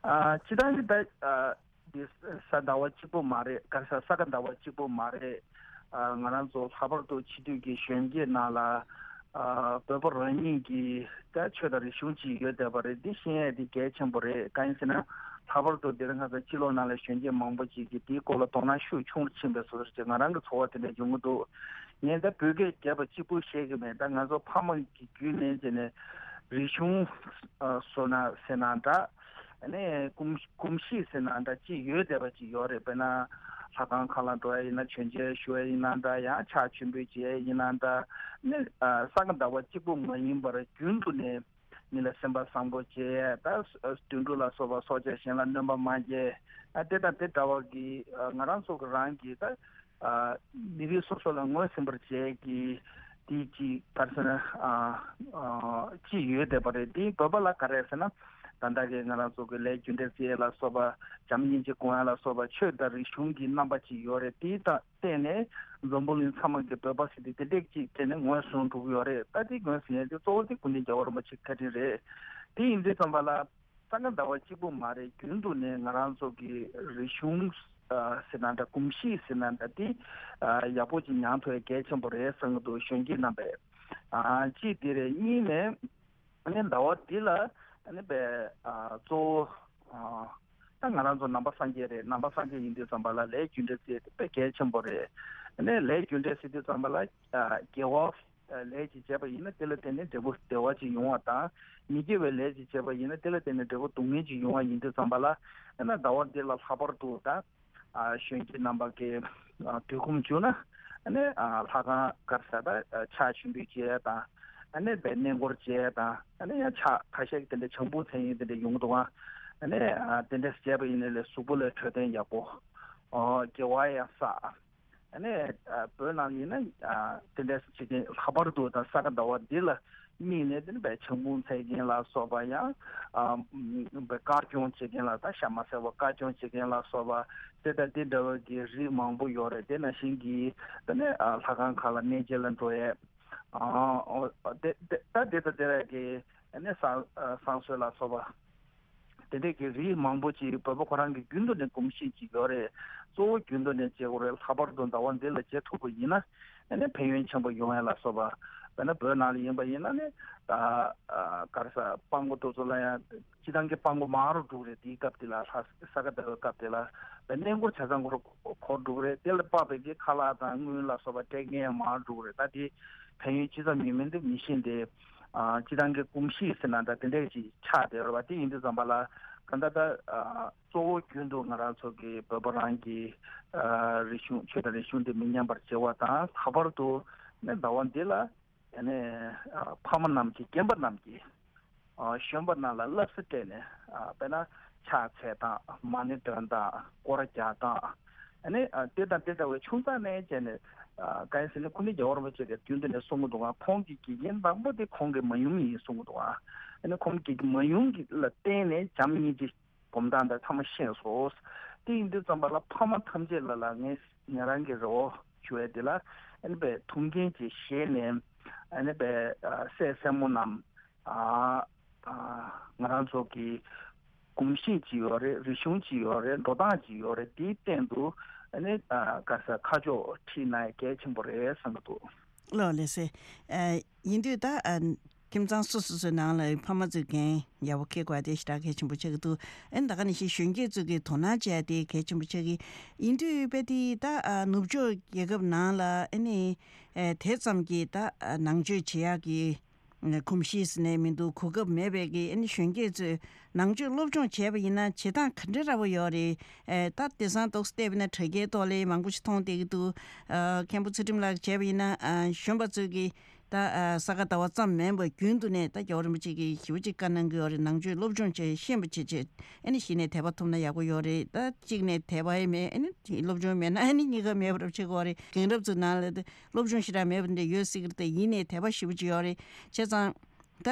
ཨ་སྤྱིར་བཏང་གི་ད་ཨ་འདི་ས་ཟླ་བ་གཅིག་པོ་མ་རེད། ག་རེ་ཟ་ས་ག་ཟླ་བ་གཅིག་པོ་མ་རེད། ཨ་ང་རང་ཚོ་ལྷག་པར་དུ་ཕྱི་སྡོད་ཀྱི་གཞོན་སྐྱེས་ནང་ལ་ཨ་བོད་པ་རང་ཉིད་ཀྱི་ད་ཆོས་དང་རིག་གཞུང་ཅིག་ཡོད་བསྡད་པ་རེད། འདི་ཤེས་ཡས་འདི་གལ་ཆེན་པོ་རེད། གང་ཡིན་ཟེར་ན་ལྷག་པར་དུ་འདིར་ང་ཚོ་སྤྱི་ལོ་ནང་ལ་གཞོན་སྐྱེས་མང་པོ་ཅིག་གིས་དེའི་སྐོར་ལ་དོ་སྣང་ཤུགས་ཆུང་རུ་ཕྱིན་པའི་བཟོ་འདྲ་ཅིག་ང་རང་གི་ཚོར་བ་དེ་འདྲ་ཡོང་གི་འདུག་ངས་ད་བོད་སྐད་རྒྱབ་པ་གཅིག་པུ་བཤད་ཀྱི་མེད། ད་ང་ཚོ་ཕ་མ་གི་བརྒྱུད་ནས་བྱས་ནས་རིག་གཞུང་ཨ་བཟོ་ན་ཟེར་ན་འདྲ། ཨ་ནི་གོམས་གོམས་གཤིས་ཟེར་ན་འདྲ་ཅིག་ཡོད་བསྡད་པ་ཅིག་ཡོད་རེད། དཔེར་ན་ལྷ་ཁང་ཁག་ལ་འགྲོ་ཡ་ཡིན་ན། མཆོད་མཇལ་ཞུ་ཡ་ཡིན་ན་འདྲ། ཡང་ཕྱག་མཆོད་འབུལ་བྱེད་ཡ་ཡིན་ན་འདྲ། ཨ་ནི་ཨ་ས་ག་ཟླ་བ་གཅིག་པུ་མ་ཡིན་པར་རྒྱུན་དུ་ནས་མི་ལ་སེམས་པ་བཟང་པོ་བྱེད་ཡ་དང་། དུད་འགྲོ་ལ་སོགས་པ་སྲོག་ཆགས་གཞན་ལ་གནོད་པ་མ་བྱེད། ཨ་དེ་དང་དེ་འདྲ་བ་གི་ཨ་ང་རང་ཚོ་གི་རང་གི་ད་ཨ་མི་རིགས་སོ་སོ་ལ་ངོས་ཟིན་པར་བྱེད་ཀྱི་དེ་ཅིག་ག་རེ་ཟེར་ན་ཨ་ཨ་ཅིག་ཡོད་བསྡད་པ་རེད། དེ་བོད་པ་ལ་ག་རེ་ཟེར་ན་ད་ལྟ་གི་ང་རང་ཚོ་གི་ལས་རྒྱུ་འབྲས་བརྩི་ཡས་ལ་སོགས་པ། བྱམས་སྙིང་རྗེ་སྒོམ་ཡ་ལ་སོགས་པ། ཆོས་དང་རིག་གཞུང་གི་རྣམ་པ་ཅིག་ཡོད་རེད། དེ་དང་བརྟེན་ནས་འཛམ་བུ་གླིང་ཚང་མ་གི་བོད་པ་ཟེར་དེ་དེ་འདྲས་ཅིག་བརྟེན་ནས་ངོས་བཟུང་འགྲོ་གི་ཡོད་རེད། ད་དེ་ངོས་ཟིན་ཡས་དེ་གཙོ་བོ་དེ་སྐུ་ཕྲེང་རྒྱལ་བ་རིན་པོ་ཆེ་བཀའ་དྲིན་རེད། དེ་ཡིན་དུས་ཙམ་པ་ལ་ས་ག་ཟླ་བ་གཅིག་པུ་མ་རེད། རྒྱུན་དུ་ནས་ང་རང་ཚོ་གི་རིག་གཞུང་ཨ་ཟེར་ན་འདྲ། གོམས་གཤིས་ཟེར་ན་འདྲ། དེ་ཨ་ཡག་པོ་ཅིག་མྱངས་ཐུབ་ཡ་གལ་ཆེན་པོ་རེད་བསམ་གྱི་འདུག་གཞོན་སྐྱེས་རྣམ་པས། ཨ་གཅིག་དེ་རེད། གཉིས་ནས་ཨ་ནི་ཟླ་བ་འདི་ལ་ཨ་ནི་པའི་ཨ་གཙོ་བོ་ཨ་ད་ང་རང་ཚོ་ནང་པ་སངས་རྒྱས་རེད། ནང་པ་སངས་རྒྱས་ཡིན་དུས་ཙམ་པ་ལ་ལས་རྒྱུ་འབྲས་ཟེར་དེ་དཔེ་གལ་ཆེན་པོ་རེད། ཨ་ནི་ལས་རྒྱུ་འབྲས་ཟེར་དུས་ཙམ་པ་ལ་ཨ་དགེ་བ་ལས་ཅིག་བྱས་པ་ཡིན་ན་དེ་ལ་བརྟེན་ནས་འབྲས་བུ་བདེ་བ་ཅིག་ཡོང་བ་དང་། མི་དགེ་བའི་ལས་ཅིག་བྱས་པ་ཡིན་ན་དེ་ལ་བརྟེན་ནས་འབྲས་བུ་སྡུག་བསྔལ་ཅིག་ཡོང་བ་ཡིན་དུས་ཙམ་པ་ལ། ཨ་ནི་ཟླ་བ་འདི་ལ་ལྷག་པར་དུ་ད་ཨ་གཞོན་སྐྱེས་རྣམ་པ་གིས་ཨ་དུས་ཁོམ་བྱུང་ན་ཨ་ནི་ཨ་ལྷ་ཁང་ག་རེ་ཟེར་ད་ཨ་ཕྱག་མཆོད་འབུལ་བྱེད་ཡ་དང་། ཨ་ནི་པའི་གནས་སྐོར་བྱེད་ཡ་དང་། ཨ་ནི་ཡང་ཕྱག་ཁ་ཤས་ཀྱི་དེ་འདྲ་བྱང་བུ་མཚན་ཡིན་དེ་འདྲ་ཡོང་གི་འདུག་ཨ། ཨ་ནི་ཨ་དེ་འདྲ་བྱས་པ་ཡིན་ན་ལས་གཟུགས་པོ་ལ་འཕྲོད་བསྟེན་ཡག་པོ། ཨོ་དགེ་བ་ཡང་བསགས། ཨ་ནི་ཨ་བོད་ནང་ཡིན་ན་ཨ་དེ་འདྲ་བྱེད་མཁན་ལྷག་པར་དུ་ད་ས་ག་ཟླ་བ་འདི་ལ་དམིགས་ནས་དེ་ནི་བའི་ཆང་བུ་འཚལ་མཁན་ལ་སོགས་པ། ཡང་ཨ་བའི་དཀར་སྐྱོང་བྱེད་མཁན་ལ་ད་ཤ་མ་ཟ་བ་དཀར་སྐྱོང་བྱེད་མཁན་ལ་སོགས་པ། དེ་དང་དེ་འདྲ་བ་གི་རིགས་མང་པོ་ཡོད་རེད། དེ་ནང་བཞིན་གྱི་དེ་ནི་ཨ་ལྷ་ཁང་ཁག་ལ་གནས་མཇལ་ལ་འགྲོ་ཡས། ཨ་ཨོ་དེ་དེ་ད་དེ་དང་དེ་ར་གི་ཨ་ནི་བསང་ཨ་བསང་གསོལ་ལ་སོགས་པ། དེ་འདྲས་ཀྱི་རིགས་མང་པོ་ཅིག་བོད་པ་ཁོ་རང་གི་རྒྱུན་དུ་ནས་གོམས་གཤིས་ཅིག་ཡོད་རེད། གཙོ་བོ་རྒྱུན་དུ་ནས་བྱེད་དགོས་རེད། ལྷག་པར་དུ་ཟླ་བ་འདི་ལ་བྱེད་ཐུབ་པ་ཡིན་ན་ཨ་ནི་ཕན་ཡོན་ཆེན་པོ་ཡོང་ཡ་ལ་སོགས་པ། དཔེར་ན་བོད་ནང་ལ་ཡིན་པ་ཡིན་ན་ནི་ད་ཨ་ག་རེ་ཟ་སྤྲང་པོ་དེ་ཚོ་ལ་ཡང་སྤྱི་བཏང་གི་སྤྲང་པོ་མང་རུ་འགྲོ་གི་རེད། དེའི་སྐབས་དེ་ལ་ལྷ་ས་ག་ཟླ་བའི་སྐབས་དེ་ལ་བའི་གནས་སྐོར་ཆ་ཚང་འཁོར་འཁོར་འགྲོ་གི་རེད། དེ་ལ་དཔག་པའི་གི་ཁ་ལག་དང་དངུལ་ལ་སོགས་པ་སྤྲད་མཁན་ཡང་མང་རུ་འགྲོ་གི་རེད། ད་དེ་ཕན་ཡོན་ཅི་ཙམ་ཡོད་མིན་དེ་མི་ཤེས་ཏེ། ཨ་སྤྱི་བཏང་གི་གོམས་གཤིས་ཟེར་ན་འདྲ་དེ་འདྲས་ཅིག་ཆགས་བསྡད་རེད་བ། དེ་ཡིན་དུས་ཙམ་པ་ལ་གང་ལྟར་ད་ཨ་གཙོ་བོ་རྒྱུན་དུ་ང་རང་ཚོ་གི་བོད་པ་རང་གི་ཨ་རིག་གཞུང་ཆོས་དང་རིག་གཞུང་དེ་མི་ཉམས་པར་བྱེད་པ་དང་། ལྷག་པར་དུ་ནི་ཟླ་བ་འདི་ལ་ཨ་ནི་ཨ་ཕ་མ་རྣམས་ཀྱིས་རྒན་པ་རྣམས་ཀྱིས་ཨ་གཞོན་པ་རྣམས་ལ་བསླབ་བྱ་སྤྲད་ནས། ཨ་དཔེར་ན་ཕྱག་འཚལ་སྟངས། མ་ཎི་འདོན་སྟངས། སྐོར་ར་རྒྱག་སྟངས། ཨ་ནི་ཨ་དེ་དང་དེ་འདྲ་བའི་ཆུང་ཙག་ནས་བྱས་ནས། ཨ་གང་ཡིན་ཟེར་ན་སྐུ་ཕྲེང་རྒྱལ་བ་རིན་པོ་ཆེ་གིས་རྒྱུན་དུ་ནས་གསུང་གི་འདུག་ག་ཁོང་གི་དགེ་རྒན་དང་པོ་དེ་ཁོང་གི་མ་ཡུམ་ཡིན་གསུང་གི་འདུག་ག་ཨ་ནི་ཁོང་གི་མ་ཡུམ་གྱི་ལ་བརྟེན་ནས་བྱམས་སྙིང་རྗེ་སྒོམ་སྟངས་དང་ཚང་མ་ཤེས་སོང་། དེ་ཡིན་དུས་ཙམ་པ་ལ་ཕ་མ་ཐམས་ཅད་ལ་ལ་ངས་ང་རང་གི་རེ་བ་ཞུ་ཡ་དེ་ལ། ཨ་ནི་པའི་ཐུགས་འགན་ཅིག་བཞེས་ནས། ཨ་ནི་པའི་ཨ་སྲས་སྲས་མོ་རྣམས། ཨ་ཨ་ང་རང་ཚོ་གི་གོམས་གཤིས་ཅིག་ཡོད་རེད། རིག་གཞུང་ཅིག་ཡོད་རེད། འགྲོ་སྟངས་ཅིག་ཡོད་རེད། དེའི་སྟེང་དུ་ཨ་ནི་ཨ་ག་ས་ཁ་ཕྱོགས་ཁྲིད་ན་ཡ་གལ་ཆེན་པོ་རེད་བསམ་གྱི་འདུག་ལགས་ལགས་སེ། ཨ་ཡིན་དུས་ད་ཨ་ཁྱིམ་ཚང་སོ་སོ་སོའི་ནང་ལ་ཕ་མ་ཚོས་འགན་ཡག་པོ་འཁྱེར་དགོས་དེ་ཞེ་དྲག་གལ་ཆེན་པོ་ཆགས་ཀྱི་འདུག་ཨ་ནི་ད་ག་ནང་བཞིན་གཞོན་སྐྱེས་ཚོས་ཀྱི་དོ་སྣང་བྱས་དེ་གལ་ཆེན་པོ་ཆགས་ཀྱི། ཡིན་དུས་དཔེ་དེ་ད་ཨ་ནུབ་ཕྱོགས་རྒྱལ་ཁབ་ནང་ལ་ཨ་ནི་ཨ་དེ་ཙམ་གྱི་ད་ཨ་ནང་ཆོས་བྱེད་ཡག་གི་གོམས་གཤིས་ནས་མི་འདུག་གོ་སྐབས་མེད་པའི་གི་ཨ་ནི་གཞོན་སྐྱེས་ཚོས་ནང་ཆོས་སློབ་སྦྱོང་བྱས་པ་ཡིན་ན་བྱེད་སྟངས་ག་འདྲ་འདྲ་པོ་ཡོད་རེད། ཨེ་ད་དེང་སང་ཏོག་ཙམ་བལྟས་པ་ཡིན་ན་དྲ་རྒྱའི་ཐོག་ལ་མང་པོ་ཞིག་མཐོང་བསྡད་ཀྱི་འདུག་ཨ་མཁན་པོ་ཚུལ་ཁྲིམས་ལགས་བྱས་པ་ཡིན་ན་ཨ་གཞོན་པ་ཚོས་ཀྱི་ ད་ས་ག་ཟླ་བ་ཙམ་མིན་པར་རྒྱུན་དུ་ནས་ད་རྒྱལ་བ་རིན་པོ་ཆེ་གིས་ཞེ་པོ་ཅིག་བཀའ་གནང་གི་ཡོད་རེད། ནང་ཆོས་སློབ་སྦྱོང་བྱས་ཤེས་པ་བྱེད་ཆེད་ཨ་ནི་གཞི་ནས་དད་པ་ཐོབ་ན་ཡག་པོ་ཡོད་རེད། ད་གཅིག་ནས་དད་པ་ཡེ་མེད་ཨ་ནི་སློབ་སྦྱོང་མེད་ན་ཨ་ནི་གཉིས་ཀ་མེད་པ་རབ་བྱེད་དགོས་རེད། རྒན་རབས་ཚོའི་ནང་ལ་ད་སློབ་སྦྱོང་ཞེ་དྲག་མེད་པ་འདྲ་ཡོད་སྲིད་ཀྱི་རེད། ད་ཡིན་ནའི་དད་པ་ཞེ་པོ་ཅིག་ཡོད་རེད། བྱས་ཙང་ད་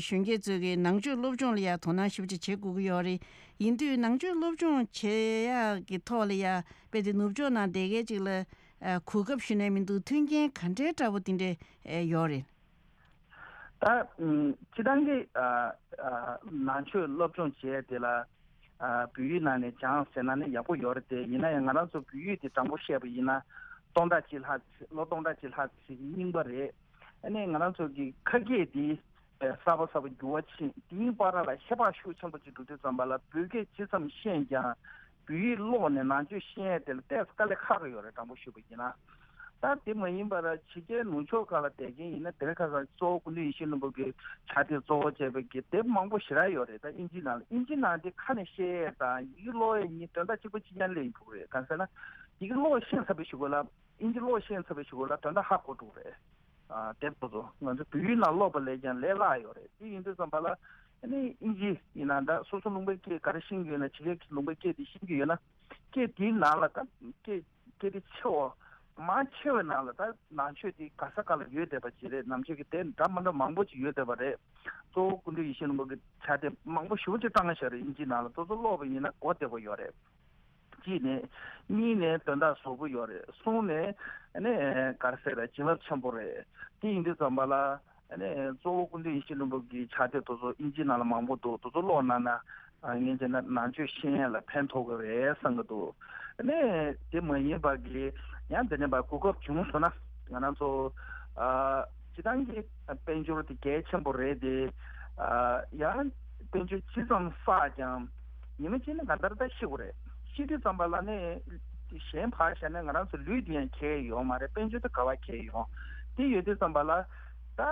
གཞོན་སྐྱེས་ཚོས་ཀྱི་ནང་ཆོས་སློབ་སྦྱོང་ལ་ཡང་དོ་སྣང་ཞེ་པོ་ཅིག་བྱེད་དགོས་ཀྱི་ཡོད་རེད། ཡིན་དུས་ནང་ཆོས་སློབ་སྦྱོང་བྱེད་ཡག་གི་ཐོག་ལ་ཡང་དཔེ་དེ་ནུབ་ཕྱོགས་ནང་བསྡད་མཁན་ཅིག་ལ་གོ་སྐབས་ཞུ་ནས་མི་འདུག་མཐུན་རྐྱེན་ག་འདྲའི་འདྲ་པོ་དེ་འདྲ་ཡོད་རེད། ད་སྤྱི་བཏང་གི་ནང་ཆོས་སློབ་སྦྱོང་བྱས་དེ་ལ་བོད་ཡིག་ནང་ནས་སྦྱངས་ཟེར་ན་ནི་ཡག་པོ་ཡོད་རེད་དེ། ཡིན་ན་ཡང་ང་རང་ཚོ་བོད་ཡིག་དེ་དྲང་པོ་བཤད་པ་ཡིན་ན་སྟོང་ཕྲག་གཅིག་ལྷག་ཙམ་ལོ་སྟོང་ཕྲག་གཅིག་ལྷག་ཙམ་རྙིང་པ་རེད། ཨ་ནི་ང་རང་ཚོ་གི་ཁ་སྐད་དེ་གསར་པ་གསར་པ་འགྱུར་བ་ཕྱིན་དེའི་བར་ལ་ཤེས་པ་ཤུགས་ཆེན་པོ་ཅིག་འགྲོ་དུས་ཙམ་པ་ལ་བོད་སྐད་ཇི་ཙམ་ཤེས་ཀྱང་བོད་ཡིག་ཀློག་ནས་ནང་ཆོས་ཤེས་ཡས་དེ་ལ་ཏོག་ཙམ་དཀའ་ལས་ཁག་གི་ཡོད་རེད། དྲང་པོ་ཞུས་པ་ཡིན་ན། ད་དེ་མ་ཡིན་པར་ཕྱི་རྒྱལ་ནུབ་ཕྱོགས་ཁག་ལ་བསྡད་མཁན་ཡིན་ན་དེ་རིང་ཁ་སང་གཙོ་བོ་སྐུ་མདུན་ཡིད་བཞིན་ནོར་བུ་གི་ཕྱག་དེབ་གཙོ་བོ་བྱས་པའི་གི་དེབ་མང་པོ་ཞེ་དྲག་ཡོད་རེད། ད་ཨིན་ཇི་ནང་ལ་ཨིན་ཇི་ནང་དེ་ཁ་ནས་བཤད་ཡས་དང་ཡི་གེ་ཀློག་ཡས་གཉིས་དོན་དག་གཅིག་པ་གཅིག་རྐྱང་སླེབས་ཡོང་གི་རེད། གང་ཟེར་ན་ཡི་གེ་ཀློག་ཤེས་ཚར་བའི་གཞུག་གུ་ལ་ཨིན་ཇི་ཀློག་ཤེས་ཚར་བའི་གཞུག་གུ་ལ་དོན་དག་ཧ་གོ་འགྲོ་གི་རེད། ཨ་དེབ་དེ་ཚོ་ང་ཚོ་བོད་ཡིག་ནང་ཀློག་པ་ལས་ཀྱང་ལས་སླ་ཡོད་རེད། དེ་ཡིན་དུས་ཙམ་པ་ལ་ཨ་ནི་ཨིན་ཇི་ཡིན་ན་འདྲ་སོ་སོ་ལུང་པའི་སྐད་ག་རེ་ཤེས་ཀྱི་ཡོད་ན་ཕྱི་རྒྱལ་གྱི་ལུང་པའི་སྐད་དེ་ཤེས་ཀྱི་ཡོད་ན་སྐད་དེའི་ནང་ལ་ད་སྐད་སྐད་དེ་ཆེ་བ་མང་ཆེ་བའི་ནང་ལ་ད་ནང་ཆོས་དེ་ག་ས་ག་ལ་ཡོད་བསྡད་པ་ཅིག་རེད། ནང་ཆོས་ཀྱི་དེབ་འདྲ་མི་འདྲ་མང་པོ་ཅིག་ཡོད་བསྡད་པ་རེད། གཙོ་བོ་སྐུ་མདུན་ཡིད་བཞིན་ནོར་བུ་གི་ཕྱག་དེབ་མང་པོ་ཞེ་པོ་ཅིག་བཏང་བཞག་རེད། ཨིན་ཇི་ནང་ལ་དེ་ཚོ་ཀློག་པ་ཡིན་ན་གོ་བདེ་པོ་ཡོད་རེད། གཅིག་ནས། གཉིས་ནས་དོན་དག་ཟབ་པོ་ཡོད་རེད། གསུམ་ནས་ཨ་ནི་ག་རེ་ཟེར་རེད། བྱིན་རླབས་ཆེན་པོ་རེད། དེ་ཡིན་དུས་ཙམ་པ་ལ་ཨ་ནི་གཙོ་བོ་སྐུ་མདུན་ཡིད་བཞིན་ནོར་བུ་གི་ཕྱག་དེབ་དེ་ཚོ་ཨིན་ཇི་ནང་ལ་མང་པོ་འདུག་དེ་ཚོ་ཀློག་གནང་ན་ཨ་ངས་བྱས་ན་ནང་ཆོས་ཤེས་ཡོན་ལ་ཕན་ཐོགས་ཀྱི་རེད་བསམ་གྱི་འདུག་ཨ་ནི་དེ་མ་ཡིན་པ་གི་ཡང་དེ་ནས་པ་གོ་སྐབས་བྱུང་སོང་ན་ང་རང་ཚོ་ཨ། སྤྱི་བཏང་གི་དཔལ་འབྱོར་དེ་གལ་ཆེན་པོ་རེད་དེ། ཡང་དཔལ་འབྱོར་ཇི་ཙམ་བསགས་ཀྱང་ཉི་མ་གཅིག་ནི་གང་ལྟར་ད་ཤི་དགོས་རེད། ཤི་དུས་ཙམ་པ་ལ་ནི་གཞན་ཕར་བཞག་ན་ང་རང་ཚོ་ལུས་དེ་ཡང་གལ་ཡོད་མ་རེད། དཔལ་འབྱོར་དེ་ག་པར་གལ་ཡོད། དེ་ཡོད་དུས་ཙམ་པ་ལ་ད་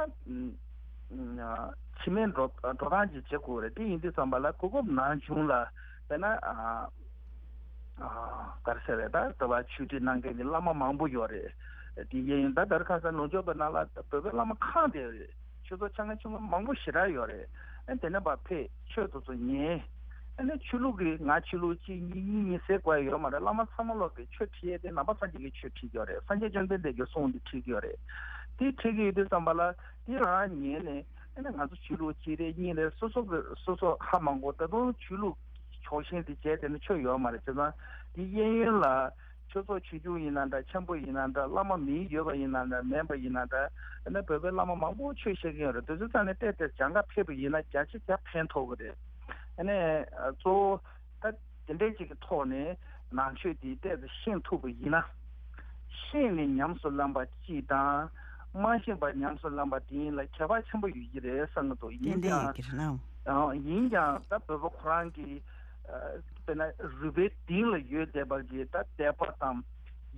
ཕྱི་མའི་འགྲོ་འགྲོ་སྟངས་ཅིག་བྱེད་དགོས་རེད། དེ་ཡིན་དུས་ཙམ་པ་ལ་གོ་སྐབས་ནམ་བྱུང་ལ་དཔེར་ན། ག་རེ་ཟེར་རེད། ད་ལྟ་བ་ཆོས་ཁྲིད་གནང་མཁན་གྱི་བླ་མ་མང་པོ་ཡོད་རེད། དེ་ཡིན་ད་ལྟར་ཁ་སང་ནུབ་ཕྱོགས་པའི་ནང་ལ་བོད་པའི་བླ་མ་ཁག་དེ་ཆོས་ཚོགས་ཆ་ཚང་ཆུང་ངུ་མང་པོ་ཞེ་དྲག་ཡོད་རེད། ཨ་དེ་ནས་ཕར་ཕེབས་ཆོས་དེ་ཚོ་ཉན། ཨ་ནི་ཆོས་ལུགས་ཀྱི་ང་ཆོས་ལུགས་གཅིག་གཉིས་གཉིས་གཉིས་ཟེར་དགོས་ཡ་ཡོད་མ་རེད། བླ་མ་ཚང་མ་ལོག་གི་ཆོས་ཁྲིད་ཡས་དེ་ནང་པ་སངས་རྒྱས་ཀྱི་ཆོས་ཁྲིད་ཀྱི་ཡོད་རེད། སངས་རྒྱས་བཅོམ་ལྡན་འདས་ཀྱི་གསུང་དེ་ཁྲིད་ཀྱི་ཡོད་རེད། དེ་ཁྲིད་ཀྱི་ཡོད་དུས་ཙམ་པ་ལ་དེ་རང་ཉན་ནས། ཨ་ནི་ང་ཚོ་ཆོས་ལུགས་གཅིག་རེད་གཉིས་རེད་སོ་སོ་གི་སོ་སོ་ཧ་མ་གོ་ད་དུང་ཆོས་ལུགས་ཕྱོགས་ཞེན་དེ་བྱས་དེ་ནི་ཆོས་ཡོད་མ་རེད། བྱས་ཙང་དེ་གཡས་གཡོན་ལ་ཆོས་ཚོགས་ཆོས་བརྒྱུད་ཡིན་ན་འདྲ་ཆེན་པོ་ཡིན་ན་འདྲ་བླ་མ་མིང་ཡོད་པ་ཡིན་ན་འདྲ་མེད་པ་ཡིན་ན་འདྲ་ཨ་ནི་བོད་པའི་བླ་མ་མང་པོ་ཆོས་བཤད་ཀྱི་ཡོད་རེད། དེ་ཚོ་ཚང་ནས་བལྟས་ཏེ་སྦྱང་ག་ཕེབས་པ་ཡིན་ན་བརྒྱ་ཆ་བརྒྱ་ཕན་ཐོགས་ཀྱི་རེད། ཨ་ནི་གཙོ་བོ། ད་དེ་འདྲའི་ཅིག་གི་ཐོག་ནས་ནང་ཆོས་དེ་ཏོག་ཙམ་ཤེས་ཐུབ་པ་ཡིན་ན། ཤེས་ནས་ཉམས་སུ་བླངས་པ་གཅིག་དང་། མ་ཤེས་པ་ཉམས་སུ་བླངས་པ་དེ་གཉིས་ལ་ཁྱད་པར་ཆེན་པོ་ཡོད་ཀྱི་རེད་བསམ་གྱི་འདུག་ཡིན་ཏན་ཏན་ཡོད་ཀྱི་རེད་ན། ཀྱང་ཡིན་ཀྱང་ད་བོད་པ་ཁོ་རང་གི་དཔེར་ན་རུས་པའི་གཏིང་ལ་ཡོད་བསྡད་པ་གི་ད་དད་པ་དང་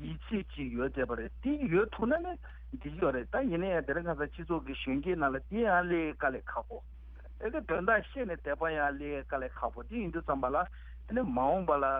ཡིད་ཆེས་ཅིག་ཡོད་བསྡད་པ་རེད། དེ་ཡོད་ཐུབ་ན་ནི་འགྲིག་ཡོད་རེད། ད་ཡིན་ན་ཡང་དེ་རིང་ཁ་སང་སྤྱི་ཚོགས་ཀྱི་གཞོན་སྐྱེས་ནང་ལ་དེ་ཡང་སླེབས་དཀའ་ལས་ཁག་པོ། ཨེ་དེ་དོན་དག་ཤེས་ནས་དད་པ་ཡང་སླེབས་དཀའ་ལས་ཁག་པོ་དེ་ཡིན་དུས་ཙམ་པ་ལ་ཨེ་ནི་མ་འོངས་པ་ལ་ཨ་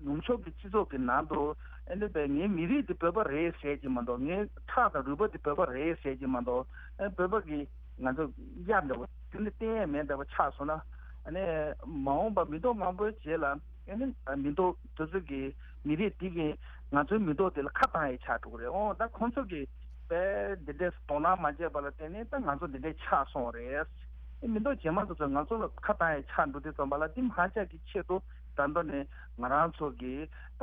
ནུབ་ཕྱོགས་ཀྱི་སྤྱི་ཚོགས་ཀྱི་ནང་དུ་ཨེ་ནི་བས་ངའི་མི་རིགས་འདི་བོད་པ་རེད་ཟེར་གྱི་མ་གཏོགས་ངའི་ཁྲག་དང་རུས་པ་འདི་བོད་པ་རེད་ཟེར་གྱི་མ་གཏོགས་ཨེ་བོད་པ་གི་ང་ཚོ་གཡག་འདྲ་བོ་རྒྱུན་ནས་བསྟན་ཡས་མེད་འདྲ་བོ་ཆགས་སོང་ན་ཨེ་ནི་མ་འོངས་པ་མི་ཐོག་མང་པོའི་རྗེས་ལ། ཨ་ནི་མི་ཐོག་དེ་ཚོ་གི་མི་རིགས་དེ་གི་ང་ཚོའི་མི་ཐོག་དེ་ལ་ཁ་བཏང་ཡས་ཆགས་འགྲོ་གི་རེད། འོ་ད་ཁོང་ཚོ་གི་དཔེ་འདི་འདྲས་དོ་སྣང་མ་བྱས་པ་ལ་བརྟེན་ནས་ད་ང་ཚོ་འདི་འདྲས་ཆགས་སོང་རེད། ཨ་མི་ཐོག་རྗེས་མ་དེ་ཚོ་ང་ཚོ་ལ་ཁ་བཏང་ཡས་ཆགས་འགྲོ་དུས་ཙམ་པ་ལ་འདི་མ་ཆགས་ཀྱི་ཆེད་དུ་ད་མདོ་ནས་ང་རང་ཚོ་གི་ད་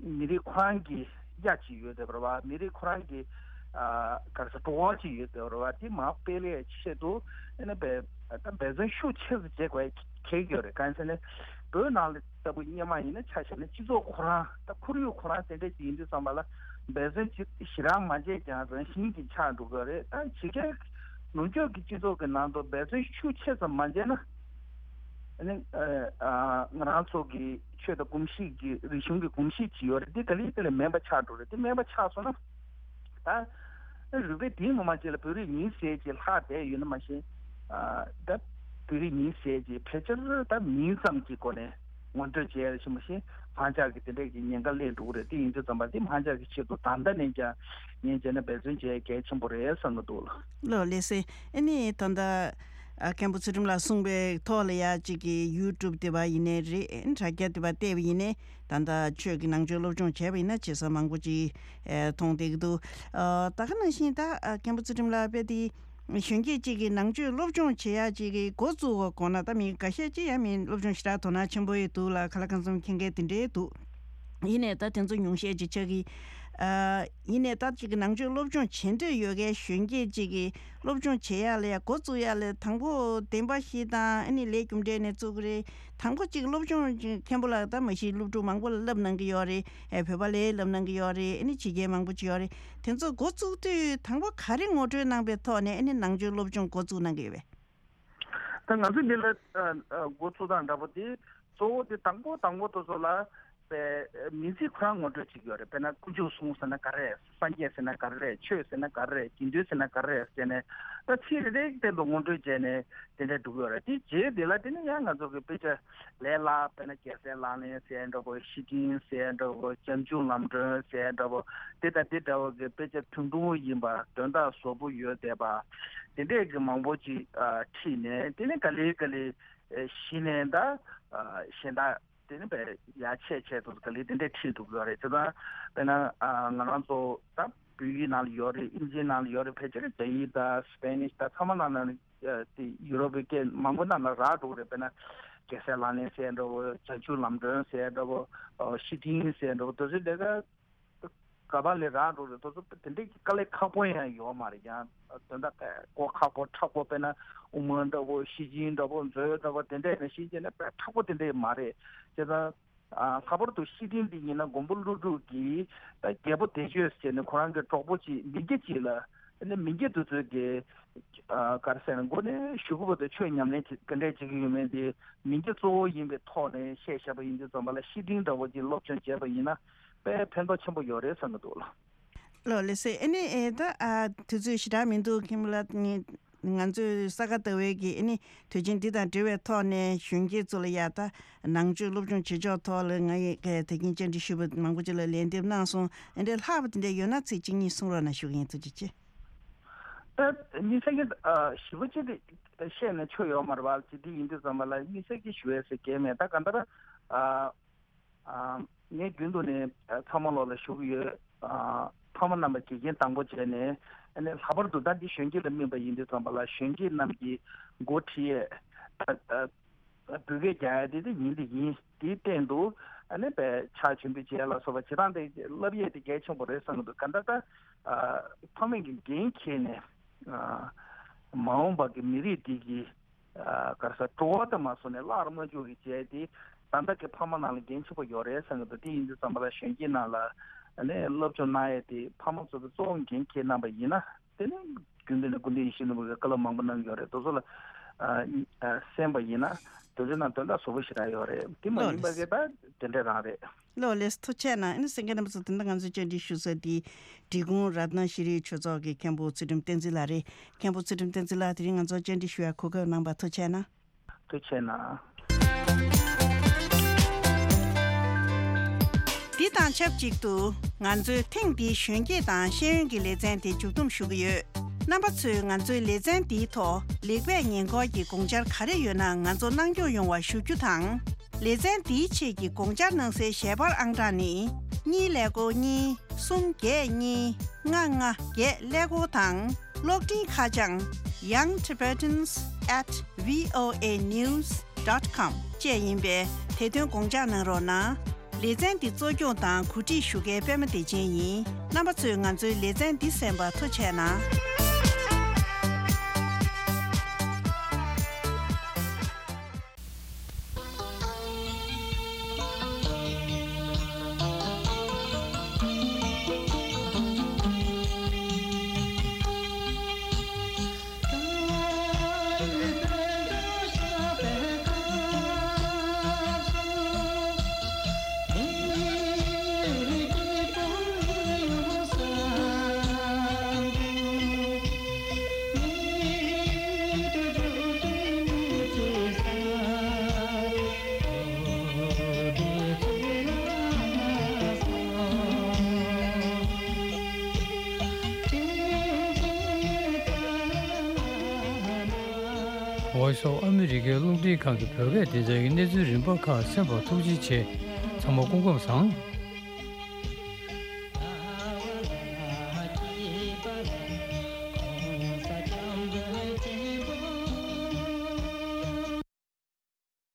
མི་རིགས་ཁོ་རང་གི་གཡག་ཅིག་ཡོད་བསྡད་པ་རེད་བ། མི་རིགས་ཁོ་རང་གི་ཨ་ག་རེ་ཟེར་བྲོ་བ་ཅིག་ཡོད་བསྡད་པ་རེད་བ། འདི་མར་སྤེལ་ཡས་ཆེད་དུ་ཨ་ནི་དཔེ་ད་འབད་བརྩོན་ཤུགས་ཆེ་ཙམ་བྱེད་དགོས་ཡས། གལ་ཡོད་རེད། གང་ཟེར་ན་བོད་ནང་ལ་ལྟ་བུ་སྔོན་མ་ཡིན་ན་ཆ་བཞག་ན་སྤྱི་ཚོགས་ཁོ་རང་ད་ཁོར་ཡུག་ཁོ་རང་དེ་འདྲ་ཅིག་ཡིན་དུས་ཙམ་པ་ལ་འབད་བརྩོན་ཅིག་ཞེ་དྲག་མ་བྱས་ཀྱང་རང་བཞིན་གྱིས་ཆགས་འགྲོ་གི་རེད། ད་ཕྱི་རྒྱལ་ནུབ་ཕྱོགས་ཀྱི་སྤྱི་ཚོགས་ཀྱི་ནང་དུ་འབད་བརྩོན་ཤུགས་ཆེ་ཙམ་མ་བྱས་ན་ཨ་ནི་ཨ་ང་རང་ཚོ་གི་ཆོས་དང་གོམས་གཤིས་ཀྱི་རིག་གཞུང་གི་གོམས་གཤིས་ཅིག་ཡོད་རེད། དེ་ག་ལེ་ག་ལེ་མེད་པ་ཆགས་འགྲོ་རེད། དེ་མེད་པ་ཆགས་སོང་ན། ད་རུས་པའི་གཏིང་ངོ་མ་ཅིག་ལ་བོད་རིགས་ཡིན་ཟེར་གྱི་ལྷག་བསྡད་ཡོད་ན་མ་གཞི། ཨ་ད་བོད་རིགས་ཡིན་ཟེར་གྱི་ཕལ་ཆེར་ད་མིང་ཙམ་གྱི་སྒོ་ནས་ ངོ་སྤྲོད་བྱས་ཡ་ཞིག་མ་ཤེས་ཧང་ཅག་གི་དེ་འདྲས་ཀྱི་ཉེན་ཁ་སླེབས་འགྲོ་གི་རེད། དེ་ཡིན་དུས་ཙམ་པ་དེ་ཧང་ཅག་གི་ཆེད་དུ་ད་ལྟ་ནས་ཀྱང་ཉན་བྱས་ན་འབད་བརྩོན་བྱས་གལ་ཆེན་པོ་རེད་བསམ་གི་འདུག་ལ། ལོ་ལེ་སེ། ཨ་ནི་ད་ལྟ་ཨ་མཁན་པོ་ཚུལ་ཁྲིམས་ལགས་གསུངས་པའི་ཐོག་ལ་ཡ་གཅིག་གི་ཡུ་ཊུབ་དེ་བ་ཡིན་ནའི་རེད། ཨ་ནི་དྲ་རྒྱ་དེ་བ་བལྟས་པ་ཡིན་ནའི་ད་ལྟ་ཆོས་ཀྱི་ནང་ཆོས་སློབ་སྦྱོང་བྱས་པ་ཡིན་ན་བྱེད་ས་མང་པོ་ཅིག་ཨེ་མཐོང་བསྡད་ཀྱི་འདུག་ཨ་ད་ག་ནང་བཞིན་ད་ཨ་མཁན་པོ་ཚུལ་ཁྲིམས་ལགས་དཔེ་དེ་གཞོན་སྐྱེས་གཅིག་གིས་ནང་ཆོས་སློབ་སྦྱོང་བྱེད་ཡག་ཅིག་གི་འགོ་བཙུགས་པ་དགོས་ན་ད་མི་འགའ་ཤས་ཅིག་ཡང་མི་སློབ་སྦྱོང་ཞེ་དྲག་དོ་སྣང་ཆེན་པོ་ཡོད་འདུག་ལ། ཁ་ལག་ཁང་ཚོམ་མཁྱེན་མཁན་དེ་འདྲས་འདུག་ཡིན་ནའི་ད་དེ་ཚོ་ཉུང་ཤས་ཅིག་ཆགས་ཀྱི། ཨ་ཡིན་ནའི་ད་ཅིག་གི་ནང་ཆོས་སློབ་སྦྱོང་བྱེད་འདོད་ཡོད་མཁན་གཞོན་སྐྱེས་ཅིག་གིས་སློབ་སྦྱོང་བྱེད་ཡག་ལ་ཡ་འགོ་བཙུགས་ཡག་ལ་དང་པོ་བདེན་པ་བཞི་དང་ཨ་ནི་ལས་རྒྱུ་འབྲས་ནས་བཙུགས་ཀྱི་རེད། དང་པོ་གཅིག་སློབ་སྦྱོང་གཅིག་མཁན་པོ་ལགས་ད་མ་གཞི་སློབ་ཕྲུག་མང་པོ་ལ་བསླབ་གནང་གི་ཡོད་རེད། ཨེ་བོད་པ་ལ་བསླབ་གནང་གི་ཡོད་རེད། ཨ་ནི་ཕྱི་རྒྱལ་མང་པོ་ཅིག་ཡོད་རེད། དེ་ཚོ་འགོ་བཙུགས་དུས་དང་པོ་ག་རེ་ངོ་སྤྲོད་གནང་པའི་ཐོག་ནས་ཨ་ནི་ནང་ཆོས་སློབ་སྦྱོང་འགོ་བཙུགས་གནང་གི་ཡོད་པས། ད་ང་ཚོས་འདི་ལ་ཨ་ཨ་འགོ་བཙུགས་སྟངས་འདྲ་པོ་དེ་གཙོ་བོ་དེ་དང་པོ་དང་པོ་དེ་ཚོ་ལ་པའི་མིང་ཚིག་ཁོ་རང་ངོ་སྤྲོད་བྱེད་ཀྱི་ཡོད་རེད། དཔེར་ན་དཀོན་མཆོག་གསུམ་ཟེར་ན་ག་རེ་རེད། སངས་རྒྱས་ཟེར་ན་ག་རེ་རེད། ཆོས་ཟེར་ན་ག་རེ་རེད། དགེ་འདུན་ཟེར་ན་ག་རེ་རེད་ཟེར་ནས་ད་ཚིག་རེ་རེ་སྟེང་དུ་ངོ་སྤྲོད་བྱས་ནས་དེ་འདྲ་འགྲོ་གི་ཡོད་རེད། དེ་རྗེས་དེ་ལ་དེ་ནི་ཡང་ང་ཚོ་གི་དཔེ་ཆ་ལས་སླ་དཔེར་ན་རྒྱལ་སྲས་ལག་ལེན་ཟེར་འདྲ་པོ། བཤེས་སྤྲིང་ཟེར་འདྲ་པོ། སྤྱང་ཆུང་ལམ་སྒྲོན་ཟེར་འདྲ་པོ། དེ་དང་དེ་འདྲ་བོ་གི་དཔེ་ཆ་ཐུང་ཐུང་ཡིན་པ། དོན་དག་ཟབ་པོ་ཡོད་བསྡད་པ། དེ་འདྲས་ཀྱི་མང་པོ་ཅིག་ཨ་ཁྲིད་ནས་དེ་ནས་ག་ལེ་ག་ལེ་ཨེ་གཞི་ནས་ད་ཨ་གཞན་དག་དེ་ནས་བས་ཡར་ཆད་ཆད་དུ་ག་ལེ་དེ་འདྲས་ཁྲིད་འདུག་ཡོད་རེད། དེ་ད་དཔེར་ན་ཨ་ང་རང་ཚོ་ད་བོད་ཡིག་ནང་ལ་ཡོད་རེད། ཨིན་ཇིའི་ནང་ལ་ཡོད་རེད། ཕལ་ཆེར་རྒྱ་ཡིག་དང་སི་པེ་ནིཤ་དང་ཚང་མ་ནང་ལ་ཨ་དེ་ཡུ་རོབ་པའི་སྐད་མང་པོ་ནང་ལ་རག་འགྲོ་གི་རེད། དཔེར་ན་རྒྱལ་སྲས་ལག་ལེན་ཟེར་འདྲ་བོ། བྱང་ཆུབ་ལམ་སྒྲོན་ཟེར་འདྲ་བོ། ཨོ་བཤེས་སྤྲིང་ཟེར་འདྲ་བོ། དེ་ཚོ་ལས་ཀ་ག་པ་ལས་རག་འགྲོ་རེད། དེ་ཚོ་དེ་འདྲའི་དཀའ་ལས་ཁག་པོ་ཡང་ཡོད་མ་རེད། ཡང་དོན་དག་གོ་ཁག་པོ་མཁྲེགས་པོ། དཔེར་ན་དབུ་མ་འདྲ་བོ། བཤེས་སྤྲིང་འདྲ་བོ། མཛོད་འདྲ་བོ། དེ་འདྲ་ནས་ཤེས་བྱས་ན་དཔེ་མཁྲེགས་པོ་དེ་འདྲ་མ་རེད། བྱས་ཙང་ཨ་ལྷག་པར་དུ་བཤེས་སྤྲིང་འདི་ཡིན་ན་མགོན་པོ་ཀླུ་སྒྲུབ་ཀྱིས་ད་རྒྱལ་པོ་བདེ་སྤྱོད་ཟེར་ནས་ཁོ་རང་གི་གྲོགས་པོ་གཅིག་མི་སྐྱ་གཅིག་ལ། ཨ་ནི་མི་སྐྱ་དེ་ཚོས་ཀྱི་ཨ་ག་རེ་ཟེར་ན་མགོ་ནས་གཞུག་གུ་བར་དུ་ཆོས་ཉམས་ལེན་བྱེད་ག་འདྲས་བྱེད་ཀྱི་ཡོད་མེད་དེ་མི་སྐྱ་གཙོ་བོ་ཡིན་པའི་ཐོག་ནས་བཤད་བཞག་པ་ཡིན་དུས་ཙམ་པ་ལ་བཤེས་སྤྲིང་འདྲ་བོ་ཅིག་སློབ་སྦྱོང་བྱས་པ་ཡིན་ན་དཔེ་ཕན་ཐོགས་ཆེན་པོ་ཡོད་རེད་བསམ་གྱི་འདུག་ལ། ལོ་ལེགས་སེ། ཨ་ནི་ཨེ་ད་ཨ་དུས་ཚོད་ཞེ་དྲག་མི་འདུག་མཁན་པོ་ལགས། ང་ཚོས་ས་ག་ཟླ་བའི་གི་ཨ་ནི་དུས་ཆེན་འདི་དང་འབྲེལ་བའི་ཐོག་ནས་གཞོན་སྐྱེས་ཚོ་ལ་ཡ་ད་ནང་ཆོས་སློབ་སྦྱོང་བྱེད་ཕྱོགས་ཐོག་ལ་ང་ཡི་གི་ད་གིན་བཅར་འདྲི་ཞུས་པ་མང་པོ་ཅིག་ལ་ལན་འདེབས་གནང་སོང་། ཨ་འདྲའི་ལྷག་པ་དེ་འདྲ་ཡོད་ན་ཚིག་གཅིག་གཉིས་གསུང་རོགས་གནང་ཞུ་གི་ཡིན། ཐུགས་རྗེ་ཆེ། ཨ་དམིགས་བསལ་གྱི་ཨ་ཞིབ་པོ་ཅིག་དེ་བཤད་ནས་ཆོ་ཡོད་མ་རེད་པ། ཅི་འདི་ཡིན་དུས་ཙམ་པ་ལ་དམིགས་བསལ་གྱི་ཞུ་ཡས་ཟེར་གྱི་མེད། ད་ག་འདྲ་ཨ། ཨ་ངས་རྒྱུན་དུ་ནས་ཨ་ཚང་མ་ལོག་ལ་ཞུ་གི་ཡོད། ཨ་ཕ་མ་རྣམ་པ་དགེ་རྒན་དང་པོ་བྱས་ནས། ཨ་ནི་ལྷག་པར་དུ་ད་འདི་གཞོན་སྐྱེས་ལ་དམིགས་པ་ཡིན་དུས་ཙམ་པ་ལ་གཞོན་སྐྱེས་རྣམས་ཀྱིས་འགོ་ཁྲིད་ཡས་ཨ་ཨ་འབོད་སྐད་རྒྱག་ཡས་དེ་དེ་ཡིན་དེ་ཡིན། དེའི་སྟེང་དུ་ཨ་ནི་བས་ཕྱག་མཆོད་འབུལ་བྱས་ལ་སོགས་པ་བྱེད་སྟངས་དེ་བསླབ་ཡས་དེ་གལ་ཆེན་པོ་རེད་བསམ་གྱི་འདུག་ག་འདྲ་ད་ཨ་ཕ་མས་ཀྱི་འགན་འཁྱེར་ནས་ཨ་མ་འོངས་པ་གི་མི་རིགས་འདི་གི་ཨ་ག་རེ་ཟེར། འགྲོ་བ་དང་མ་སོང་ནས་བརླག་ར་མ་འཇུག་གི་བྱས་ཏེ་ད་ལྟ་གི་ཕ་མ་ནང་ལ་འགན་ཆེ་པོ་ཡོད་རེད་བསམ་གྱི་འདུག་དེ་ཡིན་དུས་ཙམ་པ་ལ་གཞོན་སྐྱེས་ནང་ལ་ཨ་ནི་སློབ་སྦྱོང་གནང་ཡས་དེ་ཕ་མ་ཚོ་གི་གཙོ་བོ་འགན་འཁྱེར་གནང་པ་ཡིན་ན། དེ་ནི་རྒྱུན་ལྡན་ནས་སྐུ་ཕྲེང་ཡིད་བཞིན་ནོར་བུ་གི་བཀའ་སློབ་མང་པོ་གནང་ཡོད་རེད། དེ་ཚོ་ལ་ཨ་ཨ་གསན་པ་ཡིན་ན་དེ་ཚོའི་ནང་དོན་དག་ཟབ་པོ་ཞེ་དྲག་ཡོད་རེད། དེ་མ་ཡིན་པ་གི་ད་དེ་འདྲ་རང་རེད། ལོ་ལེགས། ཐུགས་རྗེ་གནང་། ཨ་ནི་གསན་མཁན་རྣམ་པ་ཚོ་དེ་འདྲ་ང་ཚོའི་བཅར་འདྲི་ཞུ་ས་དེ་འབྲི་གུང་རཏྣ་ཤྲཱི་ཆོས་ཚོགས་ཀྱི་མཁན་པོ་ཚུལ་ཁྲིམས་བསྟན་འཛིན་ལགས་རེད། མཁན་པོ་ཚུལ་ཁྲིམས་བསྟན་འཛིན་ལགས་དེ་རིང་ང་ཚོར་བཅར་འདྲི་ཞུ་ཡ་གོ་སྐབས་གནང་བར་ཐུགས་རྗེ་གནང་། ཐུགས་རྗེ་གནང་། འདི་དང་ཆབས་ཅིག་ཏུ་ང་ཚོས་ཐེངས་འདིའི་གཞོན་སྐྱེས་དང་ཤེས་ཡོན་གྱི་ལེ་ཚན་དེ་མཇུག་བསྡོམས་ཞུ་གི་ཡོད། རྣམ་པ་ཚོས་ང་ཚོའི་ལེ་ཚན་འདིའི་ཐོག་ལེགས་སྤེལ་ཉེས་འཁོར་གྱི་དགོངས་འཆར་ག་རེ་ཡོད་ན་ང་ཚོ་གནང་སྐྱོང་ཡོང་བ་ཞུ་རྒྱུ་དང་། ལེ་ཚན་འདིའི་ཆེད་ཀྱི་དགོངས་འཆར་གནང་སའི་ཞལ་པར་ཨང་གྲངས་ནི། གཉིས་ཀླད་ཀོར་གཉིས། གསུམ་བརྒྱད་གཉིས། ལྔ་ལྔ་བརྒྱད་ཀླད་ཀོར་དང་། གློག་འཕྲིན་ཁ་བྱང་། young tibetans at voa news dot com བཅས་ཡིན་པས་དེ་དོན་དགོངས་འཇགས་གནང་རོགས་གནང་། ལེ་ཚན་འདི་གཙོ་སྐྱོང་དང་གོ་སྒྲིག་ཞུ་མཁན་པད་མ་བདེ་ཆེན་ཡིན། རྣམ་པ་ཚོས་ང་ཚོའི་ལེ་ཚན་འདི་གསན་པར་ཐུགས་རྗེ་གནང་། སོགས་ཨ་མི་རི་ཀའི་རླུང་འཕྲིན་ཁང་གི་བོད་སྐད་སྡེ་ཚན་གྱི་གནས་ཚུལ་རིམ་པ་ཁག་གསན་པར་ཐུགས་རྗེ་ཆེ། ཚང་མ་སྐུ་ཁམས་བཟང་།